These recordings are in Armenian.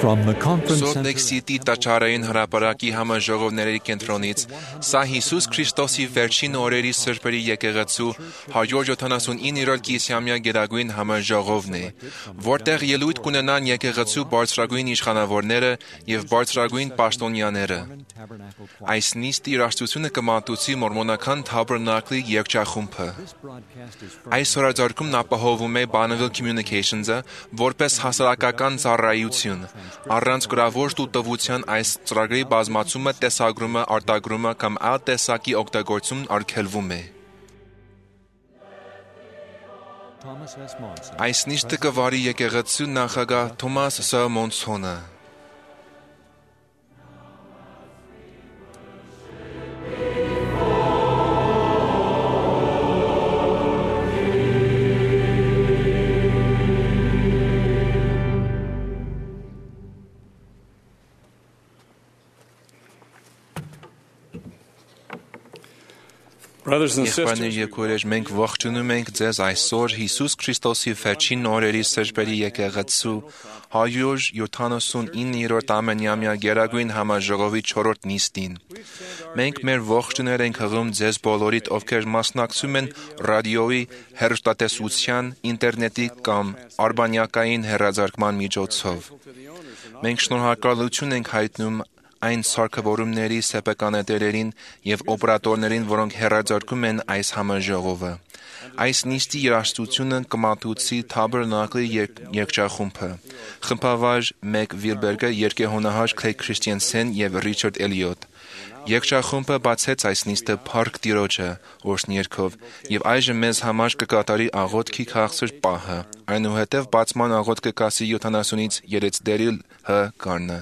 Սուրբ Լեքսիտի տաճարային հրապարակի համաժողովների կենտրոնից սա Հիսուս Քրիստոսի վերջին օրերի սրբերի եկեղեցու 179-րդ կիսամյա գերագույն համաժողովն է, որտեղ ելույթ կունենան եկեղեցու բարձրագույն իշխանավորները եւ բարձրագույն պաշտոնյաները։ Այս նիստի երաժշտությունը կմատուցի մորմոնական Թաբերնակլի երգչախումբը։ Այս հրաժարակումն ապահովում է Bonneville Communications-ը որպես հասարակական ծառայություն։ Առանց գրավոր տուտվության այս ծրագրի բազմացումը, տեսագրումը, արտագրումը կամ այլ տեսակի օգտագործումն արգելվում է։ Այս նիստը կվարի եկեղեցու նախագահ Թոմաս Ս. Մոնսոնը։ Եղբայրներ եւ քույրեր, մենք ողջունում ենք ձեզ այսօր Հիսուս Քրիստոսի վերջին օրերի սրբերի եկեղեցու 179-րդ ամենամյա գերագույն համաժողովի 4-րդ նիստին։ Մենք մեր ողջույններ ենք հղում ձեզ բոլորիդ, ովքեր մասնակցում են ռադիոյի, հեռուստատեսության, ինտերնետի կամ արբանյակային հեռարձակման միջոցով։ Մենք շնորհակալություն ենք հայտնում այն սարքավորումների սեփականատերերին եւ օպերատորներին, որոնք հեռարձակում են այս համաժողովը։ Այս նիստի երաժշտությունը կմատուցի Թաբերնակլի երգչախումբը։ Խմբավար Մեկ Վիլբերգը, երգեհոնահար Քլեյ Քրիստիանսեն եւ Ռիչարդ Էլիոտ։ Երգչախումբը բացեց այս նիստը Փառք Տիրոջը օրհնյերգով եւ այժմ մեզ համար կկատարի աղոթքի քաղցր պահը։ Այնուհետև բացման աղոթք կկասի 70-ից 3 դերիլ հ գարնը։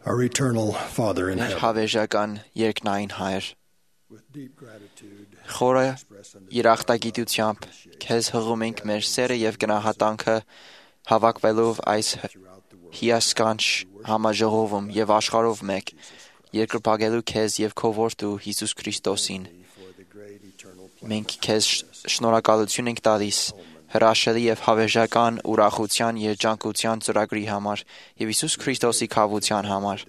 Our eternal Father in Մեր heaven, հավերժական երկնային Հայր, with deep gratitude, խորը երախտագիտությամբ քեզ հղում ենք մեր սերը եւ գնահատանքը հավաքվելով այս հիասքանչ համաժողովում եւ աշխարհով մեկ երկրպագելու քեզ եւ քո որդու Հիսուս Քրիստոսին։ for the great eternal plan. Մենք քեզ շնորհակալություն ենք տալիս հրաշալի եւ հավերժական ուրախության երջանկության ծրագրի համար եւ Հիսուս Քրիստոսի քավության համար։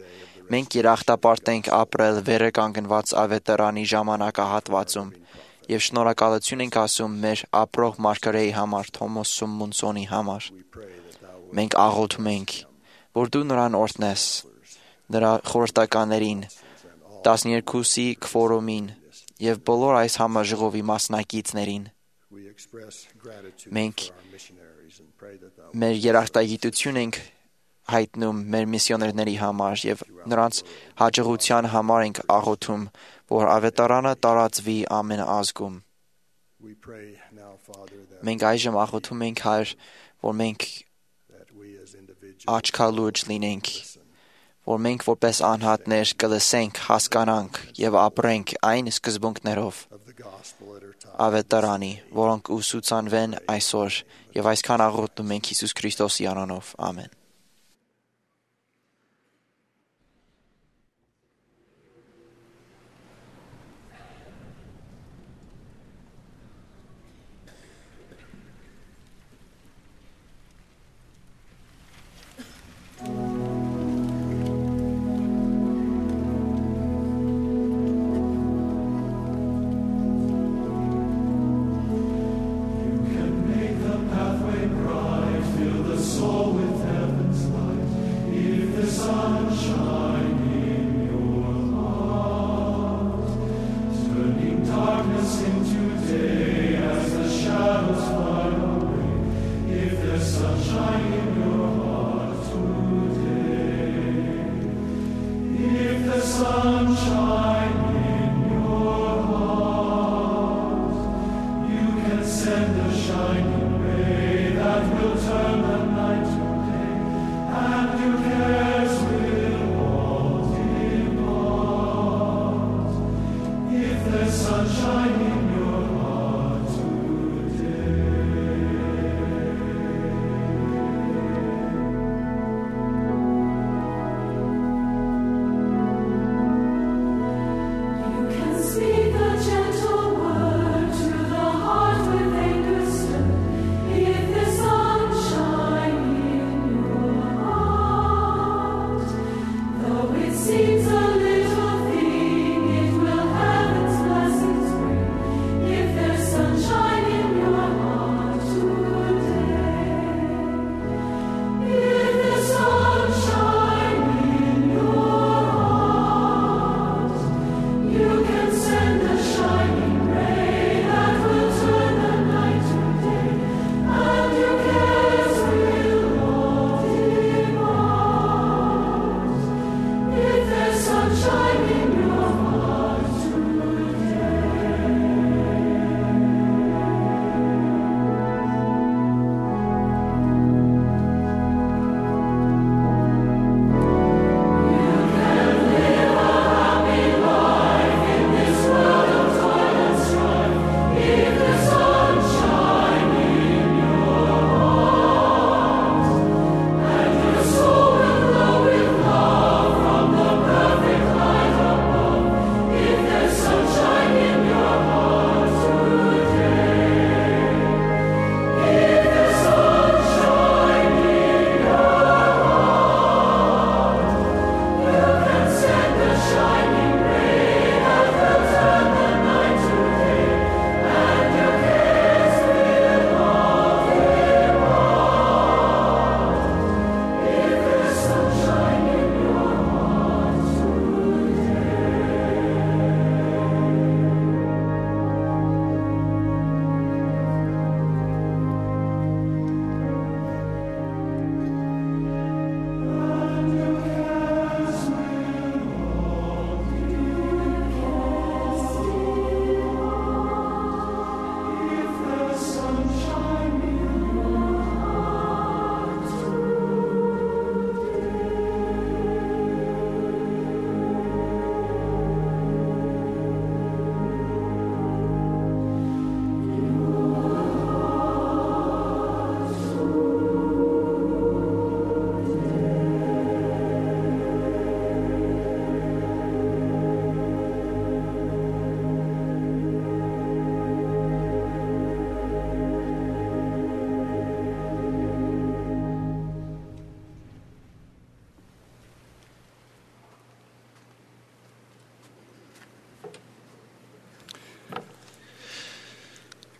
Մենք երախտապարտ ենք ապրել վերը կանգնված ավետարանի ժամանակահատվածում եւ շնորհակալություն ենք ասում մեր ապրող մարգարեի համար, Թոմաս Սումմունսոնի համար։ Մենք աղոթում ենք, որ դու նրան օրհնես, նրա խորհրդականներին, 12-ի քվորումին եւ բոլոր այս համաժողովի մասնակիցներին։ We express gratitude Մենք for our missionaries and pray that thou մեր երախտագիտություն ենք հայտնում մեր միսիոներների համար եւ նրանց հաջողության համար ենք աղոթում, որ ավետարանը տարածվի ամեն ազգում։ we pray now, Father, that, Մենք այժմ աղոթում ենք, Հայր, որ մենք that we as individuals աչքալուջ լինենք, որ մենք որպես անհատներ կլսենք, հասկանանք եւ ապրենք այն սկզբունքներով of the gospel that are taught. ավետարանի, որոնք ուսուցանվեն այսօր եւ այսքան աղոթում ենք Հիսուս Քրիստոսի անունով։ Ամեն։ Sunshine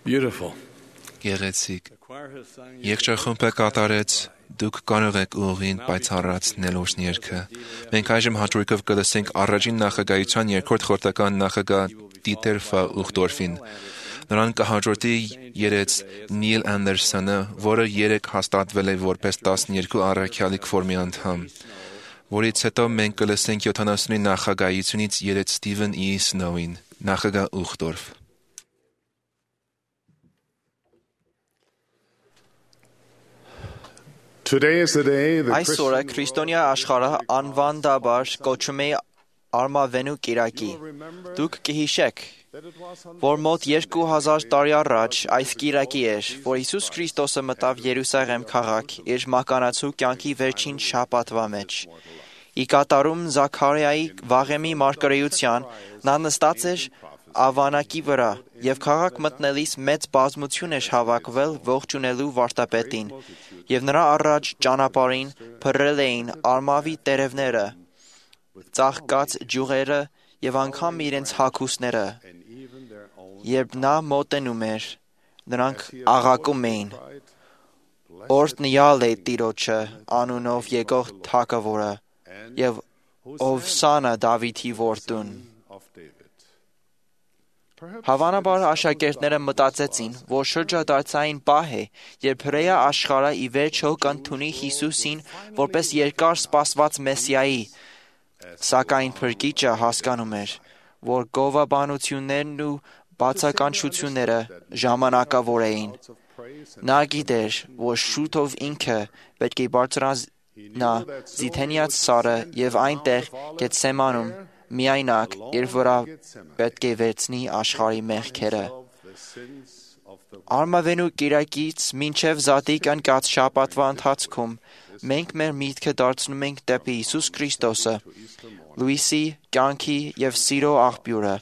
Beautiful. Գեղեցիկ։ Երգչախումբը կատարեց դուք կարող եք ուղին պայծառած նելոշ երգը։ Մենք այժմ հաջորդով կլսենք առաջին նախագահության երկրորդ խորհրդական նախագահ Դիտեր Ֆ. Ուխտորֆին։ Նրան կհաջորդի երեց Նիլ Անդերսոնը, որը երեք հաստատվել է որպես 12 առաքյալի քվորմի անդամ, որից հետո մենք կլսենք 70-ի նախագահությունից երեց Ստիվեն E. Սնոուին, նախագահ Ուխտորֆ։ Այսօրը քրիստոնյա աշխարհը անվանդաբար կոչում է Արմավենու կիրակի։ Դուք կհիշեք, որ մոտ 2000 տարի առաջ այս կիրակի էր, որ Հիսուս Քրիստոսը մտավ Երուսաղեմ քաղաք իր մականացու կյանքի վերջին շաբաթվա մեջ։ Ի կատարում Զաքարիայի վաղեմի մարգարեության նա նստած էր ավանակի վրա եւ քաղաք մտնելիս մեծ բազմություն էր հավաքվել ողջունելու վարդապետին, եւ նրա առաջ ճանապարհին փռել էին արմավի տերևները, ծաղկած ջուղերը եւ անգամ իրենց հագուստները։ Երբ նա մոտենում էր, նրանք աղաղակում էին. «Օրհնյալ է Տիրոջը անունով եկող թագավորը եւ Հովսանա Դավիթի որդուն»։ Հավանաբար աշակերտները մտածեցին, որ շրջադարձային պահ է, երբ հրեա աշխարհը ի վերջո կընդունի Հիսուսին որպես երկար սպասված Մեսիայի, սակայն Փրկիչը հասկանում էր, որ գովաբանություններն ու բացականչությունները ժամանակավոր էին։ Նա գիտեր, որ շուտով ինքը պետք է բարձրանա Զիթենյաց սարը եւ այնտեղ Գեթսեմանում միայնակ իր վրա պետք է վերցնի աշխարհի մեղքերը։ Արմավենու կիրակից մինչև Զատիկ ընկած շաբաթվա ընթացքում մենք մեր միտքը դարձնում ենք դեպի Հիսուս Քրիստոսը, լույսի, կյանքի եւ սիրո աղբյուրը։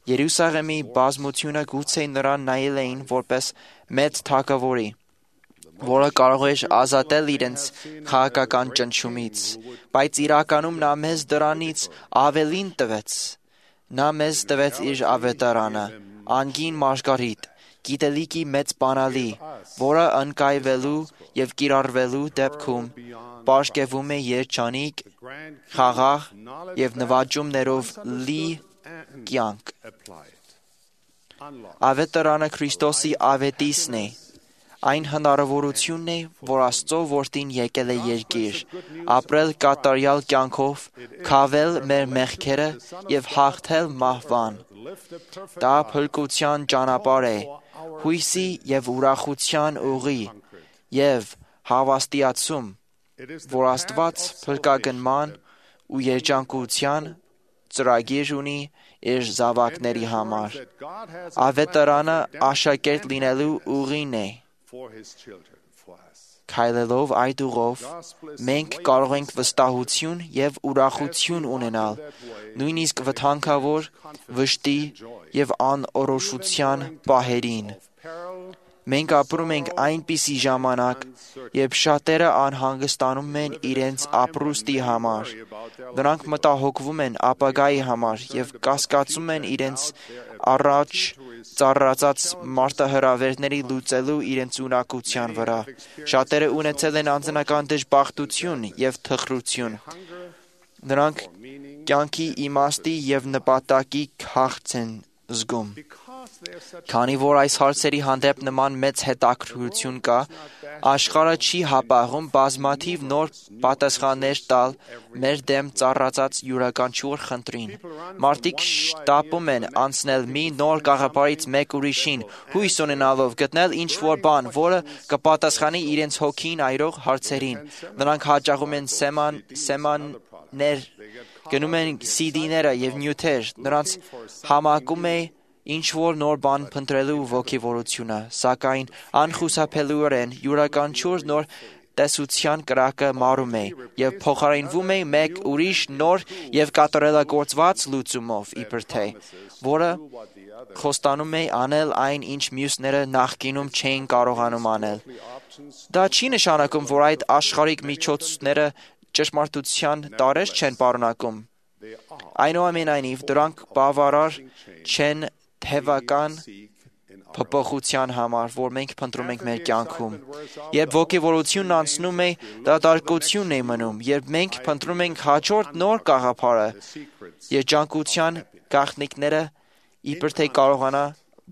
Երուսաղեմի բազմությունը գուցե նրան նայել էին որպես մեծ թագավորի, որը կարող էր ազատել իրենց քաղաքական ճնշումից, բայց իրականում նա մեզ դրանից ավելին տվեց։ Նա մեզ տվեց իր ավետարանը, անգին Մարգարիտ, գիտելիքի մեծ բանալի, որը ընկայվելու եւ կիրառվելու դեպքում պարշկևում է երջանիկ, խաղաղ եւ նվաճումներով լի կյանք։ Ավետարանը Քրիստոսի ավետիսն է։ Այն հնարավորությունն է, որ Աստծո որդին եկել է երկիր, ապրել կատարյալ կյանքով, քավել մեր մեղքերը եւ հաղթել մահվան։ Դա փրկության ճանապարհ է, հույսի եւ ուրախության ուղի եւ հավաստիացում, որ Աստված փրկագնման ու երջանկության ծրագիր ունի իր զավակների համար։ Ավետարանը աշակերտ լինելու ուղին է։ Քայլելով այդ ուղով, մենք կարող ենք վստահություն եւ ուրախություն ունենալ, նույնիսկ վտանգավոր, վշտի եւ անորոշության պահերին։ Մենք ապրում ենք այնպիսի ժամանակ, երբ շատերը անհանգստանում են իրենց ապրուստի համար։ Նրանք մտահոգվում են ապագայի համար եւ կասկածում են իրենց առաջ ծառացած մարտահրավերների լուծելու իրենց ունակության վրա։ Շատերը ունեցել են անձնական դժբախտություն եւ թխրություն։ Նրանք կյանքի իմաստի եւ նպատակի քաղց են զգում։ Քանի որ այս հարցերի հանդեպ նման մեծ հետաքրքրություն կա, աշխարհը չի հապաղում բազմաթիվ նոր պատասխաններ տալ մեր դեմ ծառացած յուրաքանչյուր խնդրին։ Մարդիկ շտապում են անցնել մի նոր գաղափարից մեկ ուրիշին, հույս ունենալով գտնել ինչ-որ բան, որը կպատասխանի իրենց հոգին այրող հարցերին։ Նրանք հաճախում են սեմաններ, գնում են CD-ները եւ նյութեր, նրանց համակում է ինչ-որ նոր բան փնտրելու ոգևորությունը, սակայն անխուսափելիորեն յուրաքանչյուր նոր տեսության կրակը մարում է եւ փոխարինվում է մեկ ուրիշ նոր եւ կատարելագործված լուծումով, իբր թե, որը խոստանում է անել այն, ինչ մյուսները նախկինում չէին կարողանում անել։ Դա չի նշանակում, որ այդ աշխարհիկ միջոցները ճշմարտության տարրեր չեն պարունակում։ Այնուամենայնիվ, դրանք բավարար չեն թևական փոփոխության համար, որ մենք փնտրում ենք մեր կյանքում։ Երբ ոգևորությունն անցնում է, դատարկությունն է մնում, երբ մենք փնտրում ենք հաջորդ նոր գաղափարը, երջանկության գաղտնիքները իբր թե կարողանա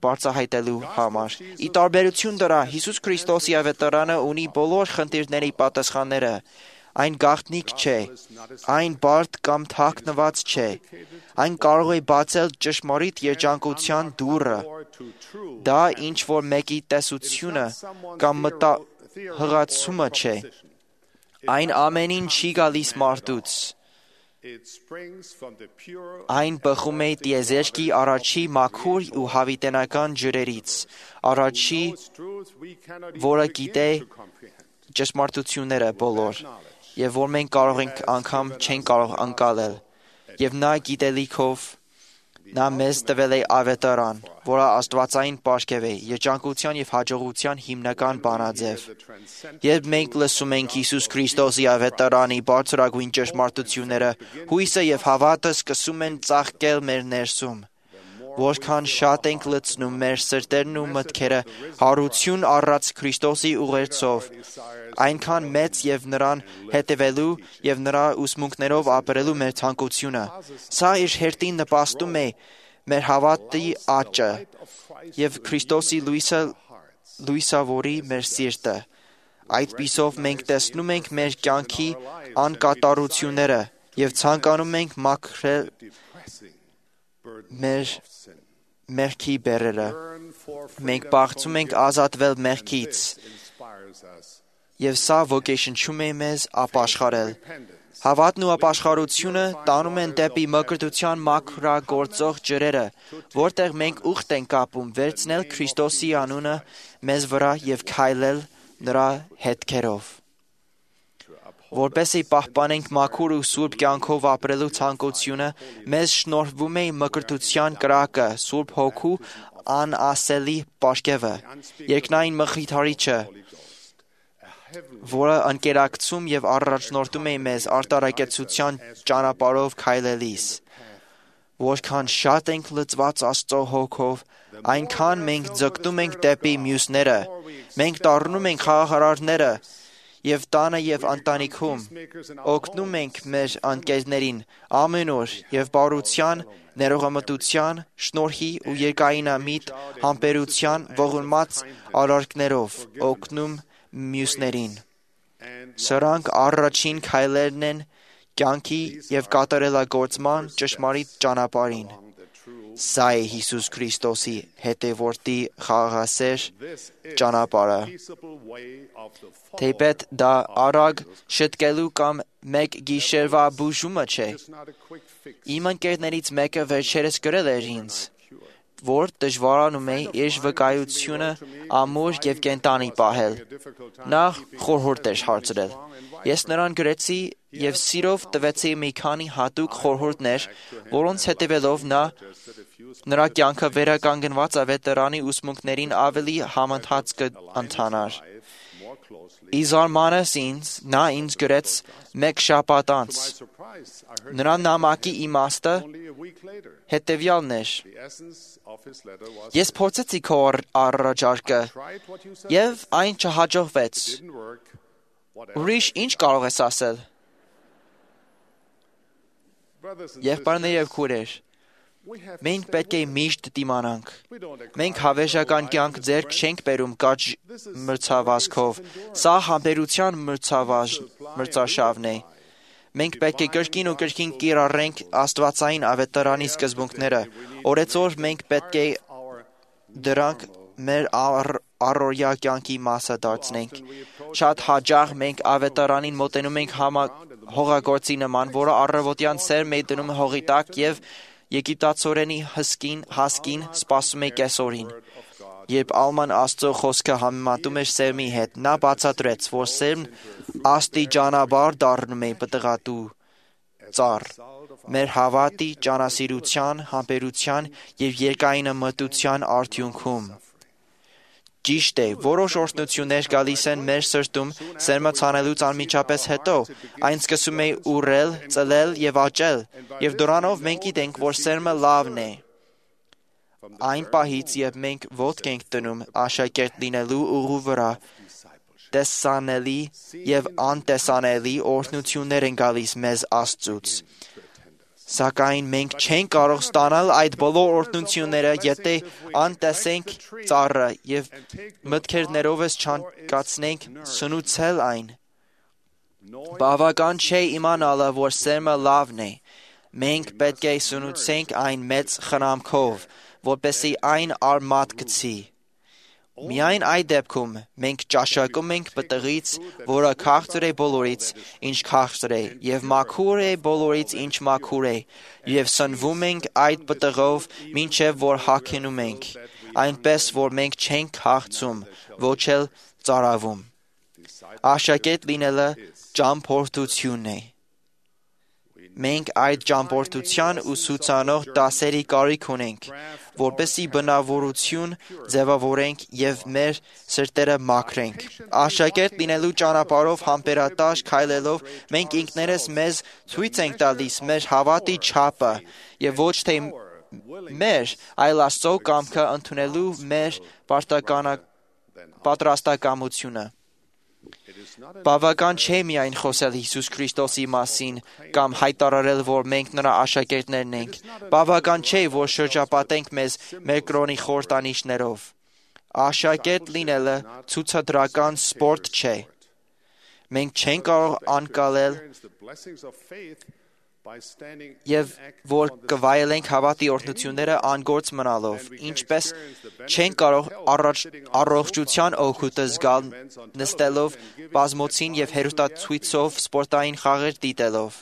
բարձրահայտելու համար։ Ի տարբերություն դրա, Հիսուս Քրիստոսի ավետարանը ունի բոլոր խնդիրների պատասխանները։ Այն գաղտնիք չէ, այն բարդ կամ թաքնված չէ, այն կարող է բացել ճշմարիտ երջանկության դուռը։ Դա ինչ-որ մեկի տեսությունը կամ մտահղացումը չէ, այն ամենին չի գալիս մարդուց։ Այն բխում է տիեզերքի առաջի մաքուր ու հավիտենական ջրերից, առաջի, որը գիտե ճշմարտությունները բոլոր, եւ որ մենք կարող ենք անգամ չենք կարող անցալել, եւ նա գիտելիքով նա մեզ տվել է ավետարան, որը աստվածային պարգև է, երջանկության եւ հաջողության հիմնական բանաձև։ Երբ մենք լսում ենք Հիսուս Քրիստոսի ավետարանի բարձրագույն ճշմարտությունները, հույսը եւ հավատը սկսում են ծաղկել մեր ներսում։ Որքան շատ ենք լցնում մեր սրտերն ու մտքերը հարություն առած Քրիստոսի ուղերձով, այնքան մեծ եւ նրան հետևելու եւ նրա ուսմունքներով ապրելու մեր ցանկությունը։ Սա իր հերթին նպաստում է մեր հավատի աճը եւ Քրիստոսի լույսավորի մեր սիրտը։ Այդպիսով մենք տեսնում ենք մեր կյանքի անկատարությունները եւ ցանկանում ենք մաքրել մեր մեղքի բեռերը։ Մենք բախվում ենք ազատվել մեղքից, եւ սա ոգեշնչում է մեզ ապաշխարել։ Հավատն ու ապաշխարությունը տանում են դեպի մկրտության մաքրագործող ջրերը, որտեղ մենք ուխտ ենք կապում վերցնել Քրիստոսի անունը մեզ վրա եւ քայլել նրա հետքերով։ Որպեսզի պահպանենք մաքուր ու սուրբ կյանքով ապրելու ցանկությունը, մեզ շնորհվում է մկրտության կրակը, Սուրբ Հոգու անասելի պարգևը, երկնային մխիթարիչը, որը ընկերակցում եւ առաջնորդում է մեզ արտարակեցության ճանապարհով քայլելիս։ Որքան շատ ենք լցված Աստծո հոգով, այնքան մենք ձգտում ենք դեպի մյուսները։ Մենք դառնում ենք խաղաղարարները եւ տանը եւ ընտանիքում, օգնում ենք մեր ընկերներին ամեն օր եւ բարության, ներողամտության, շնորհի ու երկայնամիտ համբերության ողորմած արարքներով օգնում մյուսներին։ Սրանք առաջին քայլերն են կյանքի եւ կատարելագործման ճշմարիտ ճանապարհին։ Սա է Հիսուս Քրիստոսի հետևորդի խաղաղասեր ճանապարհը։ Թեպետ դա արագ շտկելու կամ մեկ գիշերվա բուժումը չէ։ Իմ ընկերներից մեկը վերջերս գրել էր ինձ, որ դժվարանում է իր վկայությունը ամուր եւ կենտանի պահել։ Նա խորհուրդ էր հարցրել։ Ես նրան գրեցի եւ սիրով տվեցի մի քանի հատուկ խորհուրդներ, որոնց հետևելով նրա կյանքը վերականգնված ավետարանի ուսմունքներին ավելի համընթաց կընթանար։ Ի զարմանս ինձ, նա ինձ գրեց մեկ շաբաթ անց։ Նրա նամակի իմաստը հետևյալն էր. Ես փորձեցի քո առաջարկը եւ այն չհաջողվեց։ Ուրիշ ինչ կարող ես ասել։ Եղբայրներ եւ քույրեր, մենք պետք է միշտ դիմանանք։ Մենք հավերժական կյանք ձեռք չենք բերում կարճ մրցավազքով։ Սա համբերության մրցաշավն է։ Մենք պետք է կրկին ու կրկին կիրառենք աստվածային ավետարանի սկզբունքները։ Օրեցօր մենք պետք է դրանք մեր առօրյա կյանքի մասը դարձնենք։ Շատ հաճախ մենք ավետարանին մոտենում ենք հողագործի նման, որը առավոտյան սերմ է դնում հողի տակ եւ եգիպտացորենի հասկին սպասում է կեսօրին։ Երբ Ալման Աստծո խոսքը համեմատում էր սերմի հետ, նա բացատրեց, որ սերմն աստիճանաբար դառնում է պտղատու ծառ։ Մեր հավատի, ճանասիրության, համբերության եւ երկայնամտության արդյունքում։ Ճիշտ է, որոշ օրհնություններ գալիս են մեր սրտում սերմը ցանելուց անմիջապես հետո, այն սկսում է ուռել, ծլել եւ աճել, եւ դրանով մենք գիտենք, որ սերմը լավն է։ այն պահից, երբ մենք ոտք ենք դնում աշակերտ լինելու ուղու վրա, տեսանելի եւ անտեսանելի օրհնություններ են գալիս մեզ Աստծուց։ Սակայն մենք չենք կարող ստանալ այդ բոլոր օրհնությունները, եթե անտեսենք ծառը եւ մտքերներովս չանկացնենք սնուցել այն։ Բավական չէ իմանալը, որ սերմը լավն է։ Մենք պետք է սնուցենք այն մեծ խնամքով, որպեսզի այն արմատ գցի։ Միայն այդ դեպքում մենք ճաշակում ենք պտղից, որը քաղցր է բոլորից, ինչ քաղցր է, եւ մաքուր է բոլորից, ինչ մաքուր է, եւ սնվում ենք այդ պտղով, մինչեւ որ հագնում ենք, այնպես որ մենք չենք հաղթում, ոչ էլ ծարավում։ Աշակերտ լինելը ճամփորդություն է։ Մենք այդ ճամփորդության ուսուցանող դասերի կարիք ունենք, որպեսզի բնավորություն ձևավորենք եւ մեր սրտերը մաքրենք։ Աշակերտ լինելու ճանապարհով համբերատար քայլելով մենք ինքներս մեզ ցույց ենք տալիս մեր հավատի չափը եւ ոչ թե մեր, այլ Աստծո կամքը ընդունելու մեր պատրաստակամությունը։ Բավական չէ միայն խոսել Հիսուս Քրիստոսի մասին կամ հայտարարել, որ մենք նրա աշակերտներն ենք։ Բավական չէ, որ շրջապատենք մեզ մեր կրոնի խորհրդանիշներով։ Աշակերտ լինելը ցուցադրական սպորտ չէ։ Մենք չենք կարող անցնել եւ որ կվայելենք հավատի օրհնությունները անգործ մնալով, ինչպես չենք կարող առողջության օգուտը զգալ նստելով բազմոցին եւ հերոստացույցով սպորտային խաղեր դիտելով։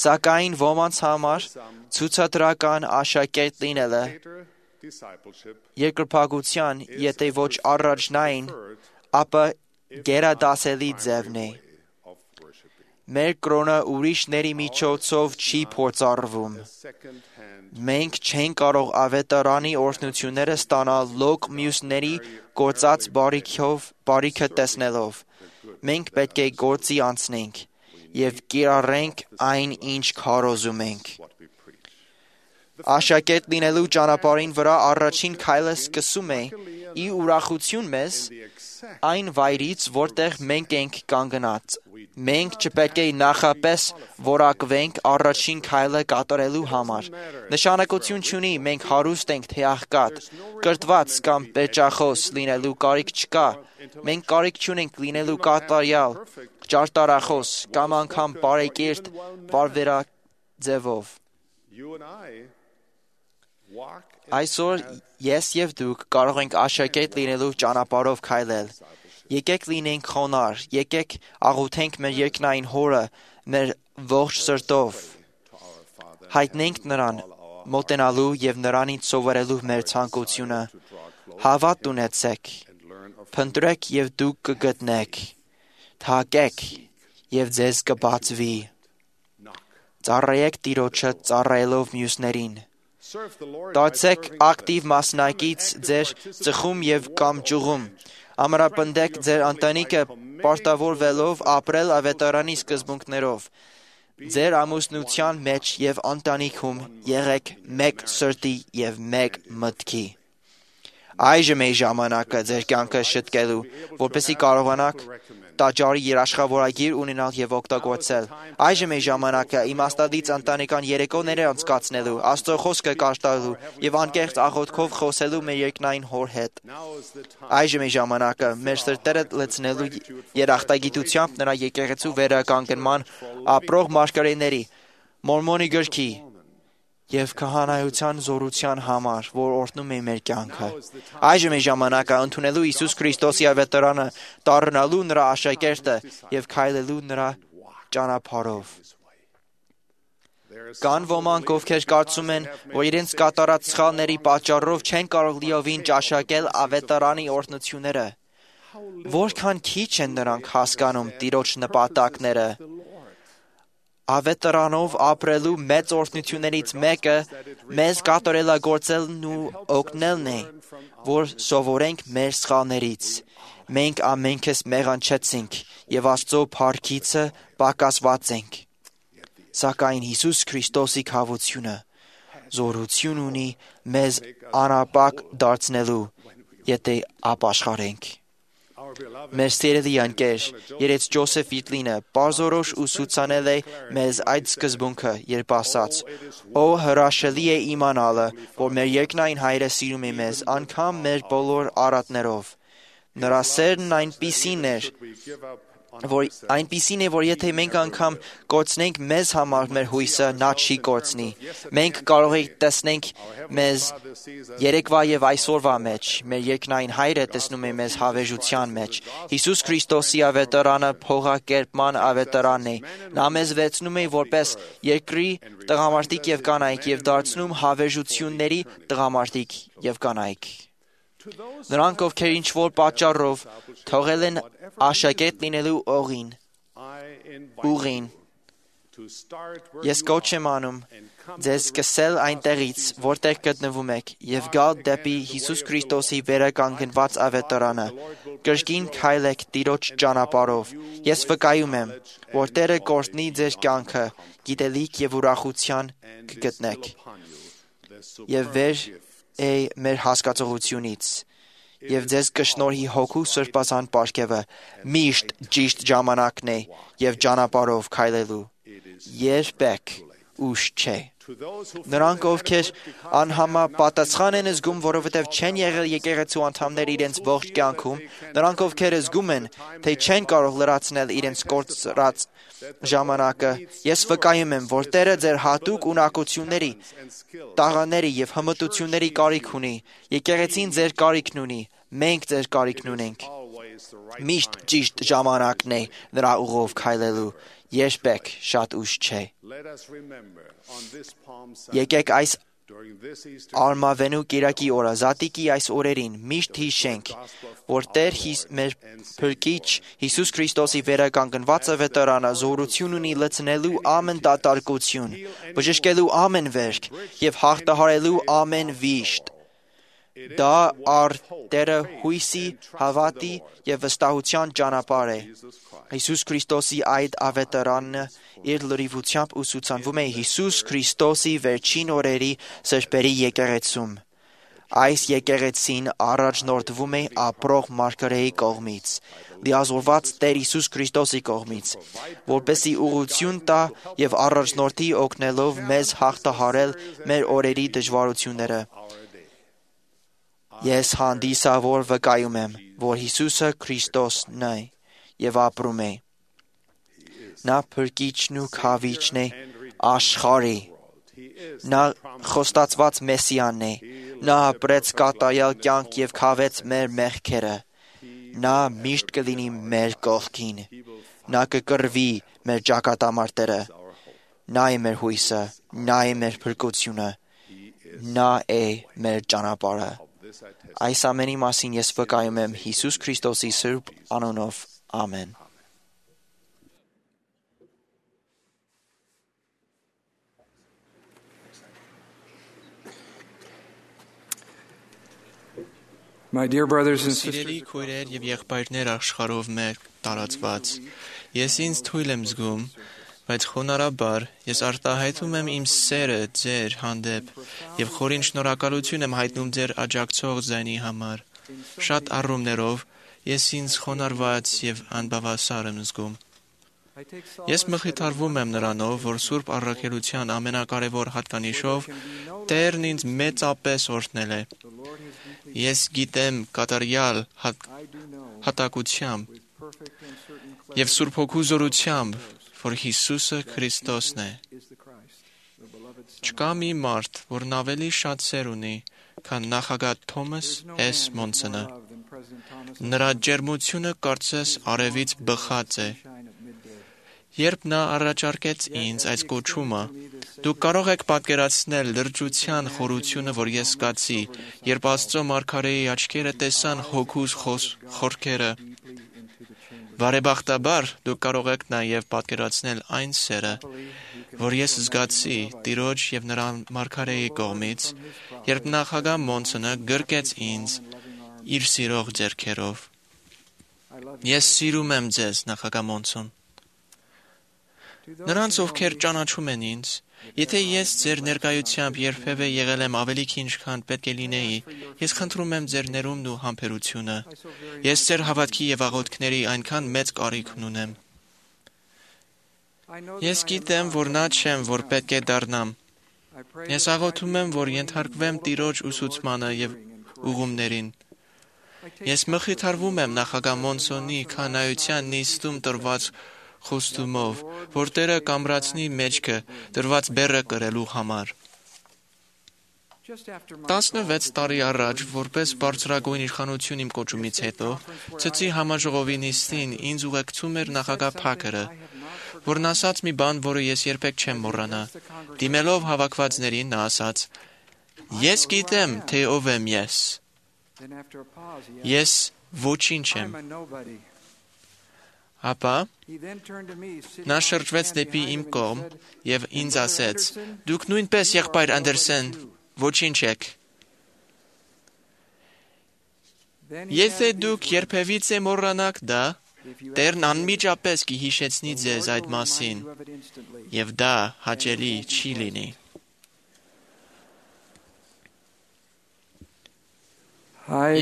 Սակայն ոմանց համար ցուցադրական աշակերտ լինելը երկրպագության, եթե ոչ առաջնային, ապա գերադասելի ձևն է։ Մեր կրոնը ուրիշների միջոցով չի փորձառվում։ Մենք չենք կարող ավետարանի օրհնությունները ստանալ լոկ մյուսների գործած բարիքը տեսնելով։ Մենք պետք է գործի անցնենք եւ կիրառենք այն, ինչ քարոզում ենք։ Աշակերտ լինելու ճանապարհին վրա առաջին քայլը սկսում է ի ուրախություն մեզ այն վայրից, որտեղ մենք ենք կանգնած։ Մենք չպետք է նախապես որակվենք առաջին քայլը կատարելու համար։ Նշանակություն չունի մենք հարուստ ենք թե աղքատ, կրթված կամ պերճախոս լինելու կարիք չկա։ Մենք կարիք չունենք լինելու կատարյալ, ճարտարախոս կամ անգամ բարեկիրթ պարբերաձևով։ Այսօր ես եւ դուք կարող ենք աշակերտ լինելու ճանապարհով քայլել։ Եկեք լինենք խոնարհ, եկեք աղոթենք մեր երկնային Հորը մեր ողջ սրտով։ Հայտնենք նրան, մոտենալու եւ նրանից սովորելու մեր ցանկությունը։ Հավատ ունեցեք, փնտրեք եւ դուք կգտնեք, թակեք եւ ձեզ կբացվի։ Ծառայեք Տիրոջը ծառայելով մյուսներին։ Դարձեք ակտիվ մասնակից ձեր ծխում եւ կամ ճյուղում։ Ամրապնդեք ձեր ընտանիքը պարտավորվելով ապրել ավետարանի սկզբունքներով։ Ձեր ամուսնության մեջ եւ ընտանիքում եղեք մեկ սրտի եւ մեկ մտքի։ Այժմ է ժամանակը ձեր կյանքը շտկելու, որպեսզի կարողանաք տաճարի երաշխավորագիր ունենալ եւ օգտագործել։ Այժմ է ժամանակը իմաստալից ընտանեկան երեկոներ անցկացնելու, Աստծո խոսքը կարդալու եւ անկեղծ աղոթքով խոսելու մեր երկնային Հոր հետ։ Այժմ է ժամանակը մեր սրտերը լցնելու երախտագիտությամբ նրա եկեղեցու վերականգնման ապրող մարգարեների, Մորմոնի գրքի եւ քահանայության զորության համար, որ օրհնում է մեր կյանքը։ Այժմ է ժամանակը ընդունելու Հիսուս Քրիստոսի ավետարանը, դառնալու նրա աշակերտը եւ քայլելու նրա ճանապարհով։ Կան ոմանք, ովքեր կարծում են, որ իրենց կատարած սխալների պատճառով չեն կարող լիովին ճաշակել ավետարանի օրհնությունները։ Որքան քիչ են նրանք հասկանում Տիրոջ նպատակները։ Ավետարանով ապրելու մեծ օրհնություններից մեկը մեզ կատարելագործելն ու օգնելն է, որ սովորենք մեր սխալներից։ Մենք ամենքս մեղանչեցինք եւ Աստծո փառքիցը պակասված ենք։ Սակայն Հիսուս Քրիստոսի քավությունը զորություն ունի մեզ անապակ դարձնելու, եթե ապաշխարենք։ Մեր սիրելի ընկեր, երեց Ջոսեֆ Վիտլինը պարզորոշ ուսուցանել է մեզ այդ սկզբունքը, երբ ասաց. «Օ հրաշալի է իմանալը, որ մեր երկնային Հայրը սիրում է մեզ, անգամ մեր բոլոր արատներով։ Նրա սերն այնպիսին է, որ եթե մենք անգամ կորցնենք մեզ համար մեր հույսը, նա չի կորցնի։ Մենք կարող ենք տեսնենք մեզ երեկվա եւ այսօրվա մեջ, մեր երկնային Հայրը տեսնում է մեզ հավերժության մեջ։ Հիսուս Քրիստոսի ավետարանը փողակերպման ավետարանն է։ Նա մեզ վերցնում է որպես երկրի տղամարդիկ եւ կանայք եւ դարձնում հավերժությունների տղամարդիկ եւ կանայք։ Նրանք, ովքեր ինչ-որ պատճառով թողել են աշակերտ լինելու ուղին, ես կոչ եմ անում ձեզ սկսել այնտեղից, որտեղ գտնվում եք, եւ գալ դեպի Հիսուս Քրիստոսի վերականգնված ավետարանը, կրկին քայլեք Տիրոջ ճանապարհով։ Ես վկայում եմ, որ Տերը կօրհնի ձեր կյանքը, գիտելիք եւ ուրախության կգտնեք։ Եվ վեր է մեր հասկացողությունից, եւ ձեզ կշնորհի Հոգու Սրբազան պարգևը, միշտ ճիշտ ժամանակն է եւ ճանապարհով քայլելու։ Երբեք ուշ չէ։ Նրանք, ովքեր անհամապատասխան են զգում, որովհետև չեն եղել եկեղեցու անդամներ իրենց ողջ կյանքում, նրանք, ովքեր զգում են, թե չեն կարող լրացնել իրենց կորցրած ժամանակը, ես վկայում եմ, որ Տերը ձեր հատուկ ունակությունների, տաղաների եւ հմտությունների կարիք ունի։ Եկեղեցին ձեր կարիքն ունի, մենք ձեր կարիքն ունենք։ Միշտ ճիշտ ժամանակն է նրա ուղով քայլելու, երբեք շատ ուշ չէ։ Եկեք այս արմավենու կիրակի օրը, Զատիկի այս օրերին միշտ հիշենք, որ Տեր մեր Փրկիչ Հիսուս Քրիստոսի վերականգնված ավետարանը զորություն ունի լցնելու ամեն դատարկություն, բժշկելու ամեն վերք եւ հաղթահարելու ամեն վիշտ։ Դա առ Տերը հույսի, հավատի եւ վստահության ճանապարհ է։ Հիսուս Քրիստոսի այդ ավետարանը իր լրիվությամբ ուսուցանվում է Հիսուս Քրիստոսի վերջին օրերի սրբերի եկեղեցում։ Այս եկեղեցին առաջնորդվում է ապրող Մարգարեի կողմից, լիազորված Տեր Հիսուս Քրիստոսի կողմից, որպեսզի ուղղություն տա եւ առաջնորդի օգնելով մեզ հաղթահարել մեր օրերի դժվարությունները։ Ես հանդիսավոր վկայում եմ, որ Հիսուսը Քրիստոսն է եւ ապրում է։ Նա Փրկիչն ու Քավիչն է աշխարհի։ Նա խոստացված Մեսիան է։ Նա ապրեց կատարյալ կյանք եւ քավեց մեր մեղքերը։ Նա միշտ կլինի մեր կողքին։ Նա կկռվի մեր ճակատամարտերը։ Նա է մեր հույսը, նա է մեր փրկությունը, նա է մեր ճանապարհը։ Այս ամենի մասին ես վկայում եմ Հիսուս Քրիստոսի սուրբ անունով։ Ամեն։ My dear brothers and Սիրելի sisters, քույրեր եւ եղբայրներ աշխարհով մեր տարածված, ես ինձ թույլ եմ զգում, բայց խոնարհաբար ես արտահայտում եմ իմ սերը ձեր հանդեպ եւ խորին շնորհակալություն եմ հայտնում ձեր աջակցող ձայնի համար։ Շատ առումներով ես ինձ խոնարհված եւ անբավասար եմ զգում։ Ես մխիթարվում եմ նրանով, որ Սուրբ Առաքելության ամենակարևոր հատկանիշով Տերն ինձ մեծապես օրհնել է։ Ես գիտեմ կատարյալ հատակությամբ եւ Սուրբ Հոգու զորությամբ, որ Հիսուսը Քրիստոսն է։ Չկա մի մարդ, որն ավելի շատ սեր ունի, քան նախագահ Թոմաս S. Մոնսոնը։ Նրա ջերմությունը կարծես արևից բխած է։ Երբ նա առաջարկեց ինձ այս կոչումը, դուք կարող եք պատկերացնել լրջության խորությունը, որ ես զգացի, երբ Աստծո Մարգարեի աչքերը տեսան Հոգուս խորքերը։ Բարեբախտաբար դուք կարող եք նաև պատկերացնել այն սերը, որ ես զգացի Տիրոջ եւ նրա Մարգարեի կողմից, երբ նախագահ Մոնսոնը գրկեց ինձ իր սիրող ձեռքերով։ Ես սիրում եմ ձեզ, նախագահ Մոնսոն։ Նրանց, ովքեր ճանաչում են ինձ, Եթե ես ձեր ներկայությամբ երբևէ եղել եմ ավելի քիչ, քան պետք է լինեի, ես խնդրում եմ ձեր ներումն ու համբերությունը։ Ես ձեր հավատքի եւ աղոթքների այնքան մեծ կարիք ունեմ։ Ես գիտեմ, որ նա չեմ, որ պետք է դառնամ։ Ես աղոթում եմ, որ ենթարկվեմ Տիրոջ ուսուցմանը եւ ուղումներին։ Ես մխիթարվում եմ նախագահ Մոնսոնի քանայության նիստում տրված խոստումով, որ Տերը կամրացնի մեջքը դրված բեռը կրելու համար։ 16 տարի առաջ, որպես բարձրագույն իշխանություն իմ կոչումից հետո, Ցծի համաժողովի նիստին ինձ ուղեկցում էր նախագահ Փաքերը, որն ասաց մի բան, որը ես երբեք չեմ մոռանա։ Դիմելով հավաքվածներին նա ասաց. «Ես գիտեմ, թե ով եմ ես։ Ես ոչինչ եմ»։ Ապա նա շրջվեց դեպի իմ կողմ եւ ինձ ասեց. «Դուք նույնպես, եղբայր Անդերսեն, ոչինչ եք։ Եթե դուք երբևիցե մոռանաք դա, Տերն անմիջապես կհիշեցնի ձեզ այդ մասին, եւ դա հաճելի չի լինի»։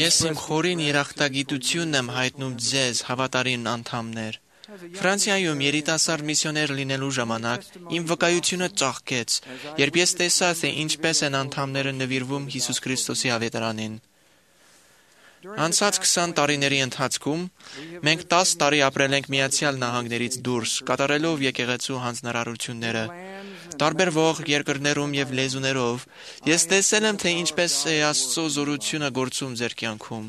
Ես իմ խորին երախտագիտությունն եմ հայտնում ձեզ, հավատարիմ անդամներ։ Ֆրանսիայում երիտասարդ միսիոներ լինելու ժամանակ իմ վկայությունը ծաղկեց, երբ ես տեսա, թե ինչպես են անդամները նվիրվում Հիսուս Քրիստոսի ավետարանին։ Անցած 20 տարիների ընթացքում մենք 10 տարի ապրել ենք Միացյալ Նահանգներից դուրս, կատարելով եկեղեցու հանձնարարությունները։ Տարբերվող երկրներում եւ լեզուներով ես տեսել եմ, թե ինչպես է Աստծո զորությունը գործում ձեր կյանքում։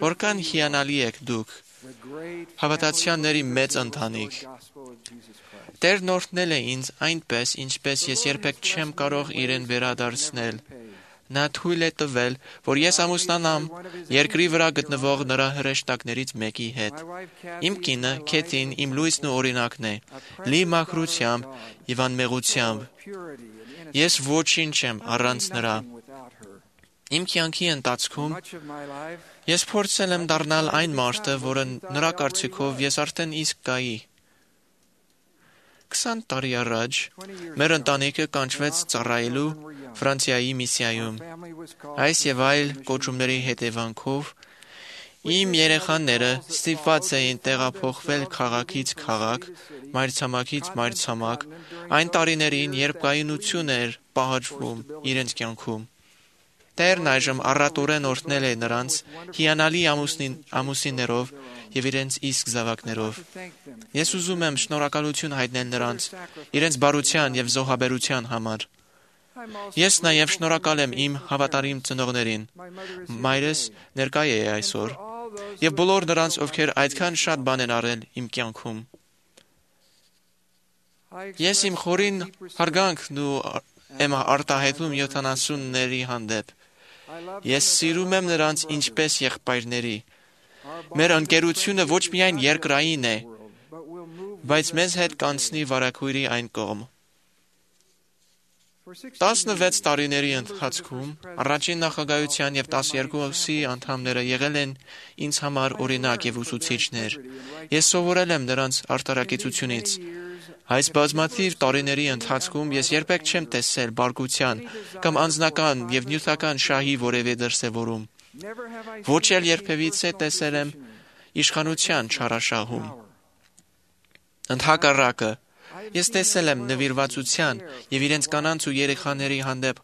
Որքան հիանալի եք դուք, հավատացյալների մեծ ընտանիք։ Տերն օրհնել է ինձ այնպես, ինչպես ես երբեք չեմ կարող իրեն վերադարձնել։ Նա թույլ է տվել, որ ես ամուսնանամ երկրի վրա գտնվող նրա հրեշտակներից մեկի հետ։ Իմ կինը, Քեթին, իմ լույսն ու օրինակն է, լի մաքրությամբ եւ անմեղությամբ։ Ես ոչինչ եմ առանց նրա։ Իմ կյանքի ընթացքում ես փորձել եմ դառնալ այն մարդը, որը նրա կարծիքով ես արդեն իսկ կայի։ 20 տարի առաջ մեր ընտանիքը կանչվեց ծառայելու Ֆրանսիայի միսիայում։ Այս եւ այլ կոչումների հետևանքով իմ երեխաները ստիպված էին տեղափոխվել քաղաքից քաղաք, մայրցամաքից մայրցամաք, այն տարիներին, երբ կայունություն էր պահանջվում իրենց կյանքում։ Տերն այժմ առատորեն օրհնել է նրանց հիանալի ամուսիններով եւ իրենց իսկ զավակներով։ Ես ուզում եմ շնորհակալություն հայտնել նրանց իրենց բարության եւ զոհաբերության համար։ Ես նաեւ շնորհակալ եմ իմ հավատարիմ ծնողներին։ Մայրս ներկայ է այսօր եւ բոլոր նրանց, ովքեր այդքան շատ բան են արել իմ կյանքում։ Ես իմ խորին հարգանքն ու եմ արտահայտում 70-ների հանդեպ։ Ես սիրում եմ նրանց ինչպես եղբայրների։ Մեր ընկերությունը ոչ միայն երկրային է, բայց մեզ հետ կանցնի վարագույրի այն կողմ։ 16 տարիների ընթացքում առաջին նախագահության եւ 12-ի անդամները եղել են ինձ համար օրինակ եւ ուսուցիչներ։ Ես սովորել եմ նրանց արտարակեցությունից։ Այս բազմաթիվ տարիների ընթացքում ես երբեք չեմ տեսել բարկության կամ անձնական եւ նյութական շահի որևէ դրսևորում։ Ոչ էլ երբևիցե տեսել եմ իշխանության չարաշահում։ Ընդհակառակը, ես տեսել եմ նվիրվածության եւ իրենց կանանց ու երեխաների հանդեպ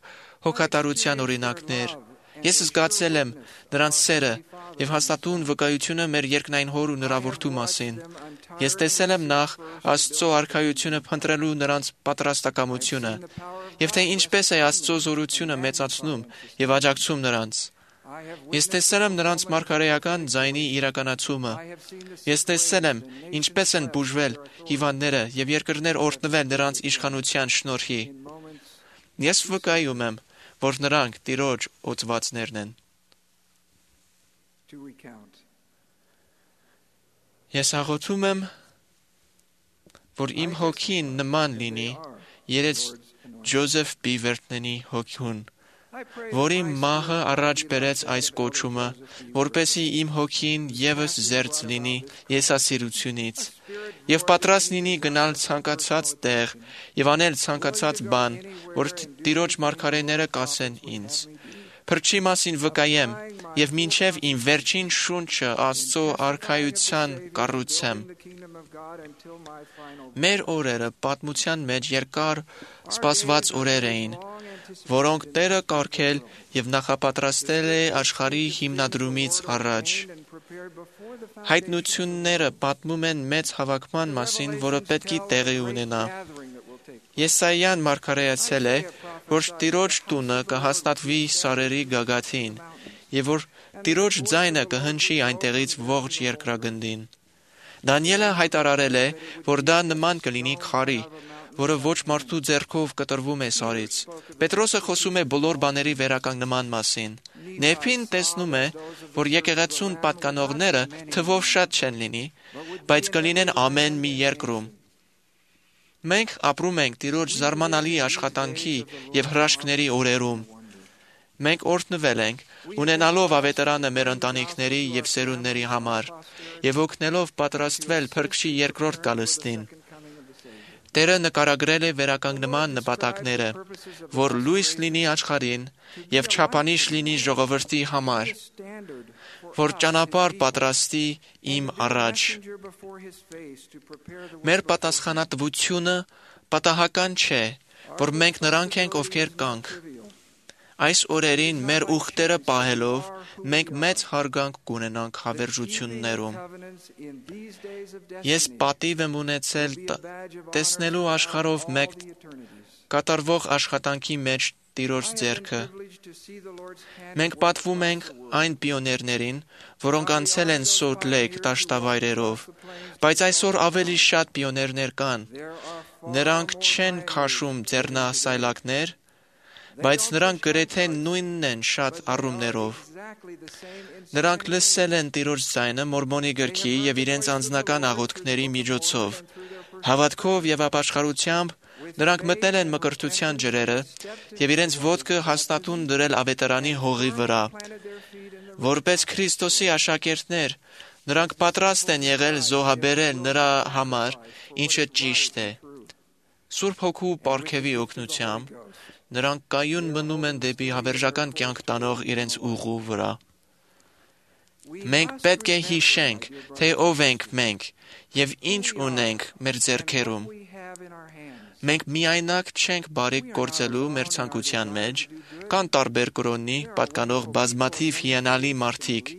հոգատարության օրինակներ։ Ես զգացել եմ նրանց սերը եւ հաստատուն վկայությունը մեր երկնային հոր ու նրա որդու մասին։ Ես տեսել եմ նախ Աստծո արքայությունը փնտրելու նրանց պատրաստակամությունը եւ թե ինչպես է Աստծո զորությունը մեծացնում եւ աջակցում նրանց։ Ես տեսել եմ նրանց մարգարեական ձայնի իրականացումը։ Ես տեսել եմ ինչպես են բուժվել հիվանդները եւ երկրներ օրհնվել նրանց իշխանության շնորհի։ Ես վկայում եմ, որ նրանք Տիրոջ օծվածներն են։ Ես աղոթում եմ, որ իմ հոգին նման լինի երեց Ջոզեֆ Բիվերտնենի հոգուն, որի մահը առաջ բերեց այս կոչումը, որպեսզի իմ հոգին ևս զերծ լինի եսասիրությունից եւ պատրաստ լինի գնալ ցանկացած տեղ եւ անել ցանկացած բան, որ Տիրոջ մարգարեները կասեն ինձ։ Փրկչի մասին վկայեմ եւ մինչեւ իմ վերջին շունչը Աստծո արքայության կառուցեմ։ Մեր օրերը պատմության մեջ երկար սպասված օրեր էին, որոնք Տերը կարգել եւ նախապատրաստել է աշխարհի հիմնադրումից առաջ։ Հայտնությունները պատմում են մեծ հավաքման մասին, որը պետք է տեղի ունենա։ Եսայիան մարգարեացել է, որ Տիրոջ տունը կհաստատվի սարերի գագաթին, եւ որ Տիրոջ ձայնը կհնչի այնտեղից ողջ երկրագնդին։ Դանիելը հայտարարել է, որ դա նման կլինի քարի, որը ոչ մարդու ձեռքով կտրվում է սարից։ Պետրոսը խոսում է բոլոր բաների վերականգնման մասին։ Նեփին տեսնում է, որ եկեղեցուն պատկանողները թվով շատ չեն լինի, բայց կլինեն ամեն մի երկրում։ Մենք ապրում ենք Տիրոջ զարմանալի աշխատանքի եւ հրաշքների օրերում։ Մենք օրհնվել ենք, ունենալով ավետարանը մեր ընտանիքների եւ սերունդների համար, եւ օգնելով պատրաստվել Փրկչի երկրորդ գալստին։ Տերը նկարագրել է վերականգնման նպատակները, որ լույս լինի աշխարհին եւ չափանիշ լինի ժողովրդի համար, որ ճանապարհ պատրաստի իմ առաջ։ Մեր պատասխանատվությունը պատահական չէ, որ մենք նրանք ենք, ովքեր կանք։ Այս օրերին մեր ուխտերը պահելով, մենք մեծ հարգանք կունենանք հավերժություններում։ Ես պատիվ եմ ունեցել տեսնելու աշխարհով մեկ կատարվող աշխատանքի մեջ Տիրոջ ձեռքը։ Մենք պատվում ենք այն պիոներներին, որոնք անցել են Սոլտ Լեյք դաշտավայրերով, բայց այսօր ավելի շատ պիոներներ կան։ Նրանք չեն քաշում ձեռնասայլակներ, բայց նրանք գրեթե նույնն են շատ առումներով։ Նրանք լսել են Տիրոջ ձայնը Մորմոնի գրքի եւ իրենց անձնական աղոթքների միջոցով։ Հավատքով եւ ապաշխարությամբ նրանք մտնել են մկրտության ջրերը եւ իրենց ոտքը հաստատուն դրել ավետարանի հողի վրա։ Որպես Քրիստոսի աշակերտներ, նրանք պատրաստ են եղել զոհաբերել նրա համար, ինչը ճիշտ է։ Սուրբ Հոգու պարգևի օգնությամբ նրանք կայուն մնում են դեպի հավերժական կյանք տանող իրենց ուղու վրա։ Մենք պետք է հիշենք, թե ով ենք մենք եւ ինչ ունենք մեր ձեռքերում։ Մենք միայնակ չենք բարիք գործելու մեր ցանկության մեջ, կան տարբեր կրոնի պատկանող բազմաթիվ հիանալի մարդիկ։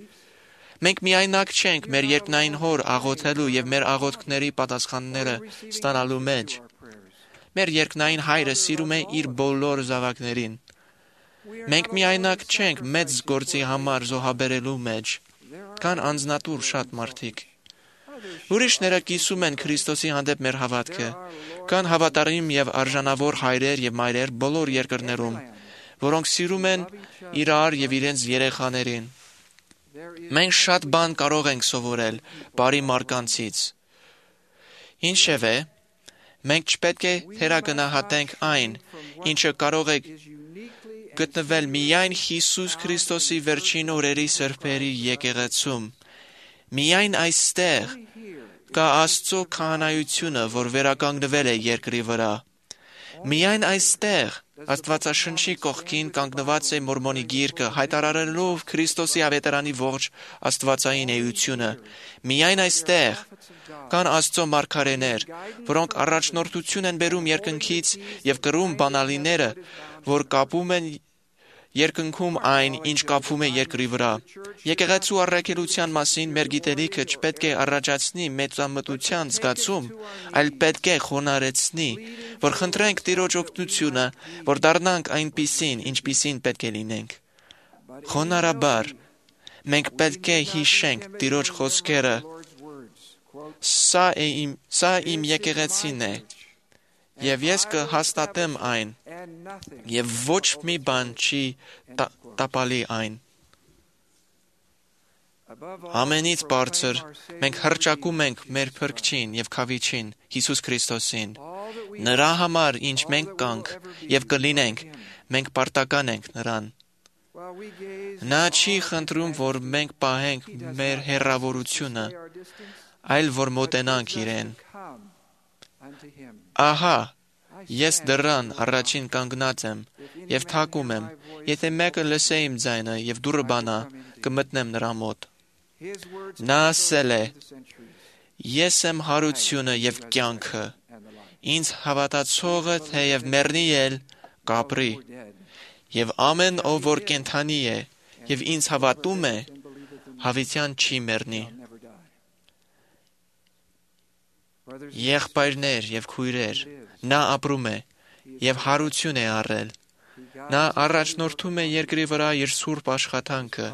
Մենք միայնակ չենք մեր երկնային Հոր աղոթելու եւ մեր աղոթքների պատասխանները ստանալու մեջ։ Մեր երկնային Հայրը սիրում է իր բոլոր զավակներին։ Մենք միայնակ չենք մեծ գործի համար զոհաբերելու մեջ։ Կան անձնատուր շատ մարդիկ։ Ուրիշները կիսում են Քրիստոսի հանդեպ մեր հավատքը։ Կան հավատարիմ եւ արժանավոր հայրեր եւ մայրեր բոլոր երկրներում, որոնք սիրում են իրար եւ իրենց երեխաներին։ Մենք շատ բան կարող ենք սովորել բարի մարկանցից։ Ինչևէ, մենք չպետք է թերագնահատենք այն, ինչը կարող է գտնվել միայն Հիսուս Քրիստոսի վերջին օրերի սրբերի եկեղեցում։ Միայն այստեղ կա Աստծո քահանայությունը, որ վերականգնվել է երկրի վրա։ Միայն այստեղ Աստվածաշնչի կողքին կանգնված է Մորմոնի գիրկը, հայտարարելով Քրիստոսի ավետարանի ողջ աստվածային էությունը։ Միայն այստեղ կան Աստծո մարգարեներ, որոնք առաջնորդություն են բերում երկնքից եւ կրում բանալիները, որ կապում են երկնքում այն, ինչ կապվում է երկրի վրա։ Եկեղեցու առաքելության մասին մեր գիտելիքը չպետք է առաջացնի մեծամտության զգացում, այլ պետք է խոնարհեցնի, որ խնդրենք Տիրոջ օգնությունը, որ դառնանք այնպիսին, ինչպիսին պետք է լինենք։ Խոնարհաբար մենք պետք է հիշենք Տիրոջ խոսքերը. Սա իմ եկեղեցին է, եւ ես կհաստատեմ այն, եւ ոչ մի բան չի տապալի այն։ Ամենից բարձր մենք հռչակում ենք մեր Փրկչին եւ Քավիչին Հիսուս Քրիստոսին, Նրա համար, ինչ մենք կանք եւ կլինենք, մենք պարտական ենք նրան։ Նա չի խնդրում, որ մենք պահենք մեր հեռավորությունը, այլ որ մոտենանք իրեն։ Ահա, ես դռան առաջին կանգնած եմ եւ թակում եմ, եթե մեկը լսե իմ ձայնը եւ դուռը բանա, կմտնեմ նրա մոտ։ Նա ասել է. Ես եմ հարությունը եւ կյանքը, ինձ հավատացողը թեև մեռնի էլ կապրի, եւ ամեն ով որ կենդանի է եւ ինձ հավատում է, հավիտյան չի մեռնի։ Եղբայրներ եւ քույրեր, նա ապրում է եւ հարություն է առել։ Նա առաջնորդում է երկրի վրա իր սուրբ աշխատանքը։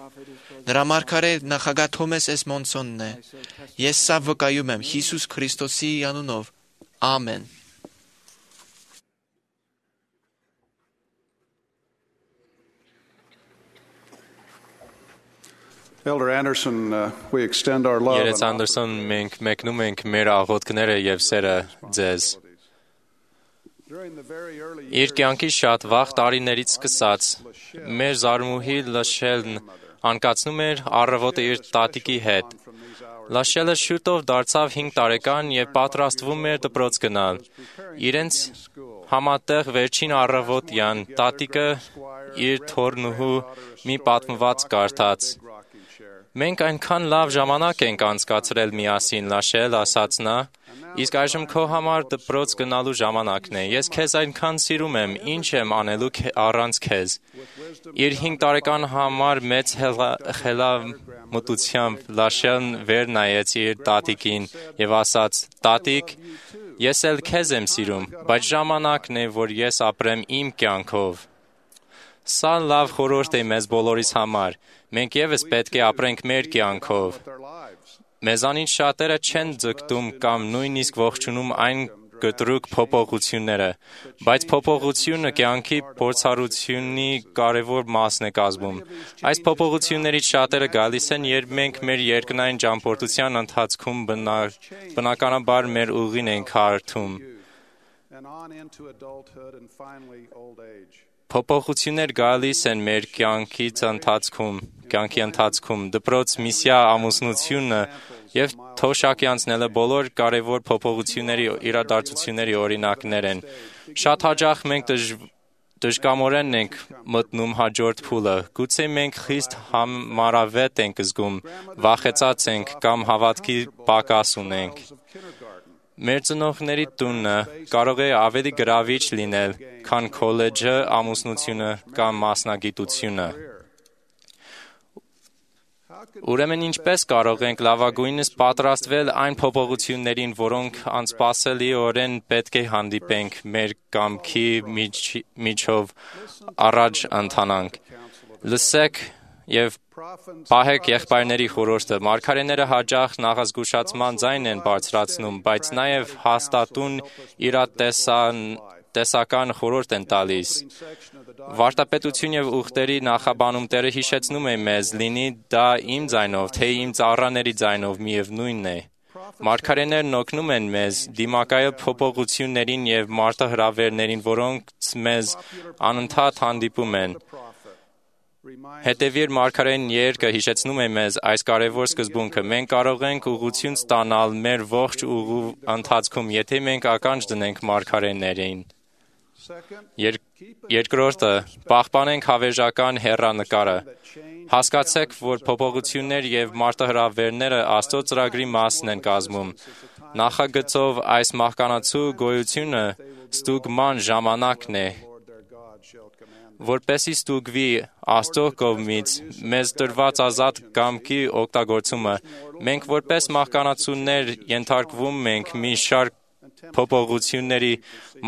Նրա մարգարե նախագահ Թոմաս Էսմոնսոնն է։ Ես սա վկայում եմ Հիսուս Քրիստոսի անունով։ Ամեն։ Elder Anderson, we extend our love Երեց Անդերսոն, մենք մեկնում ենք մեր աղոթքները եւ սերը ձեզ։ Իր կյանքի շատ վաղ տարիներից սկսած, մեր զարմուհի Լաշելն անկացնում էր առավոտը իր տատիկի հետ։ Լաշելը շուտով դարձավ 5 տարեկան եւ պատրաստվում էր դպրոց գնալ։ Իրենց համատեղ վերջին առավոտյան տատիկը իր թորնուհու մի պատմված կարդաց։ Մենք այնքան լավ ժամանակ ենք անցկացրել միասին, Լաշել, ասաց նա, իսկ այժմ քո համար դպրոց գնալու ժամանակն է։ Ես քեզ այնքան սիրում եմ, ինչ եմ անելու առանց քեզ։ Իր 5 տարեկան համար մեծ խելամտությամբ Լաշելն վեր նայեց իր տատիկին եւ ասաց. Տատիկ, ես էլ քեզ եմ սիրում, բայց ժամանակն է, որ ես ապրեմ իմ կյանքով։ Սա լավ խորհուրդ է մեզ բոլորիս համար։ Մենք եւս պետք է ապրենք մեր կյանքով։ Մեզանից շատերը չեն ձգտում կամ նույնիսկ ողջունում այն կտրուկ փոփոխությունները, բայց փոփոխությունը կյանքի փորձառությունի կարևոր մասն է կազմում։ Այս փոփոխություններից շատերը գալիս են, երբ մենք մեր երկնային ճամփորդության ընթացքում բնականաբար մեր ուղին ենք հարթում։ Փոփոխություններ գալիս են մեր կյանքի ընթացքում, դպրոց, միսիա, ամուսնությունը եւ թոշակի անցնելը բոլոր կարևոր փոփոխությունների իրադարձությունների օրինակներ են։ Շատ հաճախ մենք դժկամորեն ենք մտնում հաջորդ փուլը։ Գուցե մենք խիստ համարավետ ենք զգում, վախեցած ենք կամ հավատքի պակաս ունենք։ Մեր ծնողների տունը կարող է ավելի գրավիչ լինել, քան քոլեջը, ամուսնությունը կամ մասնագիտությունը։ Ուրեմն ինչպես կարող ենք լավագույնս պատրաստվել այն փոփոխություններին, որոնք անսպասելիորեն պետք է հանդիպենք մեր կամքի միջով առաջ ընթանանք։ Լսեք եւ պահեք եղբայրների խորհուրդը։ Մարգարեները հաճախ նախազգուշացման ձայն են բարձրացնում, բայց նաեւ հաստատուն իրատեսական խորհուրդ են տալիս։ Վարդապետություն եւ ուխտերի նախաբանում Տերը հիշեցնում է մեզ, լինի դա իմ ձայնով, թե իմ ծառաների ձայնով, միևնույնն է։ Մարգարեներն օգնում են մեզ դիմակայել փոփոխություններին եւ մարտահրավերներին, որոնք մեզ անընդհատ հանդիպում են։ Հետևիր մարգարեն երկը հիշեցնում է մեզ այս կարևոր սկզբունքը։ Մենք կարող ենք ուղղություն ստանալ մեր ողջ ուղու ընթացքում, եթե մենք ականջ դնենք մարգարեներին։ Երկրորդը, պահպանենք հավերժական հեռանկարը։ Հասկացեք, որ փոփոխություններ եւ մարտահրավերները Աստծո ծրագրի մասն են կազմում։ Նախագծով այս մահկանացու գոյությունը ստուգման ժամանակն է, որպեսզի ստուգվի Աստծո կողմից մեզ տրված ազատ կամքի օգտագործումը, մենք որպես մահկանացուներ ենթարկվում ենք մի շարք փոփոխությունների,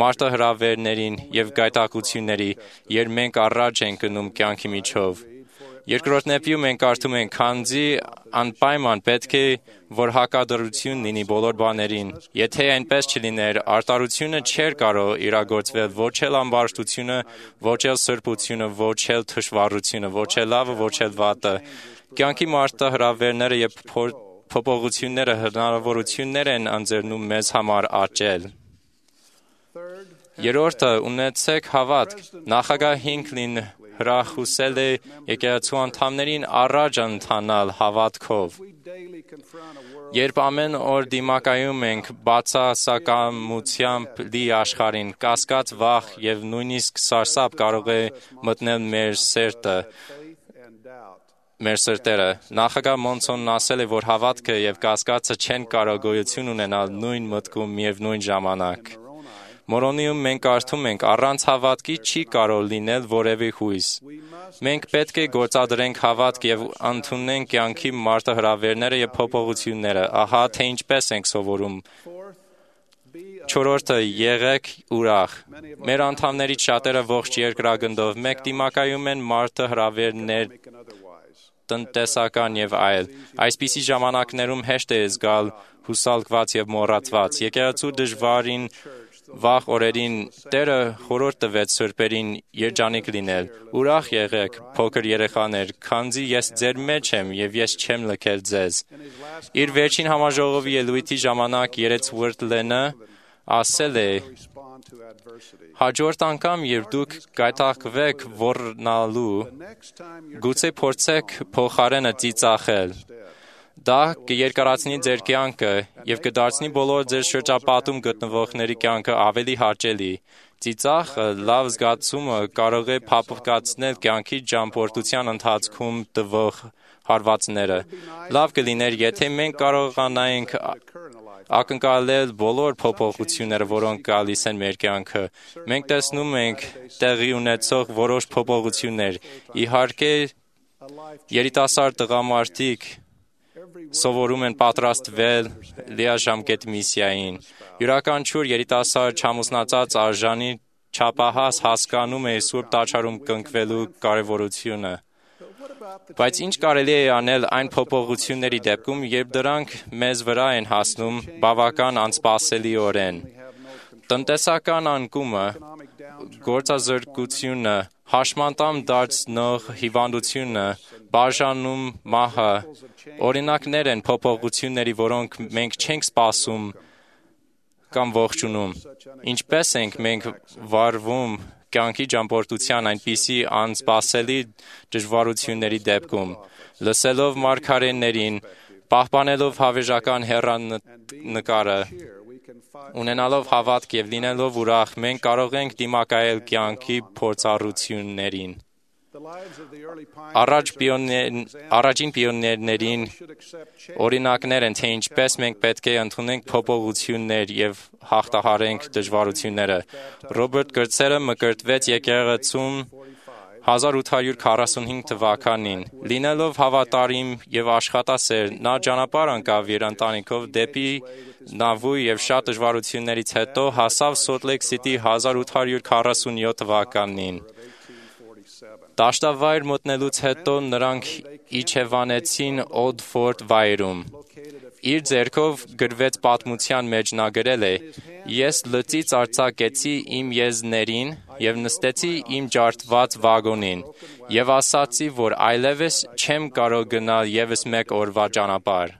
մարտահրավերներին եւ գայթակղությունների, երբ մենք առաջ ենք գնում կյանքի միջով։ Երկրորդ նեպիում մենք կարդում ենք. «Քանզի անպայման պետք է, որ հակադրություն լինի բոլոր բաներին։ Եթե այնպես չլիներ, արտարությունը չէր կարող իրագործվել, ոչ էլ ամբարշտությունը, ոչ էլ սրբությունը, ոչ էլ թշվառությունը, ոչ էլ լավը, ոչ էլ վատը։ Կյանքի մարտահրավերները եւ փոփոխությունները հնարավորություններ են ընձեռնում մեզ համար աճել»։ Երրորդը ունեցեք հավատք։ Նախագահ Հինքլին հրախուսել է եկեղեցու անդամներին առաջ ընթանալ հավատքով։ Երբ ամեն օր դիմակայում ենք բացասակամությամբ լի աշխարհին, կասկած, վախ եւ նույնիսկ սարսափ կարող է մտնել մեր սրտերը։ Նախագահ Մոնսոնն ասել է, որ հավատքը եւ կասկածը չեն կարող գոյություն ունենալ նույն մտքում միևնույն ժամանակ։ Մորոնիում մենք կարդում ենք. առանց հավատքի չի կարող լինել որևէ հույս։ Մենք պետք է գործադրենք հավատք եւ ընդունենք կյանքի մարտահրավերները եւ փոփոխությունները։ Ահա թե ինչպես ենք սովորում։ Չորրորդը՝ եղեք ուրախ։ Մեր անդամներից շատերը ողջ երկրագնդով մեկ դիմակայում են մարտահրավերներ, տնտեսական եւ այլ։ Այսպիսի ժամանակներում հեշտ է զգալ հուսալքված եւ մոռացված։ Եկեղեցու դժվարին վաղ օրերին Տերը խորհուրդ տվեց սրբերին երջանիկ լինել։ Ուրախ եղեք, փոքր երեխաներ, քանզի ես ձեր մեջ եմ եւ ես չեմ լքել ձեզ։ Իր վերջին համաժողովի ելույթի ժամանակ Երեցվորթլենը ասել է. հաջորդ անգամ, երբ դուք գայթակղվեք ոռնալու, գուցե փորձեք փոխարենը ծիծաղել։ Դա կերկարացնի ձեր կյանքը եւ կդարձնի բոլոր ձեր շրջապատում գտնվողների կյանքը ավելի հաճելի։ Ծիծաղը լավ զգացումը կարող է փափկացնել կյանքի ճամփորդության ընթացքում տվող հարվածները։ Լավ կլիներ, եթե մենք կարողանայինք ակնկալել բոլոր փոփոխությունները, որոնք գալիս են մեր կյանքը։ Մենք տեսնում ենք տեղի ունեցող որոշ փոփոխություններ։ Իհարկե, երիտասարդ տղամարդիկ սովորում են պատրաստվել լիաժամկետ միսիային։ Յուրաքանչյուր երիտասարդ չամուսնացած արժանի չափահաս հասկանում է Սուրբ Տաճարում կնքվելու կարևորությունը։ Բայց ինչ կարելի է անել այն փոփոխությունների դեպքում, երբ դրանք մեզ վրա են հասնում բավական անսպասելիորեն։ Տնտեսական անկումը, գործազրկությունը, հաշմանդամ դարձնող հիվանդությունը, բաժանում մահը, օրինակներ են փոփոխությունների, որոնք մենք չենք սպասում կամ ողջունում։ Ինչպես ենք մենք վարվում կյանքի ճամփորդության այնպիսի անսպասելի դժվարությունների դեպքում, լսելով մարգարեներին, պահպանելով հավերժական հեռանկարը, ունենալով հավատք եւ լինելով ուրախ, մենք կարող ենք դիմակայել կյանքի փորձառություններին։ Առաջին պիոներներին օրինակներ են, թե ինչպես մենք պետք է ընդունենք փոփոխություններ եւ հաղթահարենք դժվարությունները։ Ռոբերտ Գրցերը մկրտվեց եկեղեցում 1845 թվականին։ Լինելով հավատարիմ եւ աշխատասեր, նա ճանապարհ ընկավ իր ընտանիքով դեպի Նավու եւ շատ դժվարություններից հետո հասավ Սոլտ Լեյք Սիթի 1847 թվականին։ Դաշտավայր մտնելուց հետո նրանք իջևանեցին Օդֆորդ վայրում։ Իր ձեռքով գրվեց պատմության մեջ նա գրել է. «Ես լծից արձակեցի իմ եզներին եւ նստեցի իմ ջարդված վագոնին եւ ասացի, որ այլևս չեմ կարող գնալ եւս մեկ օրվա ճանապարհ»։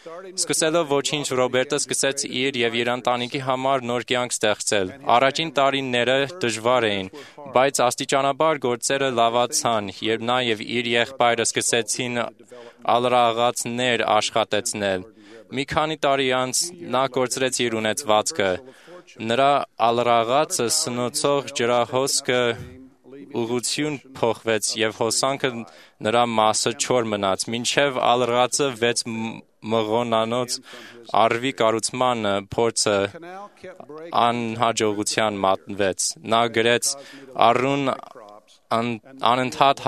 Սկսելով ոչինչ, Ռոբերտը սկսեց իր եւ իր ընտանիքի համար նոր կյանք ստեղծել։ Առաջին տարիները դժվար էին, բայց աստիճանաբար գործերը լավացան, երբ նա եւ իր եղբայրը սկսեցին ալրաղացներ աշխատեցնել։ Մի քանի տարի անց նա կորցրեց իր ունեցվածքը։ Նրա ալրաղացը սնուցող ջրահոսքը ուղղություն փոխվեց եւ հոսանքը նրա մասը չոր մնաց, մինչեւ ալրաղացը 6 մղոնանոց արվի կառուցման փորձը անհաջողության մատնվեց։ Նա գրեց. «Առուն անընդհատ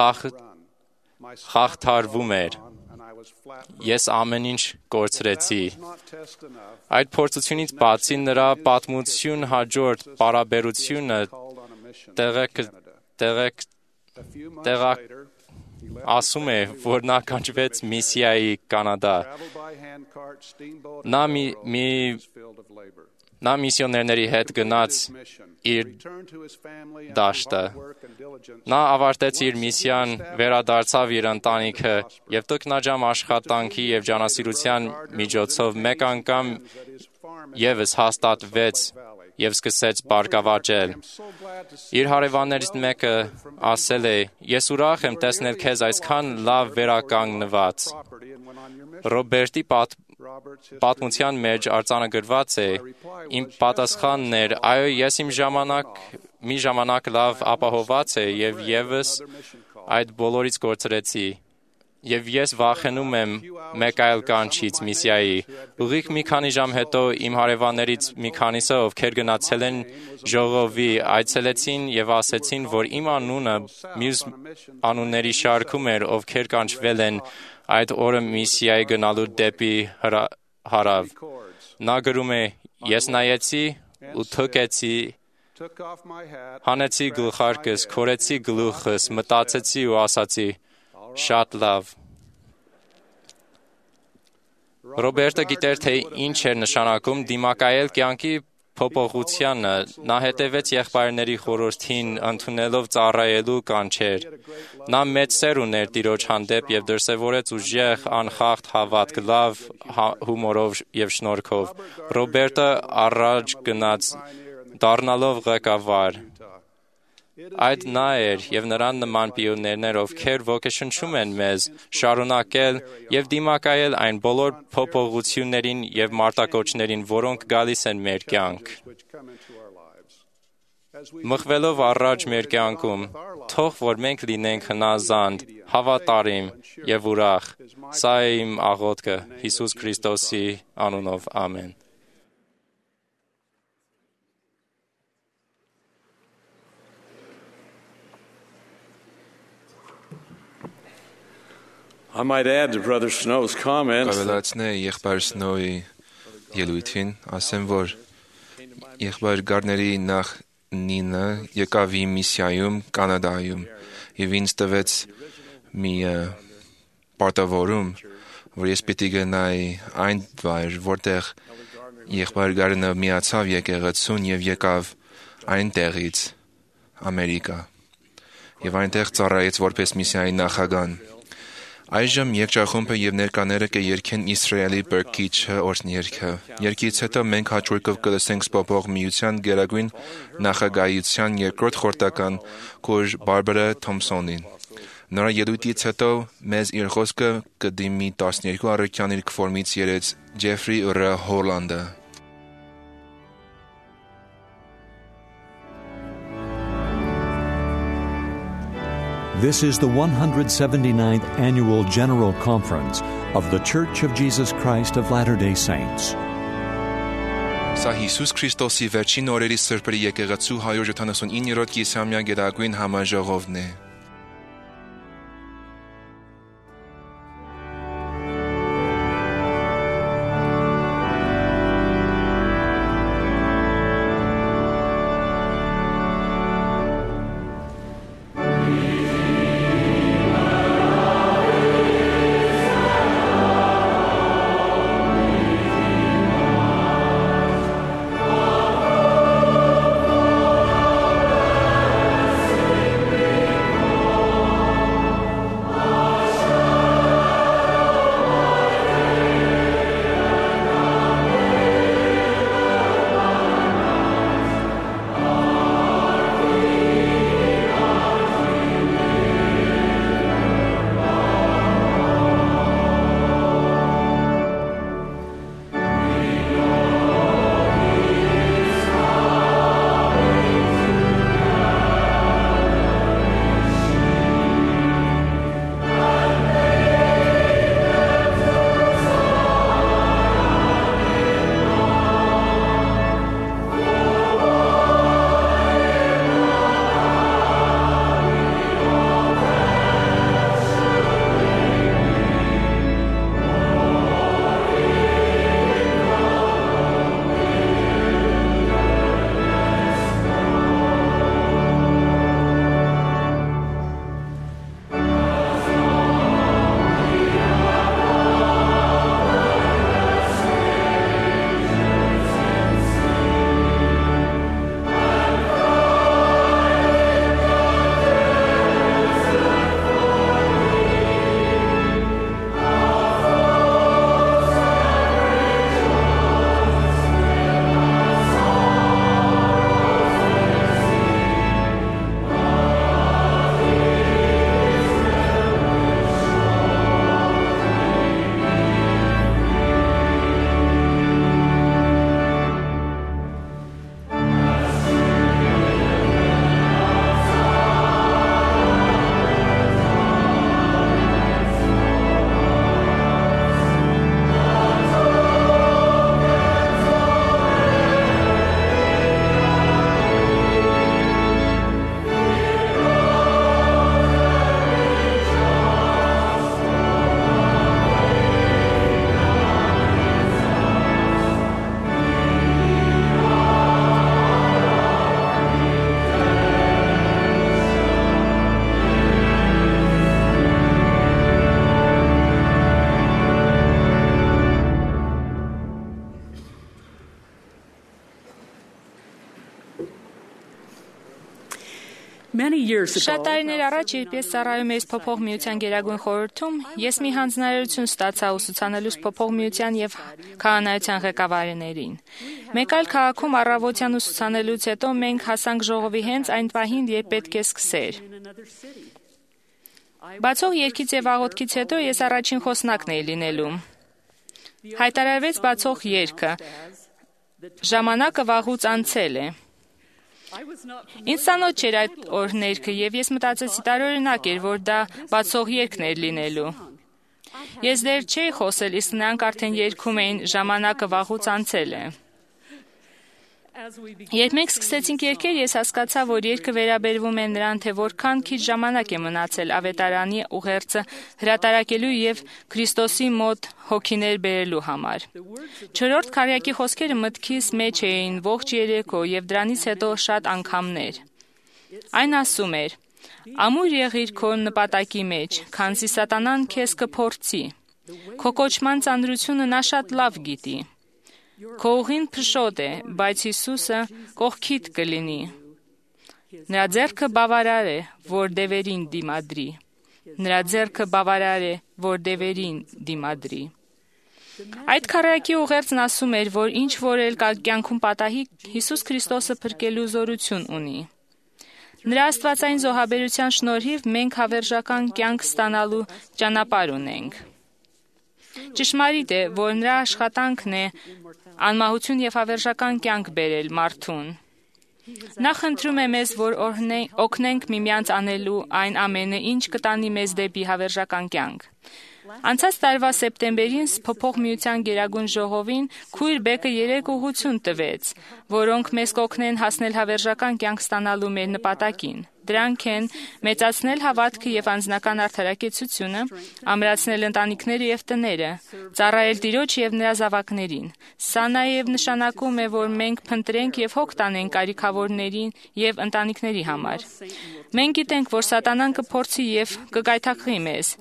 հաղթարվում էր։ Ես ամեն ինչ կորցրեցի»։ Այդ փորձությունից բացի նրա պատմություն հաջորդ պարաբերությունը ասում է, որ նա կանչվեց միսիայի Կանադա։ Նա միսիոներների հետ գնաց իր դաշտը։ Նա ավարտեց իր միսիան, վերադարձավ իր ընտանիքը եւ տքնաջամ աշխատանքի եւ ջանասիրության միջոցով մեկ անգամ եւս հաստատվեց եւ սկսեց բարգավաճել։ Իր հարևաններից մեկը ասել է. «Ես ուրախ եմ տեսնել քեզ այսքան լավ վերականգնված»։ Ռոբերտի պատմության մեջ արձանագրված է. «Իմ պատասխանն էր. այո, ես մի ժամանակ լավ ապահոված է եւ եւս այդ բոլորից կորցրեցի։ Եվ ես վախենում եմ մեկ այլ կանչից միսիայի։ Ուղիղ մի քանի ժամ հետո իմ հարևաններից մի քանիսը, ովքեր գնացել են ժողովի, այցելեցին եւ ասեցին, որ իմ անունը մյուս անունների շարքում էր, ովքեր կանչվել են այդ օրը միսիայի գնալու դեպի հարավ։ Նա գրում է. «Ես նայեցի ու թքեցի, հանեցի գլխարկս, քորեցի գլուխս, մտածեցի ու ասացի. շատ լավ»։ Ռոբերտը գիտեր, թե ինչ էր նշանակում դիմակայել կյանքի փոփոխությանը։ Նա հետևեց եղբայրների խորհրդին, ընդունելով ծառայելու կանչեր։ Նա մեծ սեր ուներ Տիրոջ հանդեպ եւ դրսեւորեց ուժեղ, անխախտ հավատք, լավ հումորով եւ շնորհքով։ Ռոբերտը առաջ գնաց, դառնալով ղեկավար։ Այդ նա էր եւ նրան նման պիոներներ, ովքեր ոգեշնչում են մեզ շարունակել եւ դիմակայել այն բոլոր փոփոխություններին եւ մարտակոչներին, որոնք գալիս են մեր կյանք։ Մղվելով առաջ մեր կյանքում, թող որ մենք լինենք հնազանդ, հավատարիմ եւ ուրախ։ Սա է իմ աղոթքը Հիսուս Քրիստոսի անունով։ Ամեն։ I might add to Brother Snow's comments. Կավելացնե եղբայր Սնոուի ելույթին, ասեմ, որ եղբայր Գարների նախ Նինը եկավ իմ միսիայում Կանադայում եւ ինձ տվեց մի պարտավորում, որ ես պիտի գնայի այն վայր, որտեղ եղբայր Գարնը միացավ եկեղեցուն եւ եկավ այնտեղից Ամերիկա եւ այնտեղ ծառայեց որպես միսիայի նախագահ։ Այժմ երգչախումբը եւ ներկաները կերգեն Իսրայելի Բերքիչը օրհներգը։ Երգից հետո մենք հաջորդով կլսենք Սպոպող միության գերագույն նախագահության երկրորդ խորհրդական Կոր Բարբարա Թոմսոնին։ Նրա ելույթից հետո մեզ իր խոսքը կդիմի 12 առաքյան իր կվորմից երեց Ջեֆրի Ուրա Հոլանդը։ This is the 179th Annual General Conference of the Church of Jesus Christ of Latter-day Saints. Սա Հիսուս Քրիստոսի վերջին օրերի սրբերի եկեղեցու 179-րդ կիսամյա գերագույն համաժողովն է։ Շատ տարիներ առաջ, երբ ես ծառայում էի Փոփոխ միության Գերագույն խորհրդում, ես մի հանձնարարություն ստացա ուսուցանելուց Փոփոխ միության եւ քահանայության ղեկավարներին։ Մեկ այլ քաղաքում առավոտյան ուսուցանելուց հետո մենք հասանք ժողովի հենց այն պահին, երբ պետք է սկսեր։ Բացող երգից եւ աղոթքից հետո ես առաջին խոսնակն էի լինելու։ Հայտարարվեց բացող երգը։ Ժամանակը վաղուց անցել է։ Ինձ ծանոթ չէր այդ օրհներգը եւ ես մտածեցի տարօրինակ էր, որ դա բացող երգն էր լինելու։ Ես դեռ չէի խոսել, իսկ նրանք արդեն երգում էին ժամանակը վաղուց անցել է։ Երբ մենք սկսեցինք երգել, ես հասկացա, որ երգը վերաբերվում է նրան, թե որքան քիչ ժամանակ է մնացել ավետարանի ուղերձը հրատարակելու եւ Քրիստոսի մոտ հոգիներ բերելու համար։ Չորրորդ քառյակի խոսքերը մտքիս մեջ էին ողջ երեկո եւ դրանից հետո շատ անգամներ։ Այն ասում էր. «Ամուր եղիր քո նպատակի մեջ, քանզի սատանան քեզ կփորձի։ Քո կոչման ծանրությունը նա շատ լավ գիտի։ Քո ուղին փշոտ է, բայց Հիսուսը կողքիդ կլինի։ Նրա ձեռքը բավարար է, որ դևերին դիմադրի։ Նրա ձեռքը բավարար է, որ դևերին դիմադրի»։ Այդ քառյակի ուղերձն ասում էր, որ ինչ որ էլ կյանքում պատահի, Հիսուս Քրիստոսը փրկելու զորություն ունի։ Նրա աստվածային զոհաբերության շնորհիվ մենք հավերժական կյանք ստանալու ճանապարհ ունենք։ Ճշմարիտ է, որ նրա աշխատանքն է անմահություն եւ հավերժական կյանք բերել մարդուն։ Նա խնդրում է մեզ, որ օգնենք միմյանց անելու այն ամենը, ինչ կտանի մեզ դեպի հավերժական կյանք։ Անցած տարվա սեպտեմբերին Փոփոխ միության Գերագույն ժողովին քույր Բեկը 3 ուղղություն տվեց, որոնք մեզ կօգնեն հասնել հավերժական կյանք ստանալու մեր նպատակին։ Դրանք են մեծացնել հավատքը եւ անձնական արդարակեցությունը, ամրացնել ընտանիքները եւ տները, ծառայել Տիրոջ եւ նրա զավակներին։ Սա նաեւ նշանակում է, որ մենք փնտրենք եւ հոգ տանենք կարիքավորներին եւ ընտանիքների համար։ Մենք գիտենք, որ սատանան կփորձի եւ կգայթակղի մեզ,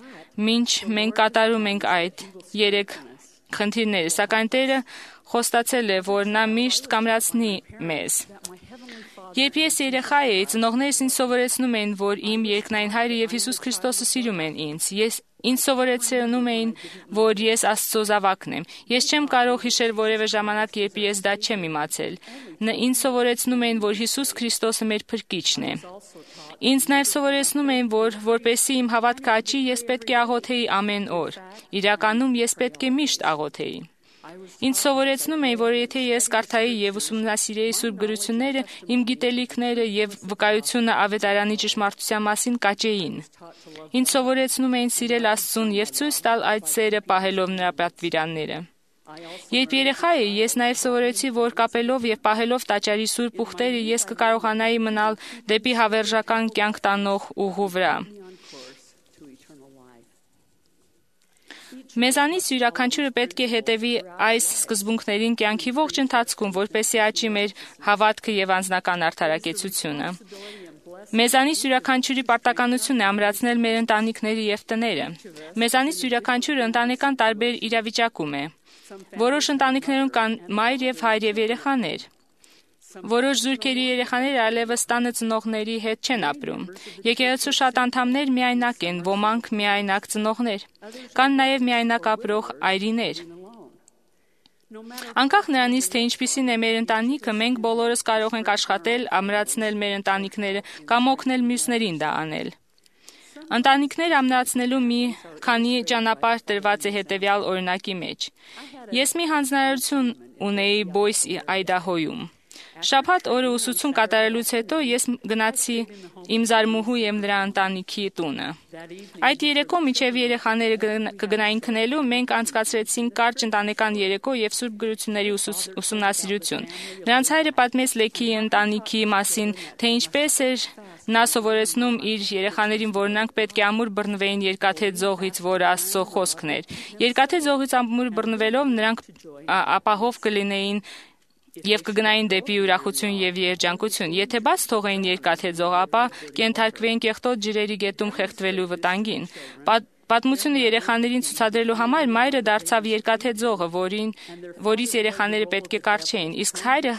մինչ մենք կատարում ենք այդ 3 խնդիրները, սակայն Տերը խոստացել է, որ նա միշտ կամրացնի մեզ։ Երբ ես երեխա էի, ծնողներս ինձ սովորեցնում էին, որ իմ երկնային Հայրը եւ Հիսուս Քրիստոսը սիրում են ինձ։ Ինձ սովորեցնում էին, որ ես Աստծո զավակն եմ։ Ես չեմ կարող հիշել որևէ ժամանակ, երբ ես դա չեմ իմացել։ Ինձ սովորեցնում էին, որ Հիսուս Քրիստոսը մեր փրկիչն է։ Ինձ նաև սովորեցնում էին, որ որպեսզի իմ հավատքը աճի, ես պետք է աղոթեի ամեն օր։ Իրականում ես պետք է միշտ աղոթեի։ Ինձ սովորեցնում էին, որ եթե ես կարդայի եւ ուսումնասիրեի Սուրբ գրությունները, իմ գիտելիքները եւ վկայությունը ավետարանի ճշմարտության մասին կաճեին։ Ինձ սովորեցնում էին սիրել Աստծուն եւ ցույց տալ այդ սերը պահելով նրա պատվիրանները։ Երբ երեխա էի, ես նաև սովորեցի, որ կապելով եւ պահելով տաճարի սուրբ ուխտերը ես կկարողանայի մնալ դեպի հավերժական կյանք տանող ուղու վրա։ Մեզանից յուրաքանչյուրը պետք է հետևի այս սկզբունքներին կյանքի ողջ ընթացքում, որպեսզի աճի մեր հավատքը եւ անձնական արդարակեցությունը։ Մեզանից յուրաքանչյուրի պարտականությունն է ամրացնել մեր ընտանիքները եւ տները։ Մեզանից յուրաքանչյուրը ընտանեկան տարբեր իրավիճակում է։ Որոշ ընտանիքներում կան մայր եւ հայր եւ երեխաներ։ Որոշ զույգերի երեխաները այլևս տանը ծնողների հետ չեն ապրում։ Եկեղեցու շատ անդամներ միայնակ են, ոմանք միայնակ ծնողներ։ Կան նաև միայնակ ապրող այրիներ։ Անկախ նրանից, թե ինչպիսին է մեր ընտանիքը, մենք բոլորս կարող ենք աշխատել, ամրացնել մեր ընտանիքները կամ օգնել մյուսներին դա անել։ Ընտանիքներ ամրացնելու մի քանի ճանապարհ տրված է հետևյալ օրինակի մեջ։ Ես մի հանձնարարություն ունեի Բոյսի, Այդահոյում։ Շաբաթ օրը ուսուցում կատարելուց հետո ես գնացի իմ զարմուհու եւ նրա ընտանիքի տունը։ Այդ երեկո մինչեւ երեխաները կգնային քնելու, մենք անցկացրեցինք կարճ ընտանեկան երեկո եւ Սուրբ գրությունների ուսումնասիրություն։ Նրանց հայրը պատմեց Լեքիի ընտանիքի մասին, թե ինչպես էր նա սովորեցնում իր երեխաներին, որ նրանք պետք է ամուր բռնվեին երկաթե ձողից, որը Աստծո խոսքն էր։ Երկաթե ձողից ամուր բռնվելով նրանք ապահով կլինեին եւ կգնային դեպի ուրախություն եւ երջանկություն։ Եթե բաց թողեին երկաթե ձողը, ապա կենթարկվեին կեղտոտ ջրերի գետում խեղդվելու վտանգին։ Պատմությունը երեխաներին ցուցադրելու համար մայրը դարձավ երկաթե ձողը, որից երեխաները պետք է կառչեին, իսկ հայրը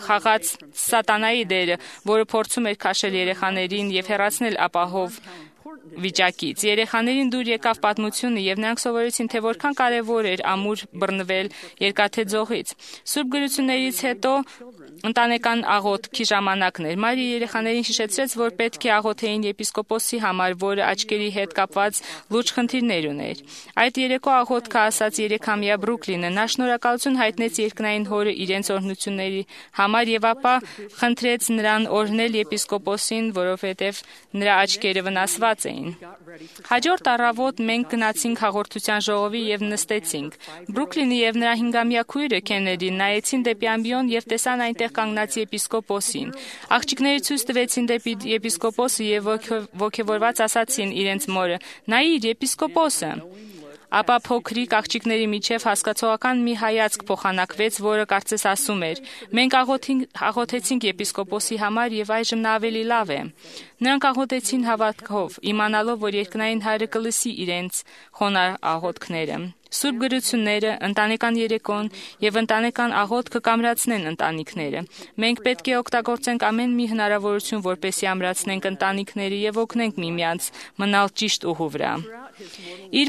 խաղաց սատանայի դերը, որը փորձում էր քաշել երեխաներին եւ հեռացնել ապահով վիճակից։ Երեխաներին դուր եկավ պատմությունը եւ նրանք սովորեցին, թե որքան կարեւոր էր ամուր բռնվել երկաթե ձողից։ Սուրբ գրություններից հետո ընտանեկան աղոթքի ժամանակն էր։ Մայրը երեխաներին հիշեցրեց, որ պետք է աղոթեին եպիսկոպոսի համար, որը աչքերի հետ կապված լուրջ խնդիրներ ուներ։ Այդ երեկո աղոթքը ասաց 3-ամյա Բրուքլինը, նա շնորհակալություն հայտնեց երկնային հորը իրենց օրհնությունների համար եւ ապա խնդրեց նրան օրհնել եպիսկոպոսին, որովհետեւ նրա աչքերը վնասված էին։ Հաջորդ առավոտ մենք գնացինք հաղորդության ժողովի եւ նստեցինք։ Բրուքլինը եւ նրա 5-ամյա քույրը Քենեդին նայեցին դեպի ամբիոն եւ տեսան այնտեղ կանգնած եպիսկոպոսին։ Աղջիկները ցույց տվեցին դեպի եպիսկոպոսը եւ ոգևորված ասացին իրենց մորը. «Նայիր, եպիսկոպոսը»։ Ապա փոքրիկ աղջիկների միջև հասկացողական մի հայացք փոխանակվեց, որը կարծես ասում էր. «Մենք աղոթեցինք եպիսկոպոսի համար եւ այժմ նա ավելի լավ է»։ Նրանք աղոթեցին հավատքով, իմանալով, որ երկնային Հայրը կլսի իրենց խոնարհ աղոթքները։ Սուրբ գրությունները, ընտանեկան երեկոն եւ ընտանեկան աղոթքը կամրացնեն ընտանիքները։ Մենք պետք է օգտագործենք ամեն մի հնարավորություն, որպեսզի ամրացնենք ընտանիքները եւ օգնենք միմյանց մնալ ճիշտ ուղու վրա։ Իր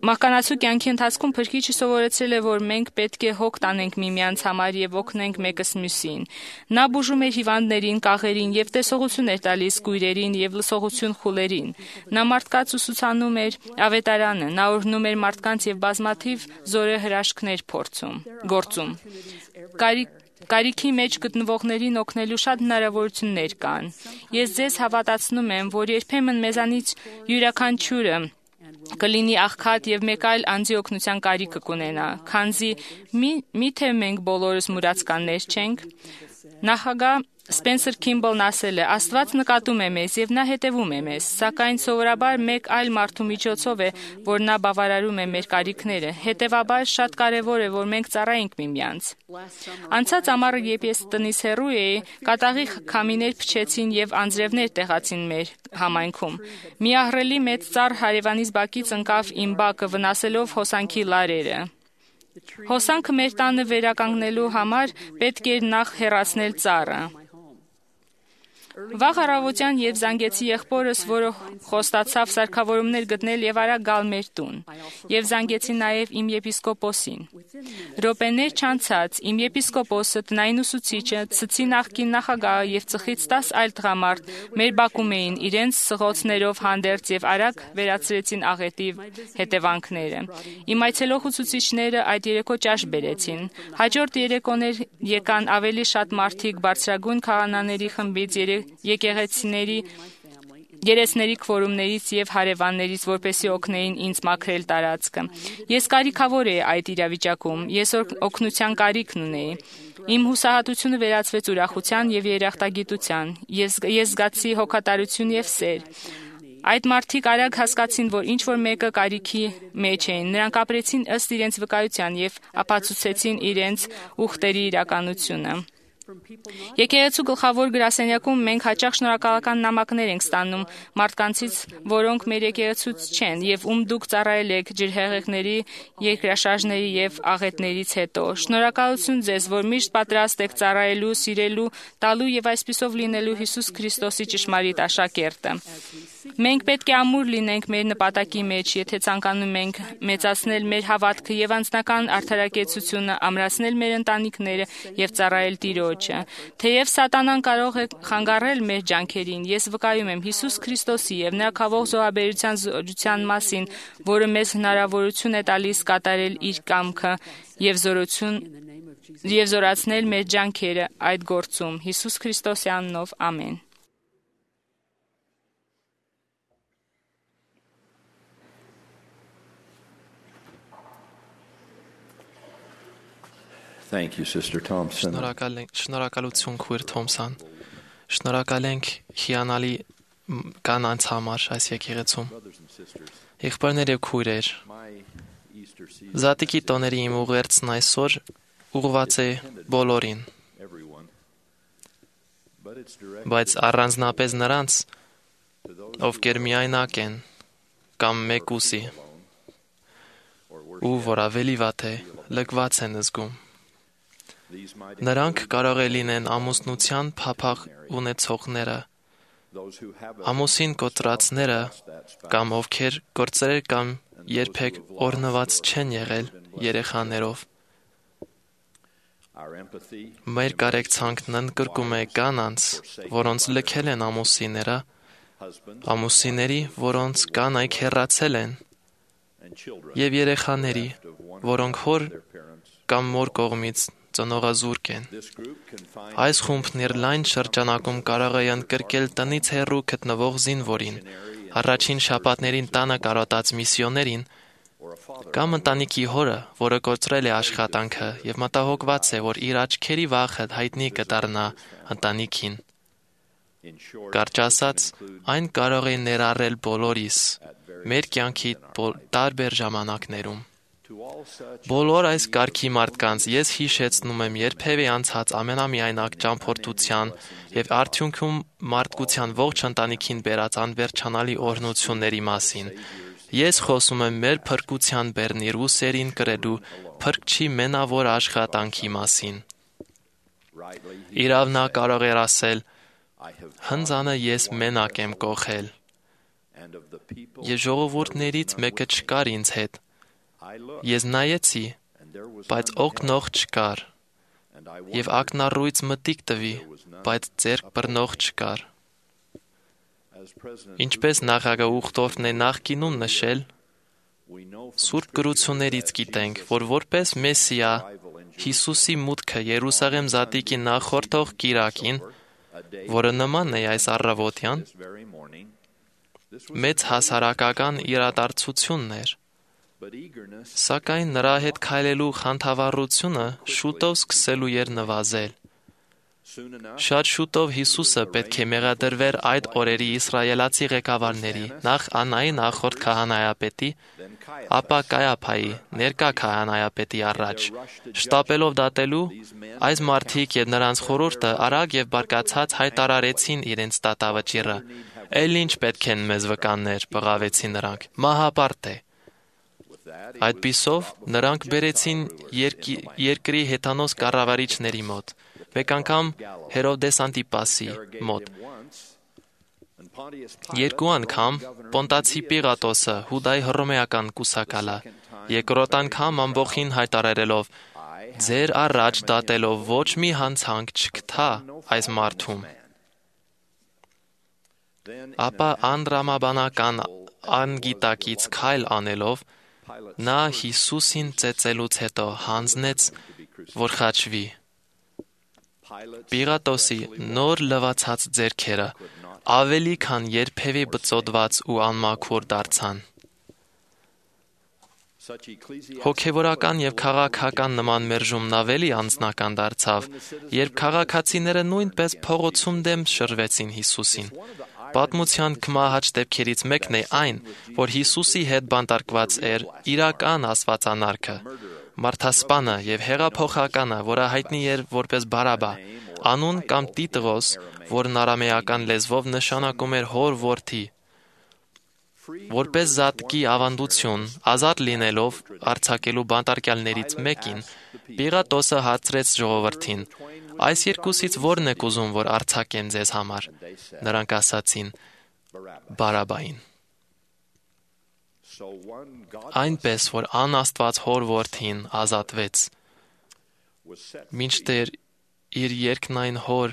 մահկանացու կյանքի ընթացքում Փրկիչը սովորեցրել է, որ մենք պետք է հոգ տանենք միմյանց համար եւ օգնենք մեկս մյուսին։ Նա բուժում էր հիվանդներին, կաղերին եւ տեսողություն էր տալիս կույրերին եւ լսողություն խուլերին։ Նա մարդկանց ուսուցանում էր ավետարանը, նա օրհնում էր մարդկանց եւ բազմաթիվ զորահրաշքներ գործում։ Կարիքի մեջ գտնվողներին օգնելու շատ հնարավորություններ կան։ Ես ձեզ հավատացնում եմ, որ երբեմն մեզանից յուրաքանչյուրը կլինի աղքատ եւ մեկ այլ անձի օգնության կարիքը կունենա, քանզի միթե մենք բոլորս մուրացկաններ չենք։ Նախագահ Սպենսեր Քիմբլն ասել է. «Աստված նկատում է մեզ եւ նա հետևում է մեզ, սակայն սովորաբար մեկ այլ մարդու միջոցով է, որ նա բավարարում է մեր կարիքները։ Հետևաբար շատ կարեւոր է, որ մենք ծառայենք միմյանց»։ Անցած ամառը, երբ ես տնից հեռու էի, կատաղի քամիներ փչեցին եւ անձրևներ տեղացին մեր համայնքում։ Մի ահռելի մեծ ծառ հարևանիս բակից ընկավ իմ բակը, վնասելով հոսանքի լարերը։ Հոսանքը մեր տանը վերականգնելու համար պետք էր նախ հեռացնել ծառը։ Վաղ առավոտյան եւ զանգեցի եղբորս, որը խոստացավ սարքավորումներ գտնել եւ արագ գալ մեր տուն։ Եվ զանգեցի նաեւ իմ եպիսկոպոսին։ Րոպեներ չանցած իմ եպիսկոպոսը, տնային ուսուցիչը, ցցի նախկին նախագահը եւ ծխից 10 այլ տղամարդ մեր բակում էին իրենց սղոցներով հանդերձ եւ արագ վերացրեցին աղետի հետևանքները։ Իմ այցելող ուսուցիչները այդ երեկո ճաշ բերեցին։ Հաջորդ երեկոներ եկան ավելի շատ մարդիկ բարձրագույն քահանաների խմբից, եկեղեցիների երեսների քվորումներից եւ հարևաններից, որպեսզի օգնեին ինձ մաքրել տարածքը։ Ես կարիքավոր էի այդ իրավիճակում, ես օգնության կարիքն ունեի։ Իմ հուսահատությունը վերածվեց ուրախության եւ երախտագիտության։ Ես զգացի հոգատարություն եւ սեր։ Այդ մարդիկ արագ հասկացին, որ ինչ որ մեկը կարիքի մեջ էին։ Նրանք ապրեցին ըստ իրենց վկայության եւ ապացուցեցին իրենց ուխտերի իրականությունը։ Եկեղեցու գլխավոր գրասենյակում մենք հաճախ շնորհակալական նամակներ ենք ստանում մարդկանցից, որոնք մեր եկեղեցուց չեն եւ ում դուք ծառայել եք ջրհեղեղների, երկրաշարժների եւ աղետներից հետո։ Շնորհակալություն ձեզ, որ միշտ պատրաստ եք ծառայելու, սիրելու, տալու եւ այսպիսով լինելու Հիսուս Քրիստոսի ճշմարիտ աշակերտը։ Մենք պետք է ամուր լինենք մեր նպատակի մեջ, եթե ցանկանում ենք մեծացնել մեր հավատքը եւ անձնական արդարակեցությունը, ամրացնել մեր ընտանիքները եւ ծառայել Տիրոջը։ Թեև սատանան կարող է խանգարել մեր ջանքերին, ես վկայում եմ Հիսուս Քրիստոսի եւ նրա քավող զոհաբերության զորության մասին, որը մեզ հնարավորություն է տալիս կատարել իր կամքը եւ զորացնել մեր ջանքերը այդ գործում։ Հիսուս Քրիստոսի անունով, ամեն։ Thank you, Sister Thompson. Շնորհակալություն, Քույր Թոմսան։ Շնորհակալ ենք հիանալի կանանց համար այս եկեղեցում։ Եղբայրներ եւ քույրեր, Զատիկի տոների իմ ուղերձն այսօր ուղղված է բոլորին, բայց առանձնապես նրանց, ովքեր միայնակ են կամ մեկուսի, ու որ ավելի վատ է, լքված են զգում։ Նրանք կարող է լինեն ամուսնության փափախ ունեցողները, ամուսին կոտրածները կամ ովքեր գործեր կամ երբեք օրհնված չեն եղել երեխաներով։ Մեր կարեկցանքն ընդգրկում է կանանց, որոնց լքել են ամուսինները, ամուսինների, որոնց կանայք հեռացել են, եւ երեխաների, որոնք հոր կամ մոր կողմից ծնողազուրկ են։ Այս խումբն իր լայն շրջանակում կարող է ընդգրկել տնից հեռու գտնվող զինվորին, առաջին շաբաթներին տանը կարոտած միսիոներին, կամ ընտանիքի հորը, որը կորցրել է աշխատանքը եւ մտահոգված է, որ իր աչքերի վախը հայտնի կդառնա ընտանիքին։ Կարճ ասած, այն կարող է ներառել բոլորիս, մեր կյանքի տարբեր ժամանակներում։ Բոլոր այս կարգի մարդկանց ես հիշեցնում եմ երբևէ անցած ամենամիայնակ ճամփորդության եւ արդյունքում մարդկության ողջ ընտանիքին բերած անվերջանալի օրհնությունների մասին։ Ես խոսում եմ մեր փրկության բեռնի ռուսերին կրելու փրկչի մենավոր աշխատանքի մասին։ Իրավ նա կարող էր ասել. «Հնձանը ես մենակ եմ կողել, եւ ժողովուրդներից մեկը չկար ինձ հետ։ Ես նայեցի, բայց օգնող չկար, եւ ակնառույց մտիկ տվի, բայց ձեռք բռնող չկար»։ Ինչպես նախագահ Ուխտորֆն է նախկինում նշել, Սուրբ գրություններից գիտենք, որ որպես Մեսիա Հիսուսի մուտքը Երուսաղեմ զատիկի նախորդող կիրակին, որը նման է այս առավոտյան, մեծ հասարակական իրադարձությունն էր, սակայն նրա հետ քայլելու խանդավառությունը շուտով սկսելու էր նվազել։ Շատ շուտով Հիսուսը պետք է մեղադրվեր այդ օրերի իսրայելացի ղեկավարների, նախ Անայի նախորդ քահանայապետի, ապա Կայափայի, ներկա քահանայապետի առաջ, շտապելով դատելու, այս մարդիկ եւ նրանց խորհուրդը արագ եւ բարկացած հայտարարեցին իրենց դատավճիռը։ Էլ ինչ պետք են մեզ վկաններ, բղավեցին նրանք, մահապարտ է։ Այդպիսով նրանք բերեցին երկրի հեթանոս կառավարիչների մոտ, մեկ անգամ Հերովդես Անտիպասի մոտ, երկու անգամ Պոնտացի Պիղատոսը, Հուդայի հռոմեական կուսակալը, երկրորդ անգամ ամբողջին հայտարարելով. «Ձեր առաջ դատելով ոչ մի հանցանք չգտա այս մարդում»։ Ապա անդրամաբանական անգիտակից քայլ անելով, նա Հիսուսին ծեծելուց հետո հանձնեց, որ խաչվի։ Պիղատոսի նոր լվացած ձեռքերը ավելի քան երբևէ բծոդված ու անմաքուր դարձան։ Հոգևորական եւ քաղաքական նման մերժումն ավելի անձնական դարձավ, երբ քաղաքացիները նույնպես փողոցում դեմ շրջվեցին Հիսուսին։ Պատմության կմահաճ դեպքերից մեկն է այն, որ Հիսուսի հետ բանտարկված էր իրական աստվածանարքը, մարդասպանը եւ հեղափոխականը, որը հայտնի էր որպես Բարաբա, անուն կամ Տիտրոս, որն արամեական լեզվով նշանակում էր հոր որդի։ Որպես զատկի ավանդություն, ազատ լինելով արձակելու բանտարկյալներից մեկին, Պիղատոսը հարցրեց ժողովրդին. «Այս երկուսից ո՞րն եք ուզում, որ արձակեմ ձեզ համար»։ Նրանք ասացին. «Բարաբային»։ Այնպես, որ անաստված հոր որդին ազատվեց, մինչդեռ իր երկնային հոր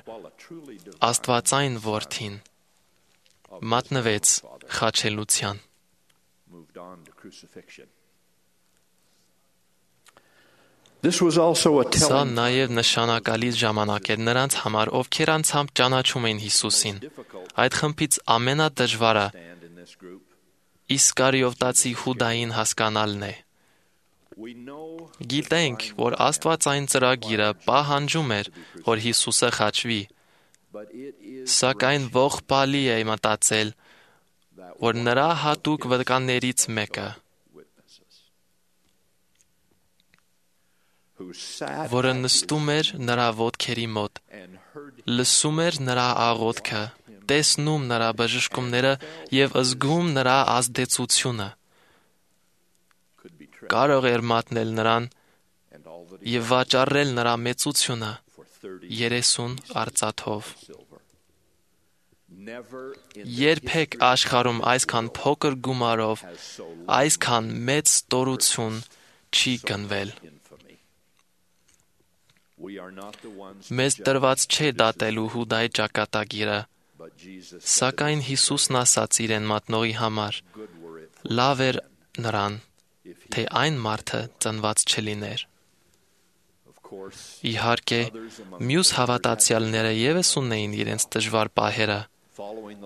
աստվածային որդին մատնվեց խաչելության։ Սա նաև նշանակալից ժամանակ էր նրանց համար, ովքեր անցամբ ճանաչում էին Հիսուսին։ Այդ խմբից ամենադժվարը Իսկարիովտացի Հուդային հասկանալն է։ Գիտենք, որ աստվածային ծրագիրը պահանջում էր, որ Հիսուսը խաչվի, սակայն ողբալի է մտածել, որ նրա հատուկ վկաններից մեկը, որը նստում էր նրա ոտքերի մոտ լսում էր նրա աղոթքը, տեսնում նրա բժշկումները եւ զգում նրա ազդեցությունը։ Կարող էր մատնել նրան եւ վաճառել նրա մեծությունը 30 արծաթով։ Երբեք աշխարհում այսքան փոքր գումարով այսքան մեծ ստորություն չի գնվել։ Մեզ տրված չէ դատելու Հուդայի ճակատագիրը, սակայն Հիսուսն ասաց իրեն մատնողի համար. լավ էր նրան, թե այն մարդը ծնված չլիներ։ Իհարկե, մյուս հավատացյալները ևս ունեին իրենց դժվար պահերը։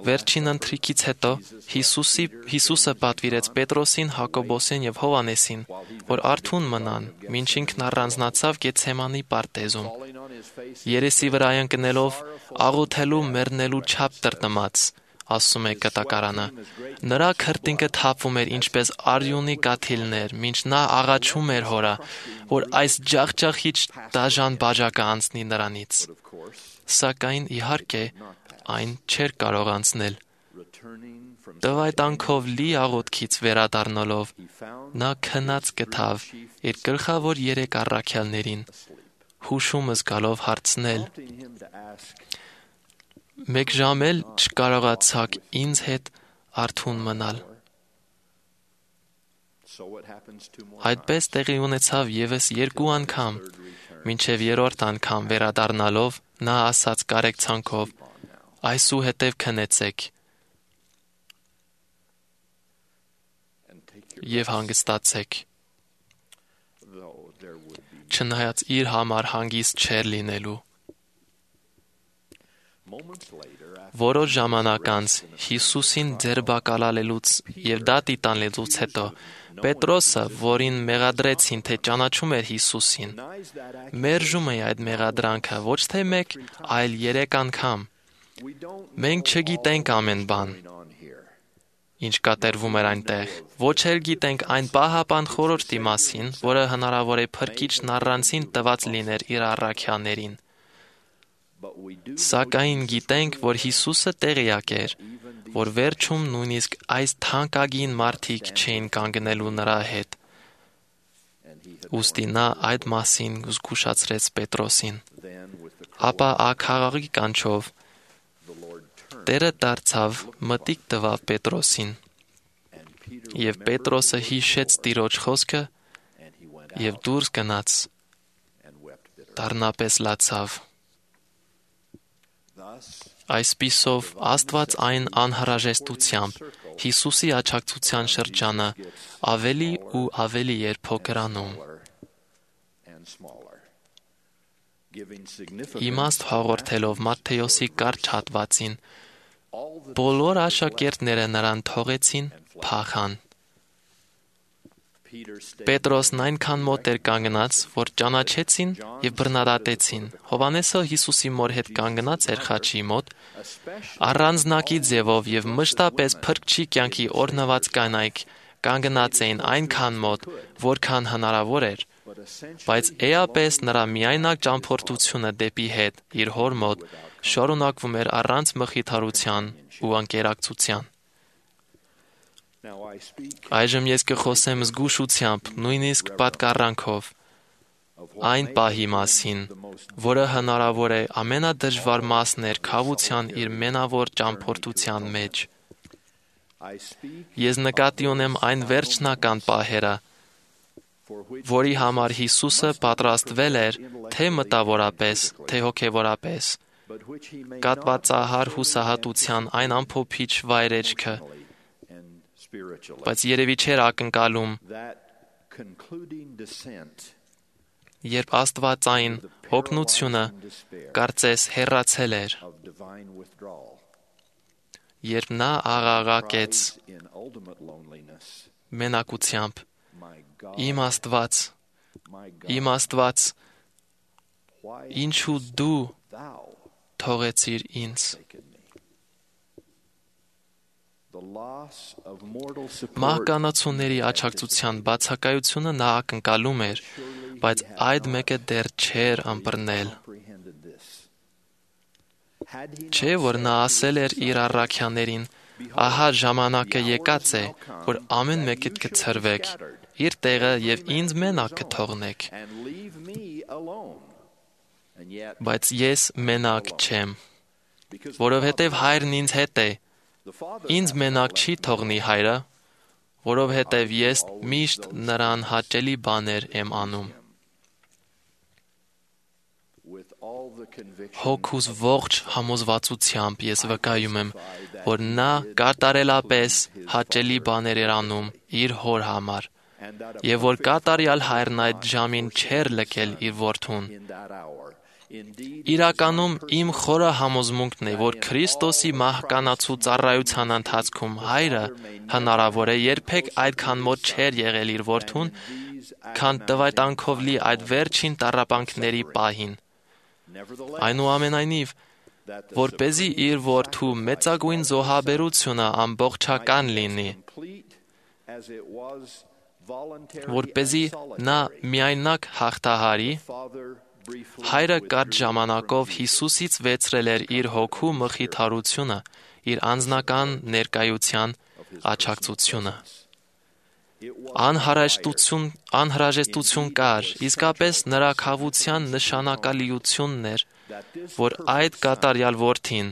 Վերջին ընթրիքից հետո Հիսուսը պատվիրեց Պետրոսին, Հակոբոսին եւ Հովանեսին, որ արթուն մնան, մինչ ինքն առանձնացավ Գեթսեմանի պարտեզում։ Երեսի վրա ընկնելով, աղոթելու մեռնելու չափ տրտմած, ասում է կտակարանը։ Նրա քրտինքը թափվում էր ինչպես արյունի կաթիլներ, մինչ նա աղաչում էր հորը, որ այս ջախջախիչ դաժան բաժակը անցնի նրանից։ Սակայն իհարկե այն չէր կարող անցնել։ Տվայտանքով լի աղոթքից վերադառնալով, նա քնած գտավ իր գլխավոր 3 առաքյալներին, հուշում զգալով հարցնել. «Մեկ ժամ էլ չկարողացաք ինձ հետ արթուն մնալ»։ Այդպես տեղի ունեցավ ևս 2 անգամ, մինչև 3-րդ անգամ վերադառնալով նա ասաց կարեկցանքով. «Այսուհետև քնեցեք եւ հանգստացեք»։ Չնայած իր համար հանգիստ չէր լինելու։ Որոշ ժամանակ անց Հիսուսին ձերբակալելուց եւ դատի տանելուց հետո Պետրոսը, որին մեղադրեցին, թե ճանաչում էր Հիսուսին, մերժում է այդ մեղադրանքը ոչ թե 1, այլ 3 անգամ։ Մենք չգիտենք ամեն բան, ինչ կատարվում էր այնտեղ, ոչ էլ գիտենք այն պահապան խորհրդի մասին, որը հնարավոր է Փրկիչն առանցին տված լիներ իր առաքյալներին։ Սակայն գիտենք, որ Հիսուսը տեղյակ էր, որ վերջում նույնիսկ այս թանկագին մարդիկ չէին կանգնելու նրա հետ։ Ուստի նա այդ մասին զգուշացրեց Պետրոսին։ Ապա աքաղի կանչով Տերը դարձավ, մտիկ տվավ Պետրոսին, եւ Պետրոսը հիշեց Տիրոջ խոսքը եւ դուրս գնաց, դառնապես լացավ։ Այսպիսով Աստված այն անհրաժեշտությամբ Հիսուսի աջակցության շրջանը ավելի ու ավելի էր փոքրանում։ Իմաստ հաղորդելով Մատթեոսի կարճ հատվածին, բոլոր աշակերտները նրան թողեցին, փախան։ Պետրոսն այնքան մոտ էր կանգնած, որ ճանաչեցին եւ բռնադատեցին։ Հովանեսը Հիսուսի մոր հետ կանգնած էր խաչի մոտ, առանձնակի ձևով եւ մշտապես Փրկչի կյանքի օրհնված կանայք կանգնած էին այնքան մոտ, որքան հնարավոր էր, բայց էապես նրա միայնակ ճամփորդությունը դեպի հետ իր հոր մոտ շարունակվում էր առանց մխիթարության ու անկերակցության։ Այժմ ես կխոսեմ զգուշությամբ, նույնիսկ պատկառանքով, այն պահի մասին, որը հնարավոր է ամենադժվար մասն էր քավության իր մենավոր ճամփորդության մեջ։ Ես նկատի ունեմ այն վերջնական պահերը, որի համար Հիսուսը պատրաստվել էր թե մտավորապես, թե հոգևորապես, կատվածահար հուսահատության այն ամփոփիչ վայրեջքը, բայց երևի չէր ակնկալում, երբ աստվածային հոգնությունը կարծես հեռացել էր, երբ նա աղաղակեց մենակությամբ. «Իմ Աստված, ինչու դու թողեցիր ինձ»։ Մահկանացուների աջակցության բացակայությունը նա ակնկալում էր, բայց այդ մեկը դեռ չէր ըմբռնել։ Չէ՞ որ նա ասել էր իր առաքյալներին. «Ահա ժամանակը եկած է, որ ամեն մեկդ կցրվեք իր տեղը եւ ինձ մենակ կթողնեք։ Բայց ես մենակ չեմ, որովհետեւ հայրն ինձ հետ է։ Ինձ մենակ չի թողնի հայրը, որովհետեւ ես միշտ նրան հաճելի բաներ եմ անում»։ Հոգուս ողջ համոզվածությամբ ես վկայում եմ, որ նա կատարելապես հաճելի բաներ էր անում իր հոր համար, եւ որ կատարյալ հայրն այդ ժամին չէր լքել իր որդուն։ Իրականում իմ խորը համոզմունքն է, որ Քրիստոսի մահկանացու ծառայության ընթացքում հայրը հնարավոր է երբեք այդքան մոտ չէր եղել իր որդուն, քան տվայտանքով լի այդ վերջին տառապանքների պահին։ Այնուամենայնիվ, որպեսզի իր որդու մեծագույն զոհաբերությունը ամբողջական լինի, որպեսզի նա միայնակ հաղթահարի, հայրը կարճ ժամանակով Հիսուսից վերցրել էր իր հոգու մխիթարությունը, իր անձնական ներկայության աջակցությունը։ Անհրաժեշտություն կար, իսկապես նրա քավության նշանակալիությունն էր, որ այդ կատարյալ որդին,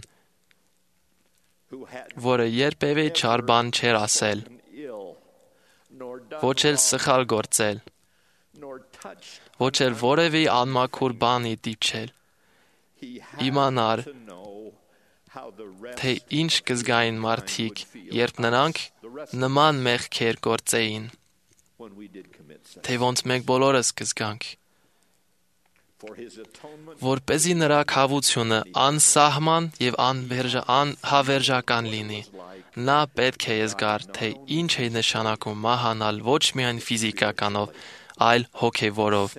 որը երբևէ չար բան չէր ասել, ոչ էլ սխալ գործել, ոչ էլ որևէ անմաքուր բանի դիպչել, իմանար, թե ինչ կզգային մարդիկ, երբ նրանք նման մեղքեր գործեին, թե ոնց մենք բոլորս կզգանք։ Որպեսզի նրա քավությունը անսահման եւ անհավերժական լինի, նա պետք է զգար, թե ինչ է նշանակում մահանալ ոչ միայն ֆիզիկականով, այլ հոգևորով։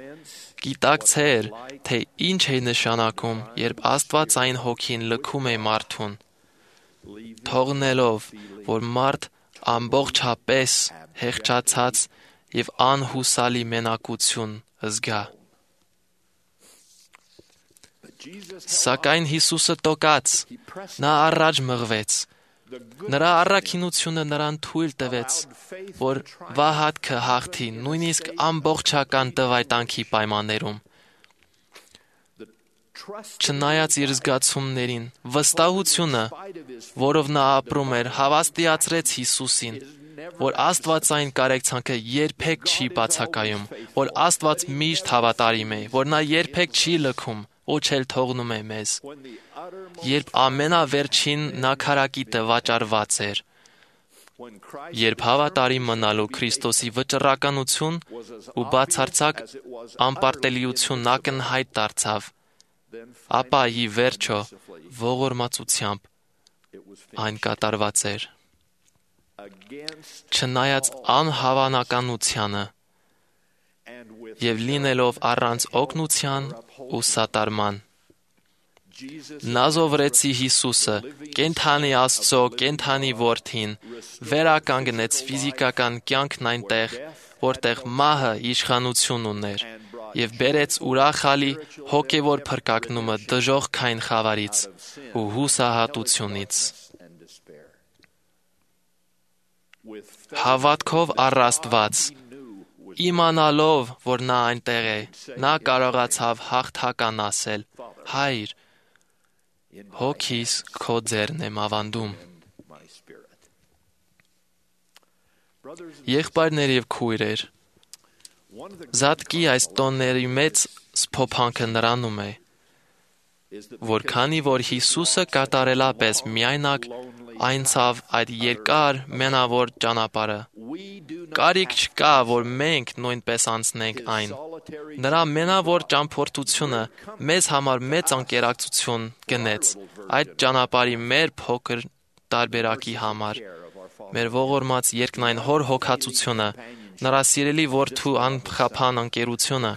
Գիտակցեր, թե ինչ է նշանակում, երբ Աստվածային հոգին լքում է մարդուն, թողնելով, որ մարդ ամբողջապես հեղճացած եւ անհուսալի մենակություն զգա։ Սակայն Հիսուսը տոկած, նա առաջ մղվեց։ Նրա առաքինությունը նրան թույլ տվեց, որ վահատքը հաղթի նույնիսկ ամբողջական տվայտանքի պայմաններում։ Չնայած իր զգացումներին, վստահությունը, որով նա ապրում էր, հավաստիացրեց Հիսուսին, որ Աստվածային կարեկցանքը երբեք չի բացակայում, որ Աստված միշտ հավատարիմ է, որ նա երբեք չի լքում, ոչ էլ թողնում է մեզ, երբ ամենավերջին նաքարակիտը վաճառված էր, երբ հավատարիմ մնալու Քրիստոսի վճռականություն ու բացարձակ անպարտելիությունն ակնհայտ դարձավ, ապա ի վերջո ողորմածությամբ այն կատարված էր։ Չնայած անհավանականությանը եւ լինելով առանց օգնության ու սատարման, Նազովրեցի Հիսուսը, կենդանի Աստծո, կենդանի Որդին, վերականգնեց ֆիզիկական կյանքն այնտեղ, որտեղ մահը իշխանություն ուներ, եւ բերեց ուրախալի հոգեվոր փրկագնումը դժոխքային խավարից ու հուսահատությունից։ Հավատքով առաստված, իմանալով, որ նա այնտեղ է, նա կարողացավ հաղթական ասել. «Հայր, հոգիս քո ձեռն եմ ավանդում»։ Եղբայրներ եւ քույրեր, Զատկի այս տոների մեծ սփոփանքը նրանում է, որ քանի որ Հիսուսը կատարելապես միայնակ անցավ այդ երկար մենավոր ճանապարհը, կարիք չկա, որ մենք նույնպես անցնենք այն։ Նրա մենավոր ճամփորդությունը մեզ համար մեծ անկերակցություն գնեց այդ ճանապարհի մեր փոքր տարբերակի համար։ Մեր ողորմած երկնային հոր հոգացությունը, նրա սիրելի որդու անխափան ընկերությունը,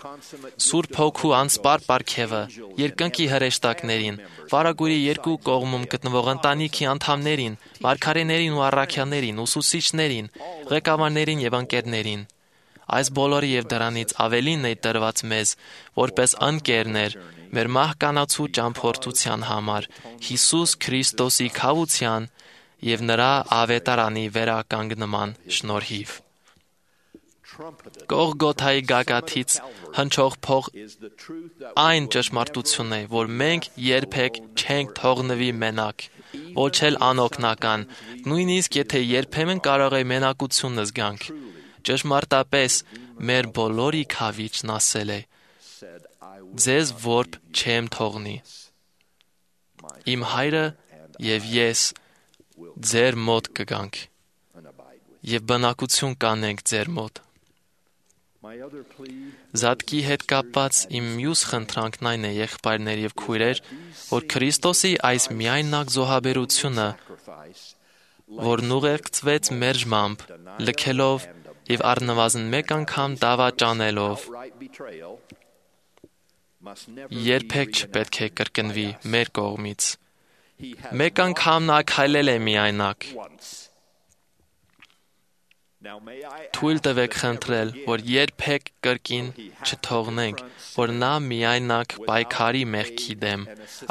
Սուրբ Հոգու անսպար պարգևը, երկնքի հրեշտակներին, վարագույրի երկու կողմում գտնվող ընտանիքի անդամներին, մարգարեներին ու առաքյալներին, ուսուցիչներին, ղեկավարներին եւ ընկերներին, այս բոլորի եւ դրանից ավելին է տրված մեզ, որպես ընկերներ, մեր մահկանացու ճամփորդության համար, Հիսուս Քրիստոսի քավության եւ նրա ավետարանի վերականգնման շնորհիվ։ Գողգոթայի գագաթից հնչող փող այն ճշմարտությունն է, որ մենք երբեք չենք թողնվի մենակ, ոչ էլ անօգնական, նույնիսկ եթե երբեմն կարող է մենակությունը զգանք։ Ճշմարտապես մեր բոլորի քավիչն ասել է. ձեզ որբ չեմ թողնի։ Իմ հայրը եւ ես ձեր մոտ կգանք եւ բնակություն կանենք ձեր մոտ։ Զատկի հետ կապված իմ մյուս խնդրանքն այն է, եղբայրներ եւ քույրեր, որ Քրիստոսի այս միայնակ զոհաբերությունը, որն ուղեկցվեց մերժմամբ, լքելով եւ առնվազն մեկ անգամ դավաճանելով, երբեք չպետք է կրկնվի մեր կողմից։ Մեկ անգամ նա քայլել է միայնակ։ Թույլ տվեք խնդրել, որ երբեք կրկին չթողնենք, որ նա միայնակ պայքարի մեղքի դեմ,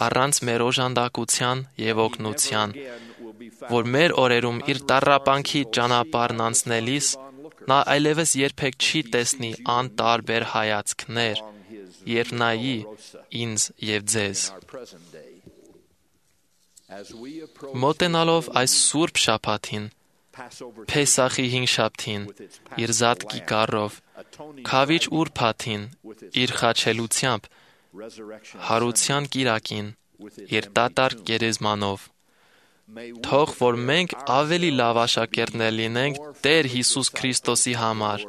առանց մեր օժանդակության եւ օգնության, որ մեր օրերում իր տառապանքի ճանապարհն անցնելիս նա այլևս երբեք չի տեսնի անտարբեր հայացքներ, երբ նայի ինձ եւ ձեզ։ Մոտենալով այս սուրբ շաբաթին, Փեսախի հինգշաբթին, իր զատկի գառով, քավիչ ուրբաթին, իր խաչելությամբ, հարության կիրակին, իր դատարկ գերեզմանով, թող որ մենք ավելի լավ աշակերտներ լինենք Տեր Հիսուս Քրիստոսի համար,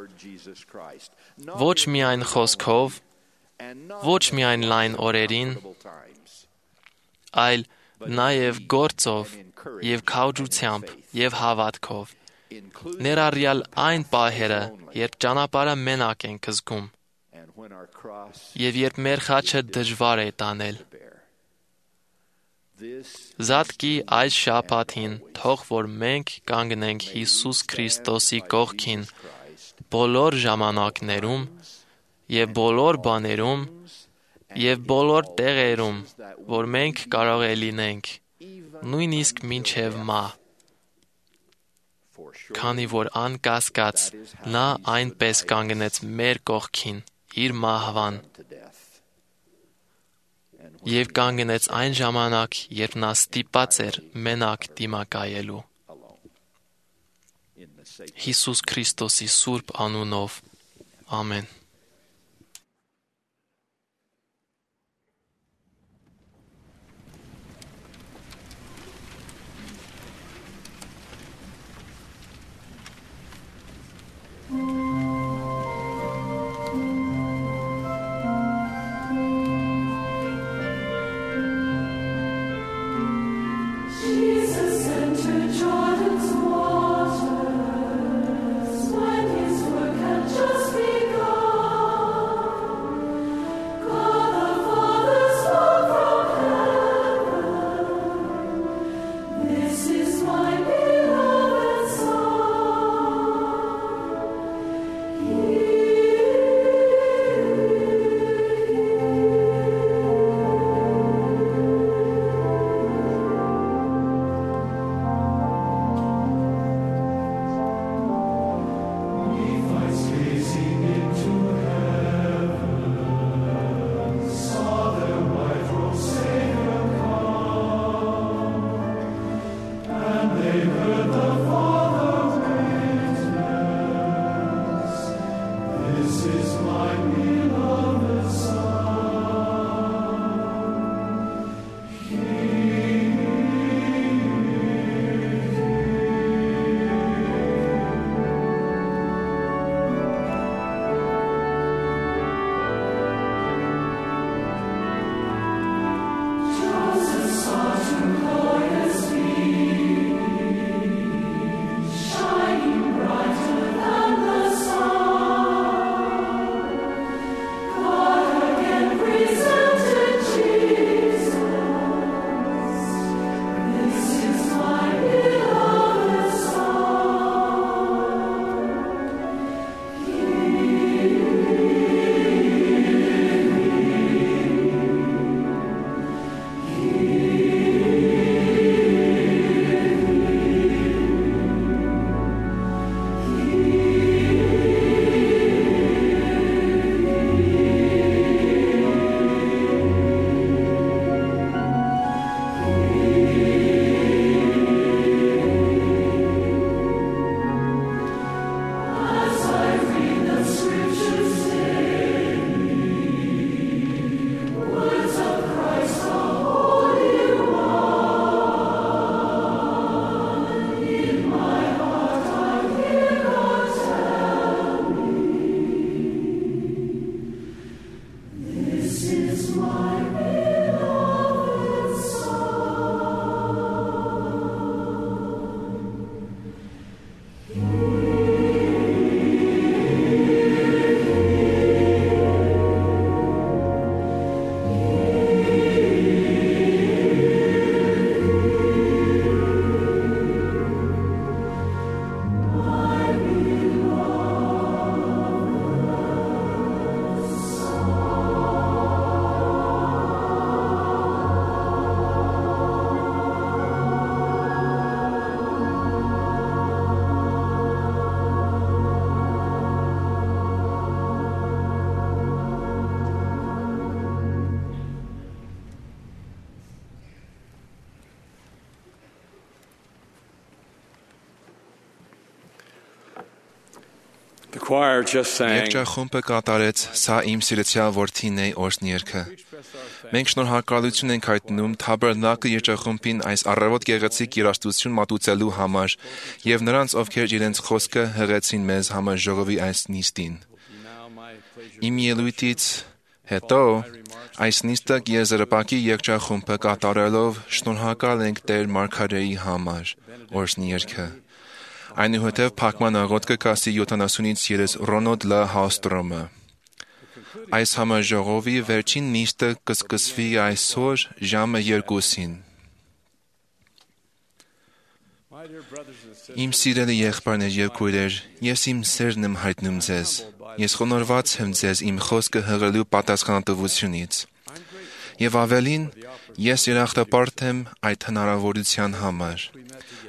ոչ միայն խոսքով, ոչ միայն լայն օրերին, այլ նաև գործով եւ քաջությամբ եւ հավատքով, ներառյալ այն պահերը, երբ ճանապարհը մենակ ենք զգում, եւ երբ մեր խաչը դժվար է տանել։ Զատկի այս շաբաթին թող որ մենք կանգնենք Հիսուս Քրիստոսի կողքին բոլոր ժամանակներում եւ բոլոր բաներում եւ բոլոր տեղերում, որ մենք կարող է լինենք, նույնիսկ մինչև մահ, քանի որ անկասկած նա այնպես կանգնեց մեր կողքին իր մահվան եւ կանգնեց այն ժամանակ, երբ նա ստիպած էր մենակ դիմակայելու։ Հիսուս Քրիստոսի սուրբ անունով, ամեն։ Jesus entered Jordan's waters when his work had just begun. The choir just sang. Երգչախումբը կատարեց «Սա իմ սիրեցյալ որդին է» օրհնյերգը։ Մենք շնորհակալություն ենք հայտնում Թաբերնակլ երգչախումբին այս առավոտ գեղեցիկ երաժշտություն մատուցելու համար եւ նրանց, ովքեր իրենց խոսքը հղեցին մեզ համաժողովի այս նիստին։ Իմ ելույթից հետո այս նիստը եզրապակի երգչախումբը կատարելով շնորհակալ ենք Տեր Մարգարեի համար օրհնյերգը։ Այնուհետև փակման աղոթքը կասի 70-ից 30 Ռոնոդ Լ. Հալստրոմը։ Այս համաժողովի վերջին նիստը կսկսվի այսօր ժամը 2-ին։ Իմ սիրելի եղբայրներ եւ քույրեր, ես իմ սերն եմ հայտնում ձեզ։ Ես խոնարհված եմ ձեզ իմ խոսքը հղելու պատասխանատվությունից։ Եվ ավելին, ես երախտապարտ եմ այդ հնարավորության համար։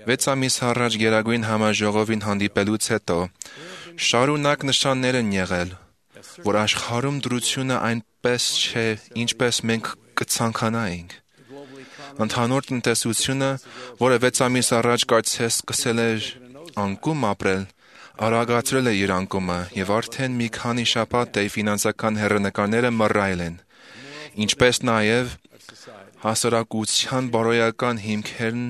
6 ամիս առաջ Գերագույն համաժողովին հանդիպելուց հետո շարունակ նշաններ են եղել, որ աշխարհում դրությունը այնպես չէ, ինչպես մենք կցանկանայինք։ Ընդհանուր տնտեսությունը, որը 6 ամիս առաջ կարծես սկսել էր անկում ապրել, արագացրել է իր անկումը եւ արդեն մի քանի շաբաթ է ֆինանսական հեռանկարները մռայլ են, ինչպես նաեւ հասարակության բարոյական հիմքերն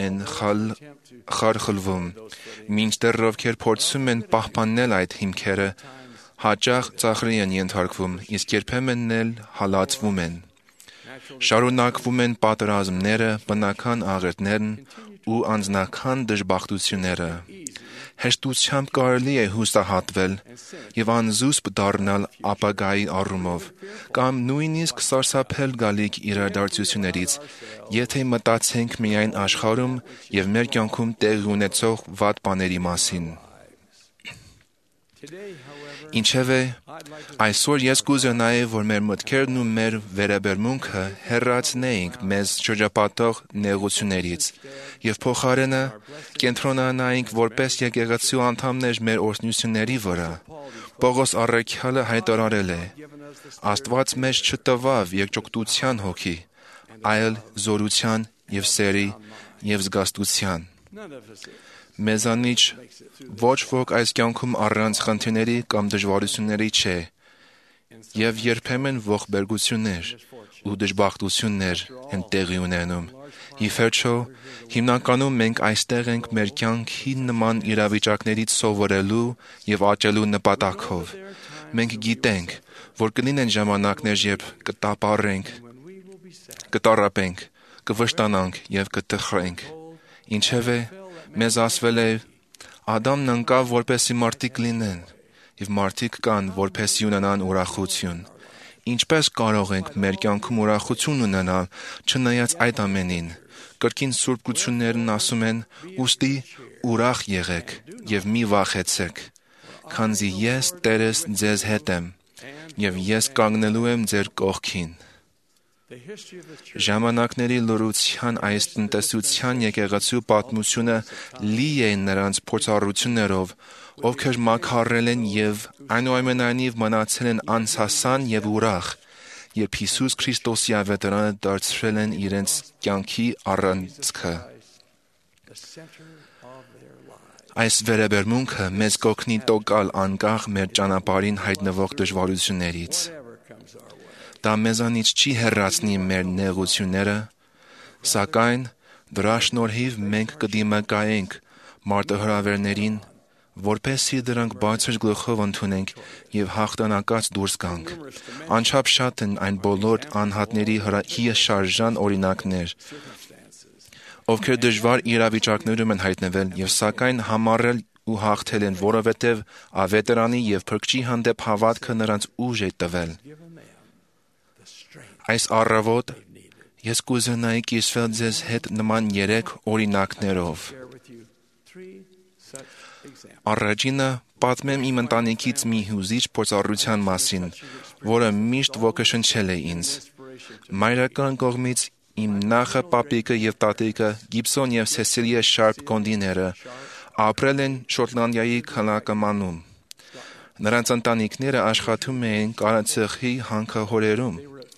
են խարխլվում, մինչդեռ ովքեր փորձում են պահպանել այդ հիմքերը, հաճախ ծաղրի են ենթարկվում, իսկ երբեմն էլ հալածվում են։ Շարունակվում են պատերազմները, բնական աղետներն ու անձնական դժբախտությունները։ Հեշտությամբ կարելի է հուսահատվել եւ անզուսպ դառնալ ապագայի առումով, կամ նույնիսկ սարսափել գալիք իրադարձություններից, եթե մտածենք միայն աշխարհում եւ մեր կյանքում տեղի ունեցող վատ բաների մասին։ Ինչևէ, այսօր ես կուզենայի, որ մեր մտքերն ու մեր վերաբերմունքը հեռացնեինք մեզ շրջապատող նեղություններից եւ փոխարենը կենտրոնանայինք որպես եկեղեցու անդամներ մեր օրհնությունների վրա։ Պողոս առաքյալը հայտարարել է. Աստված մեզ չտվավ երկճոկտության հոգի, այլ զորության եւ սերի եւ զգաստության։ Մեզանից ոչ ոք այս կյանքում առանց խնդիրների կամ դժվարությունների չէ, եւ երբեմն ողբերգություններ ու դժբախտություններ են տեղի ունենում։ Ի վերջո, հիմնականում մենք այստեղ ենք մեր կյանքի նման իրավիճակներից սովորելու եւ աճելու նպատակով։ Մենք գիտենք, որ կլինեն ժամանակներ, երբ կտապարենք, կտարապենք, կվշտանանք եւ կտխրենք։ Ինչևէ, մեզ ասվել է. Ադամն ընկավ, որպեսզի մարդիկ լինեն, եւ մարդիկ կան, որպեսզի ունենան ուրախություն։ Ինչպես կարող ենք մեր կյանքում ուրախություն ունենալ, չնայած այդ ամենին։ Կրկին Սուրբ Գրություններն ասում են. «Ուստի ուրախ եղեք եւ մի վախեցեք, քանզի ես Տերս ձեզ հետ եմ, եւ ես կանգնելու եմ ձեր կողքին»։ Ժամանակների լրության այս տնտեսության եկեղեցու պատմությունը լի է նրանց փորձառություններով, ովքեր մաքարել են եւ այնուամենայնիվ մնացել են անսասան եւ ուրախ, երբ Հիսուս Քրիստոսի ավետարանը դարձրել են իրենց կյանքի առանցքը։ Այս վերաբերմունքը մեզ կօգնի տոկալ անկախ մեր ճանապարհին հայտնվող դժվարություններից։ Դա մեզանից չի հեռացնի մեր նեղությունները, սակայն դրա շնորհիվ մենք կդիմակայենք մարտահրավերներին, որպեսզի դրանք բարձր գլուխով ընդունենք եւ հաղթանակած դուրս գանք։ Անչափ շատ են այն բոլոր անհատների հիաշարժան օրինակներ, ովքեր դժվար իրավիճակներում են հայտնվել եւ սակայն համառել ու հաղթել են, որովհետեւ ավետարանի եւ Փրկչի հանդեպ հավատքը նրանց ուժ է տվել։ Այս առավոտ ես կուզենայի կիսվել ձեզ հետ նման 3 օրինակներով։ Առաջինը պատմեմ իմ ընտանիքից մի հուզիչ փորձառության մասին, որը միշտ ոգեշնչել է ինձ։ Մայրական կողմից իմ նախը պապիկը եւ տատիկը Գիբսոն եւ Սեսիլիա Շարփ կոնդիները ապրել են Շոտլանդիայի քաղաքամանում։ Նրանց ընտանիքները աշխատում էին կարացեխի հանքահորերում։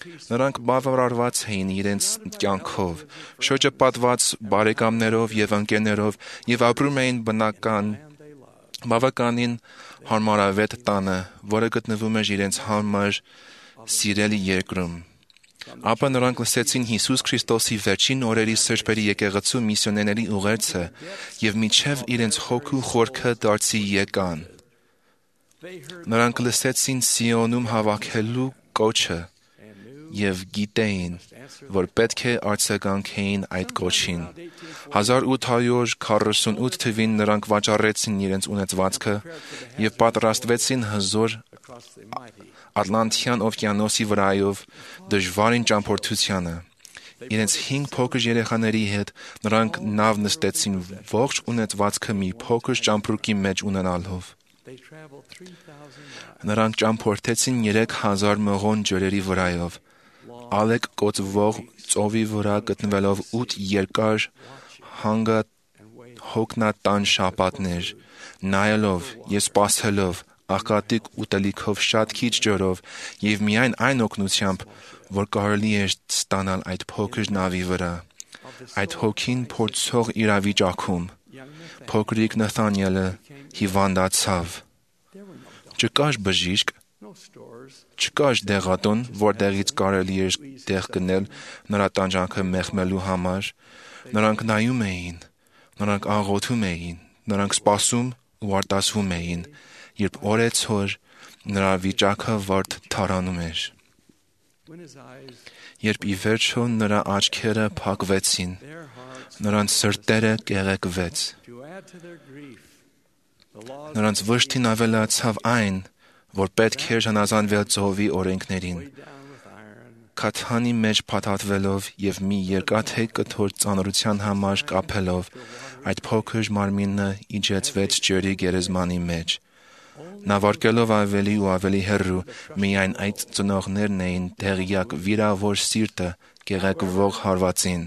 Նրանք բավարարված էին իրենց կյանքով, շրջապատված բարեկամներով եւ ընկերներով եւ ապրում էին բնական բավականին հարմարավետ տանը, որը գտնվում էր իրենց համար սիրելի երկրում։ Ապա նրանք լսեցին Հիսուս Քրիստոսի վերջին օրերի սրբերի եկեղեցու միսիոներների ուղերձը եւ միջև իրենց հոգու խորքը դարձի եկան։ Նրանք լսեցին Սիոնում հավաքելու կոչը եւ գիտեին, որ պետք է արձագանքեին այդ կոչին։ 1848 թվին նրանք վաճառեցին իրենց ունեցվածքը եւ պատրաստվեցին հզոր Ատլանտյան օվկիանոսի վրայով դժվարին ճամփորդությանը։ Իրենց 5 փոքր երեխաների հետ նրանք նավ նստեցին ողջ ունեցվածքը մի փոքր ճամփրուկի մեջ ունենալով։ Նրանք ճամփորդեցին 3000 մղոն ջրերի վրայով, ալեկ կոծվող ծովի վրա գտնվելով 8 երկար հոգնատան շաբաթներ, նայելով եւ սպասելով աղքատիկ ուտելիքով շատ քիչ ջրով եւ միայն այն օգնությամբ, որ կարելի էր ստանալ այդ փոքր նավի վրա։ Այդ հոգին փորձող իրավիճակում փոքրիկ Նաթանիելը հիվանդացավ։ Չկար բժիշկ, չկար դեղատուն, որտեղից կարելի էր դեղ գնել նրա տանջանքը մեղմելու համար։ Նրանք նայում էին, նրանք աղոթում էին, նրանք սպասում ու արտասվում էին, երբ օրեցօր նրա վիճակը վարդ թարանում էր։ Երբ ի վերջո նրա աչքերը փակվեցին, նրանց սրտերը կեղեքվեց։ Նրանց վշտին ավելացավ այն, որ պետք էր հնազանդվել ծովի օրենքներին։ Քաթանի մեջ փաթաթվելով եւ մի երկաթե կթոր ծանրության համար կապելով, այդ փոքր մարմինը իջեցվեց ջրի գերեզմանի մեջ։ Նավարկելով ավելի ու ավելի հեռու, միայն այդ ծնողներն էին տեղյակ վիրավոր սիրտը կեղեքվող հարվածին։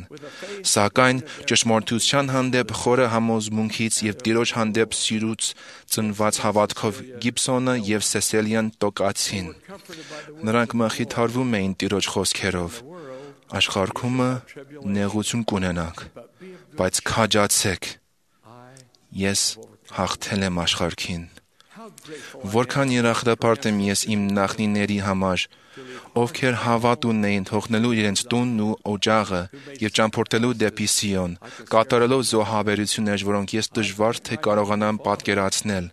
Սակայն ճշմարտության հանդեպ խորը համոզմունքից եւ Տիրոջ հանդեպ սիրուց ծնված հավատքով Գիբսոնը եւ Սեսելիան տոկացին։ Նրանք մխիթարվում էին Տիրոջ խոսքերով. աշխարհումը նեղություն կունենաք, բայց քաջացեք, ես հաղթել եմ աշխարհին։ Որքան երախտապարտ եմ ես իմ նախնիների համար, ովքեր հավատ ունեին թողնելու իրենց տունն ու օջախը եւ ճամփորդելու դեպի Սիոն, կատարելով զոհաբերություններ, որոնք ես դժվար թե կարողանամ պատկերացնել։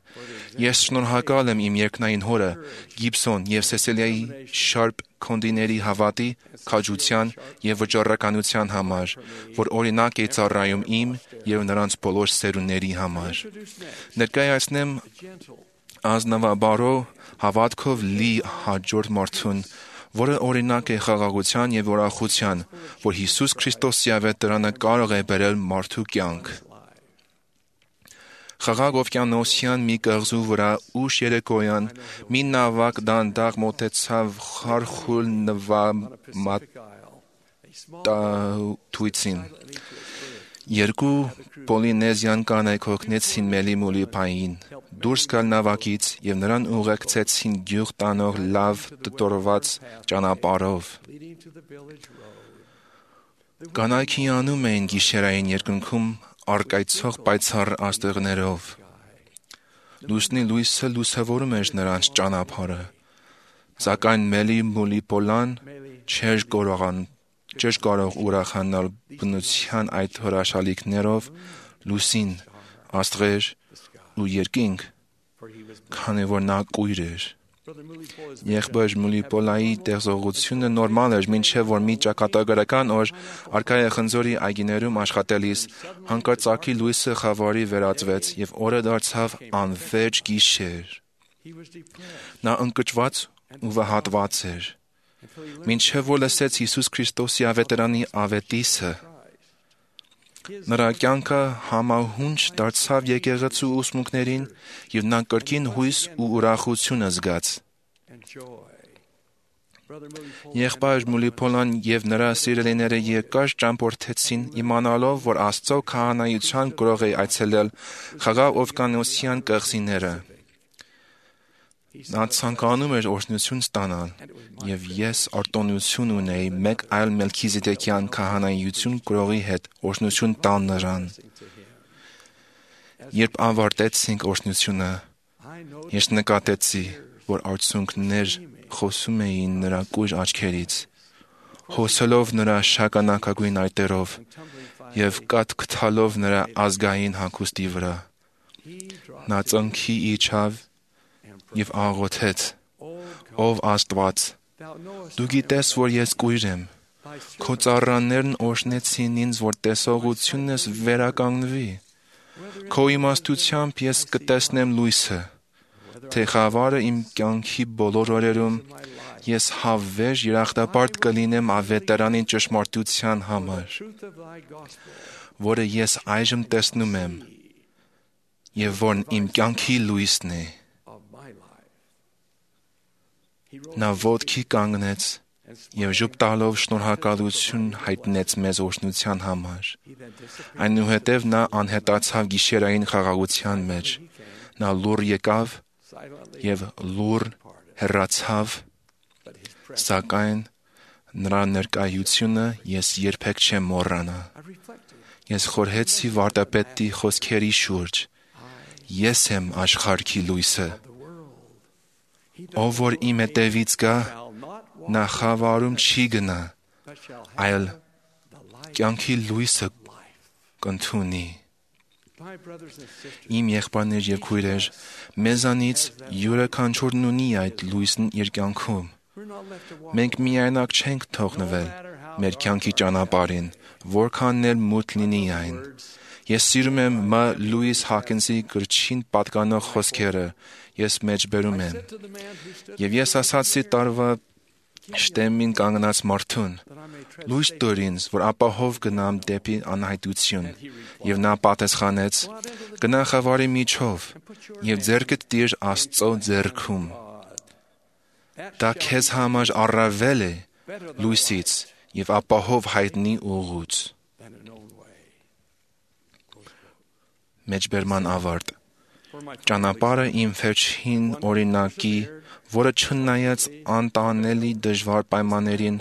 Ես շնորհակալ եմ իմ երկնային հորը, Գիբսոն եւ Սեսելիայի շարպ քոնդիների հավատի, քաջության եւ վճռականության համար, որ օրինակ է ծառայում իմ եւ նրանց բոլոր սերունդների համար։ Ներկայացնեմ ազնվաբարո հավատքով լի հաջորդ մարդուն, որը օրինակ է խաղաղության եւ ուրախության, որ Հիսուս Քրիստոսի ավետարանը կարող է բերել մարդու կյանք։ Խաղաղ օվկիանոսյան մի կղզու վրա ուշ երեկոյան մի նավակ դանդաղ մոտեցավ խարխուլ նվամատույցին։ Երկու պոլինեզյան կանայք օգնեցին Մելի Մուլիփային դուրս գալ նավակից եւ նրան ուղեկցեցին գյուղ տանող լավ դտորված ճանապարհով։ Կանայքի անում էին գիշերային երկնքում արկայցող պայծառ աստղներով։ Լուսնի լույսը լուսավորում էր նրանց ճանապարհը, սակայն Մելի Մուլիփոլան չէր կարող ուրախանալ բնության այդ հրաշալիքներով, լուսին, աստղեր ու երկինք, քանի որ նա կույր էր։ Եղբայր Մուլիփոլայի տեղողությունը նորմալ էր, մինչև որ մի ճակատագրական օր Արքայա խնձորի այգիներում աշխատելիս հանկարծակի լույսը խավարի վերածվեց եւ օրը դարձավ անվերջ գիշեր։ Նա ընկճված ու վհատված էր, մինչև որ լսեց Հիսուս Քրիստոսի ավետարանի ավետիսը։ Նրա կյանքը համահունչ դարձավ եկեղեցու ուսմունքներին եւ նա կրկին հույս ու ուրախություն զգաց։ Եղբայր Մուլիփոլան եւ նրա սիրելիները երկար ճամփորդեցին իմանալով, որ Աստծո քահանայության գրող է այցելել խաղաղ օվկիանոսյան կղզիները։ Նա ցանկանում էր օրհնություն ստանալ, եւ ես արտոնություն ունեի մեկ այլ Մելքիզեդեկյան քահանայություն գրողի հետ օրհնություն տալ նրան։ Երբ ավարտեցինք օրհնությունը, ես նկատեցի, որ արցունքներ խոսում էին նրա կույր աչքերից, հոսելով նրա շագանակագույն այտերով և կաթքթալով նրա ազգային հագուստի վրա։ Նա ծնքի իջավ և աղոթեց. «Ով Աստված, դու գիտես, որ ես կույր եմ, քո ծառաներն օրհնեցին ինձ, որ տեսողությունս վերականգնվի։ Քո իմաստությամբ ես կտեսնեմ լույսը, թե խավարը իմ կյանքի բոլոր օրերում ես հավերժ երախտապարտ կլինեմ ավետարանին ճշմարտության համար, որը ես այժմ տեսնում եմ և որն իմ կյանքի լույսն է»։ Նա ոտքի կանգնեց և ժուտ տալով շնորհակալություն հայտնեց մեզ օրհնության համար։ Այնուհետև նա անհետացավ գիշերային խաղաղության մեջ։ Նա լուռ եկավ և լուռ հեռացավ, սակայն նրա ներկայությունը ես երբեք չեմ մոռանա։ Ես խորհեցի վարդապետի խոսքերի շուրջ. «Ես եմ աշխարհի լույսը։ Ով որ իմ հետևից գա, նա խավարում չի գնա, այլ կյանքի լույսը կընդունի»։ Իմ եղբայրներ և քույրեր, մեզանից յուրաքանչյուրն ունի այդ լույսն իր կյանքում։ Մենք միայնակ չենք թողնվել մեր կյանքի ճանապարհին, որքան էլ մութ լինի այն։ Ես սիրում եմ Մ. Լուիս Հոքինսի գրչին պատկանող խոսքերը, ես մեջբերում եմ. «Եվ ես ասացի տարվա շտեմին կանգնած մարդուն. լույս տուր ինձ, որ ապահով գնամ դեպի անհայտություն։ Եվ նա պատասխանեց. գնա խավարի միջով և ձեռքդ տիր Աստծո ձեռքում։ Դա քեզ համար առավել է լույսից և ապահով հայտնի ուղուց»։ Մեջբերման ավարտ։ Ճանապարհը իմ վերջին օրինակի, որը չնայած անտանելի դժվար պայմաններին,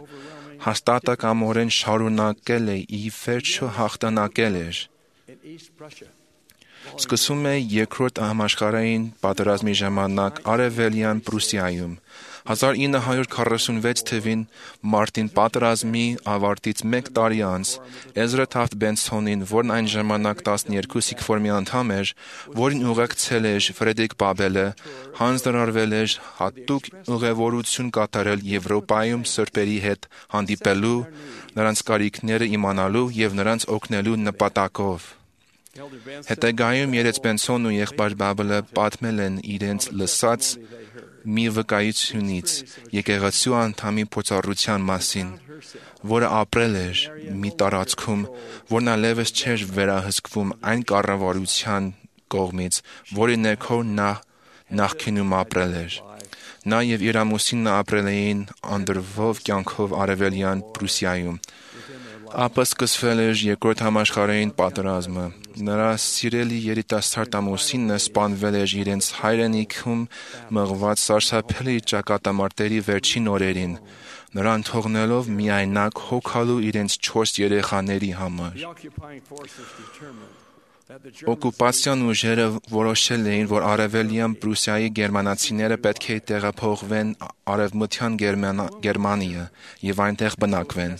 հաստատակամորեն շարունակել է ի վերջո հաղթանակել էր։ Սկսում է Երկրորդ համաշխարհային պատերազմի ժամանակ Արևելյան Պրուսիայում։ 1946 թվին մարտին պատերազմի ավարտից մեկ տարի անց Էզրա Թաֆթ Բենսոնին, որն այն ժամանակ 12 սիքֆորմի անդամ էր, որին ուղեկցել էր Ֆրեդերիկ Բաբելը, հանձնարարվել էր հատուկ ուղևորություն կատարել Եվրոպայում սրբերի հետ հանդիպելու, նրանց կարիքները իմանալու և նրանց օգնելու նպատակով։ Հետագայում երեց Բենսոնն ու եղբայր Բաբելը պատմել են իրենց լսած մի վկայությունից եկեղեցու անդամի փորձառության մասին, որը ապրել էր մի տարածքում, որն այլևս չէր վերահսկվում այն կառավարության կողմից, որի ներքո նա նախկինում ապրել էր։ Նա և իր ամուսինը ապրել էին անդրվող կյանքով Արևելյան Պրուսիայում։ Ապա սկսվել էր Երկրորդ համաշխարհային պատերազմը։ Նրա սիրելի երիտասարդ ամուսինը սպանվել էր իրենց հայրենիքում մղված սարսափելի ճակատամարտերի վերջին օրերին, նրան թողնելով միայնակ հոգալու իրենց 4 երեխաների համար։ Օկուպացիոն ուժերը որոշել էին, որ Արևելյան Պրուսիայի գերմանացիները պետք է տեղափոխվեն Արևմտյան Գերմանիա և այնտեղ բնակվեն։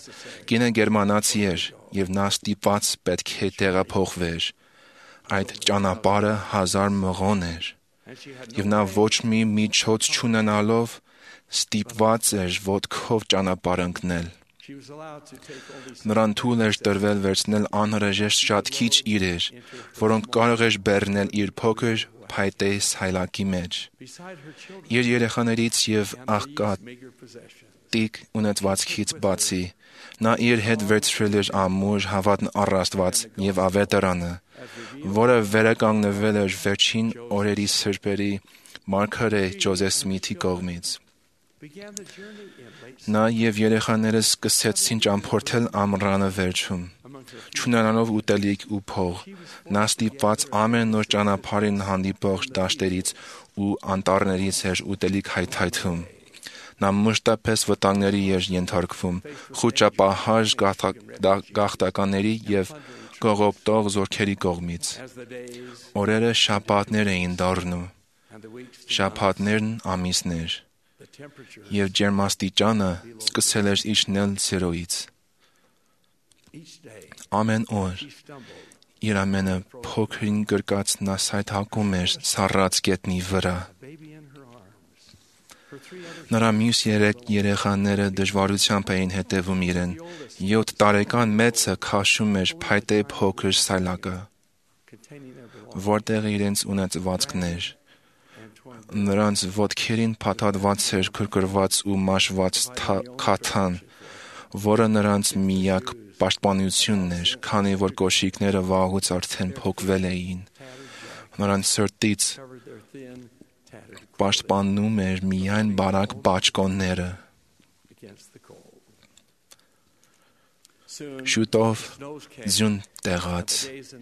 Կինը գերմանացի էր, և նա ստիպված պետք է տեղափոխվեր։ Այդ ճանապարհը 1000 մղոն էր, և նա ոչ մի միջոց չունենալով ստիպված էր ոտքով ճանապարհ ընկնել։ Նրան թույլ էր տրվել վերցնել անհրաժեշտ շատ քիչ իրեր, որոնք կարող էր բեռնել իր փոքր փայտե սայլակի մեջ։ Իր երեխաներից և աղքատիկ ունեցվածքից բացի, նա իր հետ վերցրել էր ամուր հավատն առ Աստված և ավետարանը, որը վերականգնվել էր վերջին օրերի սրբերի մարգարե Ջոզեֆ Սմիթի կողմից։ Նա և երեխաները սկսեցին ճամփորդել ամռանը վերջում։ Չունենալով ուտելիք ու փող, նա ստիպված ամեն նոր ճանապարհին հանդիպող դաշտերից ու անտառներից էր ուտելիք հայթայթում։ Նա մշտապես վտանգների էր ենթարկվում, խուճապահար գաղթականների և կողոպտող զորքերի կողմից։ Օրերը շաբաթներ էին դառնում, շաբաթներն ամիսներ, եւ ջերմաստիճանը սկսել էր իջնել ցերոյից։ Ամեն օր իր ամենափոքրին գրկած նա սայթակում էր սառած գետնի վրա։ Նրա մյուս 3 երեխաները դժվարությամբ էին հետևում իրեն։ 7 տարեկան մեծը քաշում էր փայտե փոքր սայլակը, որտեղ իրենց ունեցվածքն էր։ Նրանց ոտքերին փաթաթված էր քրքրված ու մաշված քաթան, որը նրանց միակ պաշտպանությունն էր, քանի որ կոշիկները վաղուց արդեն փոկվել էին։ Նրանց սրտից պաշտպանում էր միայն բարակ բաճկոնները։ Շուտով ձյուն տեղաց,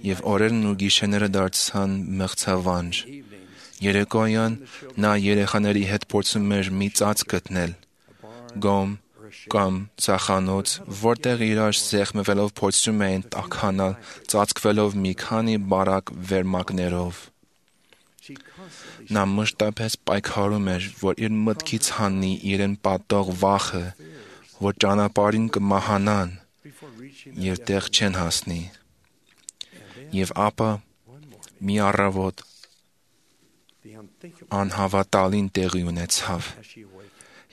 եւ օրերն ու գիշերները դարձան մղձավանջ։ Երեկոյան նա երեխաների հետ փորձում էր մի ծած գտնել, գոմ կամ ծախանոց, որտեղ իրար սեղմվելով փորձում էին տաքանալ, ծածկվելով մի քանի բարակ վերմակներով։ Նա մշտապես պայքարում էր, որ իր մտքից հանի իրեն պատող վախը, որ ճանապարհին կմահանան եւ տեղ չեն հասնի։ Եվ ապա մի առավոտ անհավատալին տեղի ունեցավ,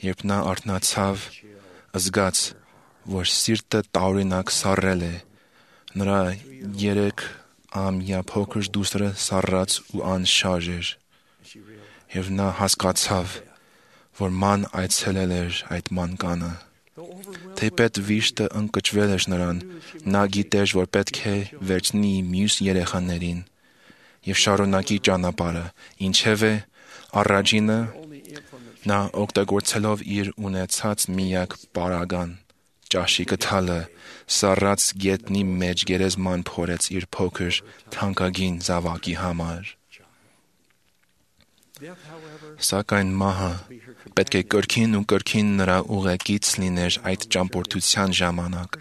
երբ նա արթնացավ, զգաց, որ սիրտը տարօրինակ սառել է, նրա 3-ամյա փոքր դուստրը սառած ու անշարժ էր, եւ նա հասկացավ, որ ման այցելել էր այդ մանկանը։ Թեպետ վիշտը ընկճվել էր նրան, նա գիտեր, որ պետք է վերցնի մյուս երեխաներին եւ շարունակի ճանապարհը, ինչևէ առաջինը նա օգտագործելով իր ունեցած միակ պարագան, ճաշիկը թալը, սառած գետնի մեջ գերեզման փորեց իր փոքր թանկագին զավակի համար։ Սակայն մահը պետք է կրկին ու կրկին նրա ուղեկից լիներ այդ ճամփորդության ժամանակ։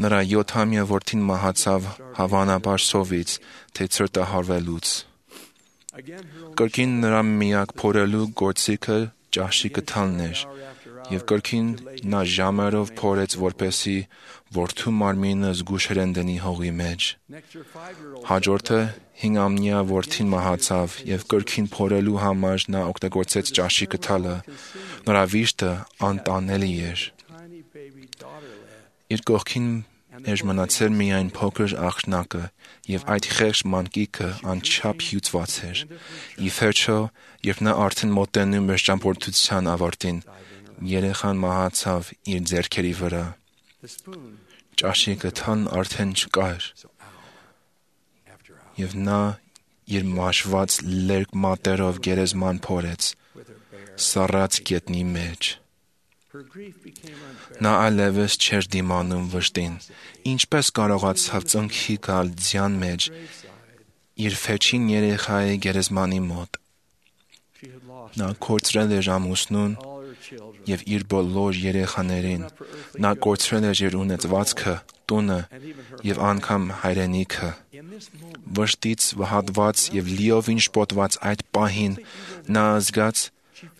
Նրա 7-ամյա որդին մահացավ հավանաբար սովից, թե ցրտահարվելուց։ Կրկին նրա միակ փորելու գործիքը ճաշիկը թալն էր, եւ կրկին նա ժամերով փորեց, որպեսզի որդու մարմինը զգուշորեն դնի հողի մեջ։ Հաջորդը 5-ամյա որդին մահացավ եւ կրկին փորելու համար նա օգտագործեց ճաշիկը թալը։ Նրա վիշտը անտանելի էր։ Իր կողքին էր մնացել միայն փոքր աղջնակը, եւ այդ խեղճ մանկիկը անչափ հյուծված էր։ Ի վերջո, երբ նա արդեն մոտենում էր ճամփորդության ավարտին, երեխան մահացավ իր ձեռքերի վրա։ Ճաշիկը թալն արդեն չկար, եւ նա իր մաշված լերկ մատերով գերեզման փորեց, սառած գետնի մեջ։ Նա այլևս չէր դիմանում վշտին, ինչպես կարողացավ ծնքի գալ ձյան մեջ իր վերջին երեխայի գերեզմանի մոտ։ Նա կորցրել էր ամուսնուն եւ իր բոլոր երեխաներին, նա կորցրել էր իր ունեցվածքը, տունը եւ անգամ հայրենիքը։ Վշտից վհատված եւ լիովին շփոթված այդ պահին նա զգաց,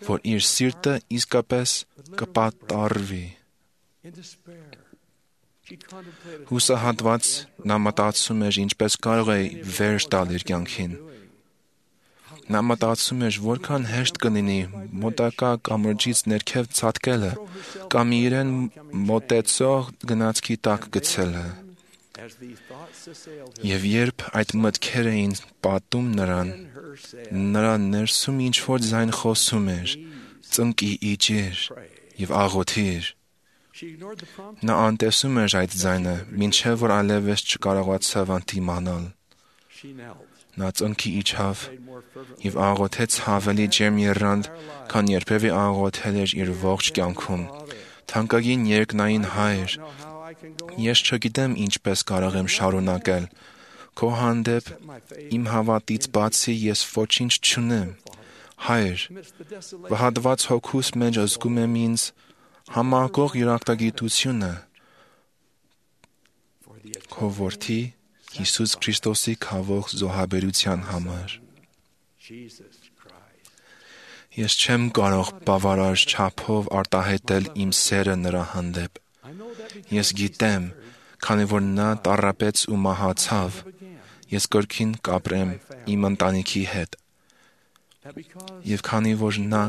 որ իր սիրտը իսկապես կպատառվի։ Հուսահատված նա մտածում էր ինչպես կարող է վերջ տալ իր կյանքին։ Նա մտածում էր որքան հեշտ կլինի մոտակա կամրջից ներքև ցատկելը կամ իրեն մոտեցող գնացքի տակ գցելը։ Եվ երբ այդ մտքերը էին պատում նրան, նրա ներսում ինչ-որ ձայն խոսում էր. «Ծնկի իջիր եւ աղոթիր»։ Նա անտեսում էր այդ ձայնը, մինչև որ այլևս չկարողացավ ընդդիմանալ։ Նա ծնկի իջավ եւ աղոթեց ավելի ջերմ եռանդ, քան երբևէ աղոթել էր իր ողջ կյանքում։ Թանկագին երկնային Հայր, ես չգիտեմ ինչպես կարող եմ շարունակել։ Քո հանդեպ իմ հավատից բացի ես ոչինչ չունեմ։ Հայր, վհատված հոգուս մեջ զգում եմ ինձ համակող երախտագիտությունը քո որդի Հիսուս Քրիստոսի քավող զոհաբերության համար։ Ես չեմ կարող բավարար չափով արտահայտել իմ սերը նրա հանդեպ։ Ես գիտեմ, քանի որ նա տառապեց ու մահացավ, ես կրկին կապրեմ իմ ընտանիքի հետ։ Եվ քանի որ նա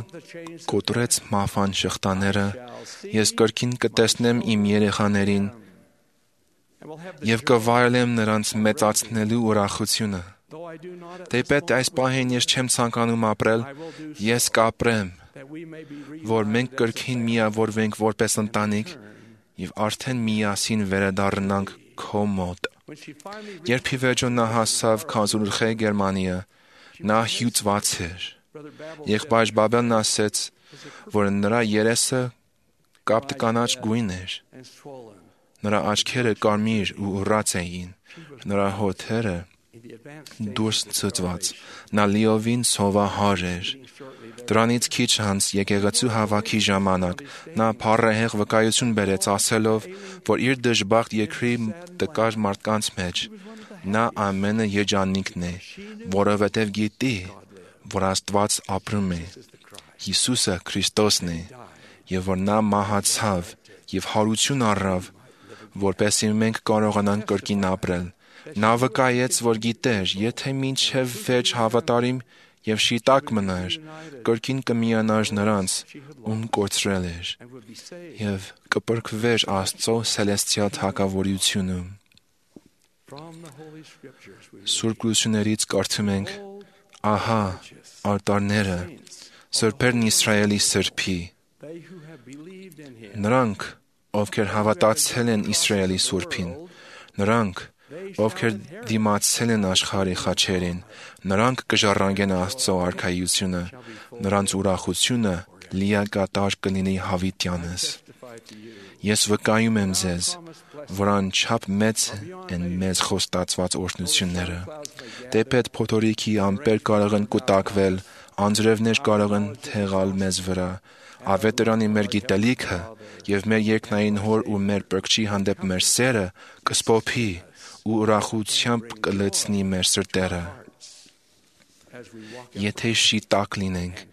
կոտրեց մահվան շղթաները, ես կրկին կտեսնեմ իմ երեխաներին եւ կվայելեմ նրանց մեծացնելու ուրախությունը։ Թեպետ այս պահին ես չեմ ցանկանում ապրել, ես կապրեմ, որ մենք կրկին միավորվենք որպես ընտանիք եւ արդեն միասին վերադառնանք քո մոտ։ Երբ ի վերջո նա հասավ Քազուլխե Գերմանիա, նա հյուծված էր։ Եղբայր Բաբելն ասեց, որ նրա երեսը կապտկանաչ գույն էր։ Նրա աչքերը կարմիր ու ուռած էին, նրա հոթերը դուրս ցցված, նա լիովին սովահար էր։ Դրանից քիչ անց եկեղեցու հավաքի ժամանակ նա փառահեղ վկայություն բերեց, ասելով, որ իր դժբախտ երկրի տկար մարդկանց մեջ նա ամենը երջանիկն է, որովհետև գիտի, որ Աստված ապրում է, Հիսուսը Քրիստոսն է, եւ որ նա մահացավ եւ հարություն առավ, որպեսզի մենք կարողանանք կրկին ապրել։ Նա վկայեց, որ գիտեր, եթե մինչև վերջ հավատարիմ եւ շիտակ մնար, կրկին կմիանար նրանց, ում կորցրել էր, եւ կփրկվեր Աստծո սելեստիալ թագավորությունում։ Սուրբ Գրություններից կարդում ենք. «Ահա, արտարները, սրբերն Իսրայելի սրբի, նրանք, ովքեր հավատացել են Իսրայելի Սուրբին, նրանք, ովքեր դիմացել են աշխարհի խաչերին, նրանք կժառանգեն Աստծո արքայությունը, նրանց ուրախությունը լիակատար կլինի հավիտյանս։ Ես վկայում եմ ձեզ, որ անչափ մեծ են մեզ խոստացված օրհնությունները։ Թեպետ փոթորիկի ամպեր կարող են կուտակվել, անձրևներ կարող են թեղալ մեզ վրա, ավետարանի մեր գիտելիքը եւ մեր երկնային հոր ու մեր Փրկչի հանդեպ մեր սերը կսփոփի ու ուրախությամբ կլցնի մեր սրտերը։ Եթե շիտակ լինենք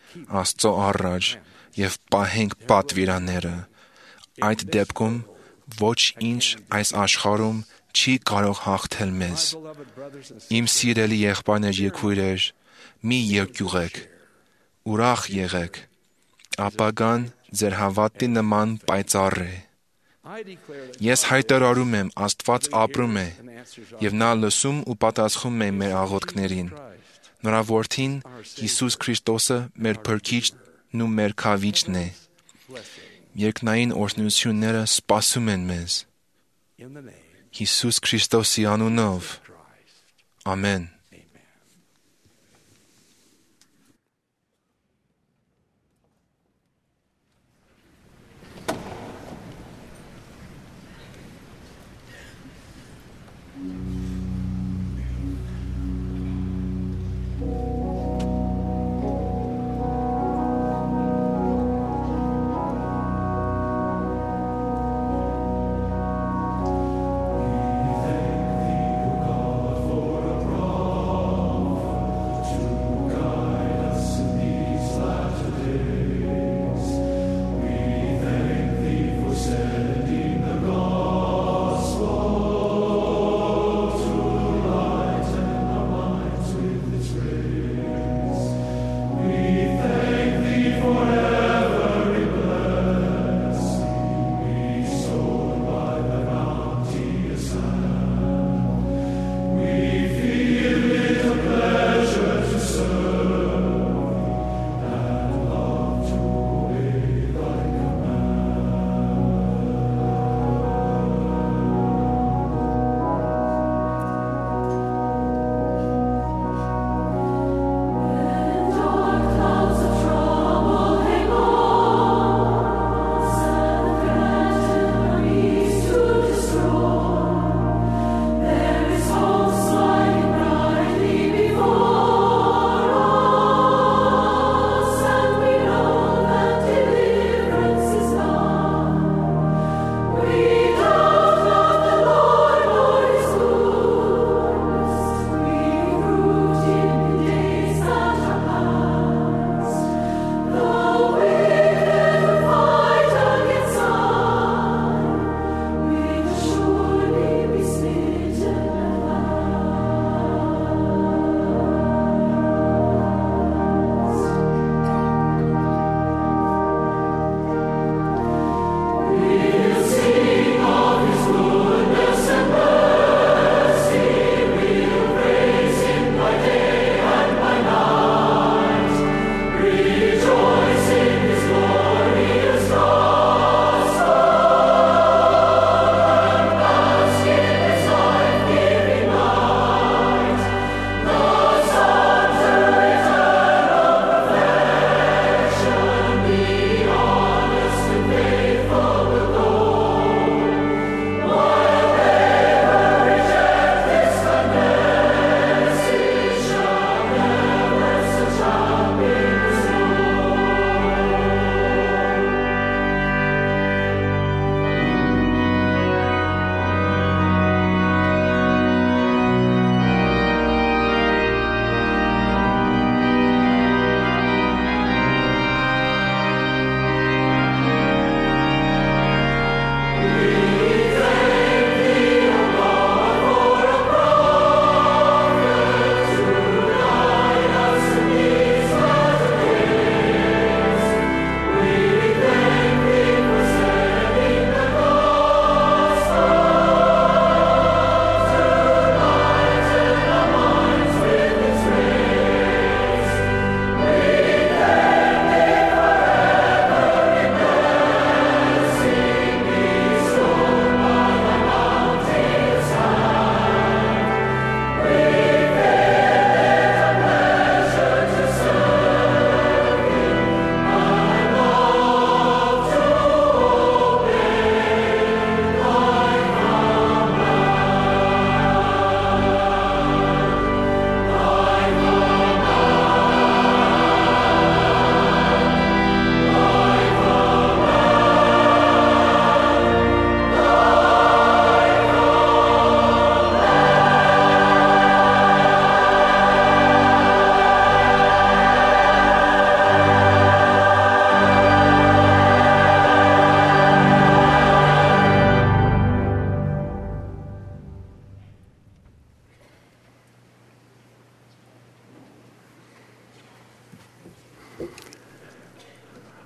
Աստծո առաջ եւ պահենք պատվիրանները, այդ դեպքում ոչ ինչ այս աշխարհում չի կարող հաղթել մեզ։ Իմ սիրելի եղբայրներ եւ քույրեր, մի երկյուղեք, ուրախ եղեք, ապագան ձեր հավատի նման պայծառ է։ Ես հայտարարում եմ, Աստված ապրում է, եւ նա լսում ու պատասխանում է մեր աղոթքներին։ Նրա որդին Հիսուս Քրիստոսը մեր Փրկիչն ու մեր Քավիճն է։ Երկնային օրհնությունները սպասում են մեզ։ Հիսուս Քրիստոսի անունով։ Ամեն։ For a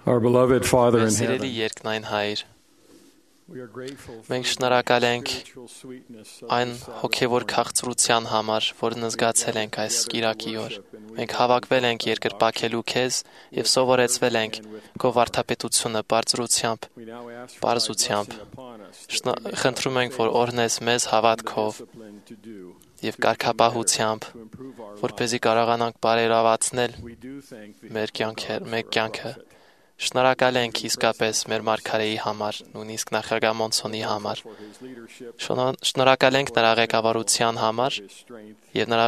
Our beloved Father in Սիրելի heaven, երկնային Հայր, we are grateful for մենք շնորհակալ ենք spiritual sweetness of այն this Sabbath հոգևոր morning. քաղցրության համար, որն զգացել ենք այս կիրակի օր։ Մենք հավաքվել ենք երկրպագելու քեզ եւ սովորեցվել ենք քո վարդապետությունը բարձրությամբ, We now ask for thy բարձությամբ։ blessing upon us that we may Խնդրում ենք, որ have օրհնես մեզ հավատքով discipline to do, եւ կարգապահությամբ, to improve our որպեսզի կարողանանք բարելավացնել We do thank thee, մեր O կյանքը, God, մեր for our կյանքը։ prophet. Շնորհակալ ենք իսկապես մեր մարգարեի համար, նույնիսկ նախագահ Մոնսոնի համար։ For his leadership, Շնորհակալ ենք նրա ղեկավարության համար his strength, եւ նրա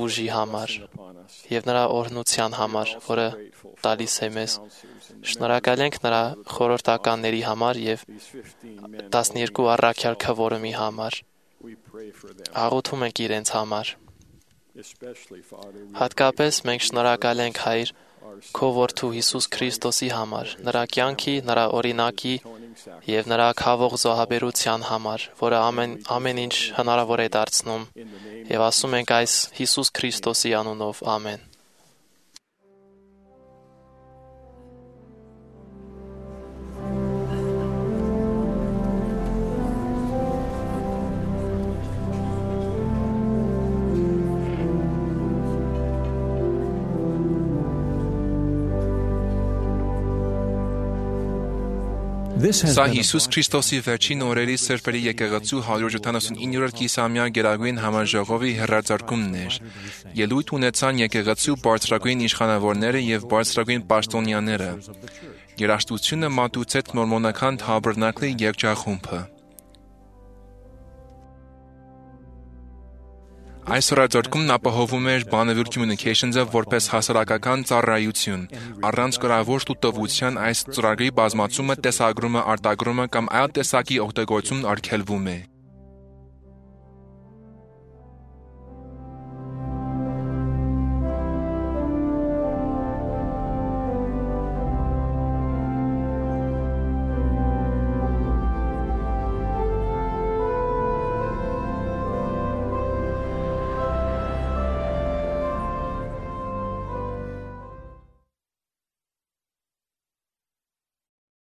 ուժի համար upon us. եւ նրա օրհնության համար, որը Grateful for տալիս է մեզ։ counselors and Շնորհակալ ենք նրա խորհրդականների համար եւ these 15 men. 12 առաքյալ քվորումի համար։ We pray for them, Աղոթում ենք իրենց համար։ especially, Father, we Հատկապես մենք շնորհակալ ենք Հայր քո որդու Հիսուս Քրիստոսի համար, նրա կյանքի, նրա օրինակի եւ նրա քավող զոհաբերության համար, որը ամեն ինչ հնարավոր է դարձնում։ Եվ ասում ենք այս Հիսուս Քրիստոսի անունով, ամեն։ Սա Հիսուս Քրիստոսի վերջին օրերի Սրբերի եկեղեցու 179-րդ կիսամյա գերագույն համաժողովի հեռարձակումն էր։ Ելույթ ունեցան եկեղեցու բարձրագույն իշխանավորները եւ բարձրագույն պաշտոնյաները։ Երաժշտությունը մատուցեց մորմոնական Թաբերնակլի երգչախումբը։ Այս հեռարձակումն ապահովում էր Bonneville Communications-ը որպես հասարակական ծառայություն։ Առանց գրավոր տուտվության այս ծրագրի բազմացումը, տեսագրումը, արտագրումը կամ այլ տեսակի օգտագործումն արգելվում է։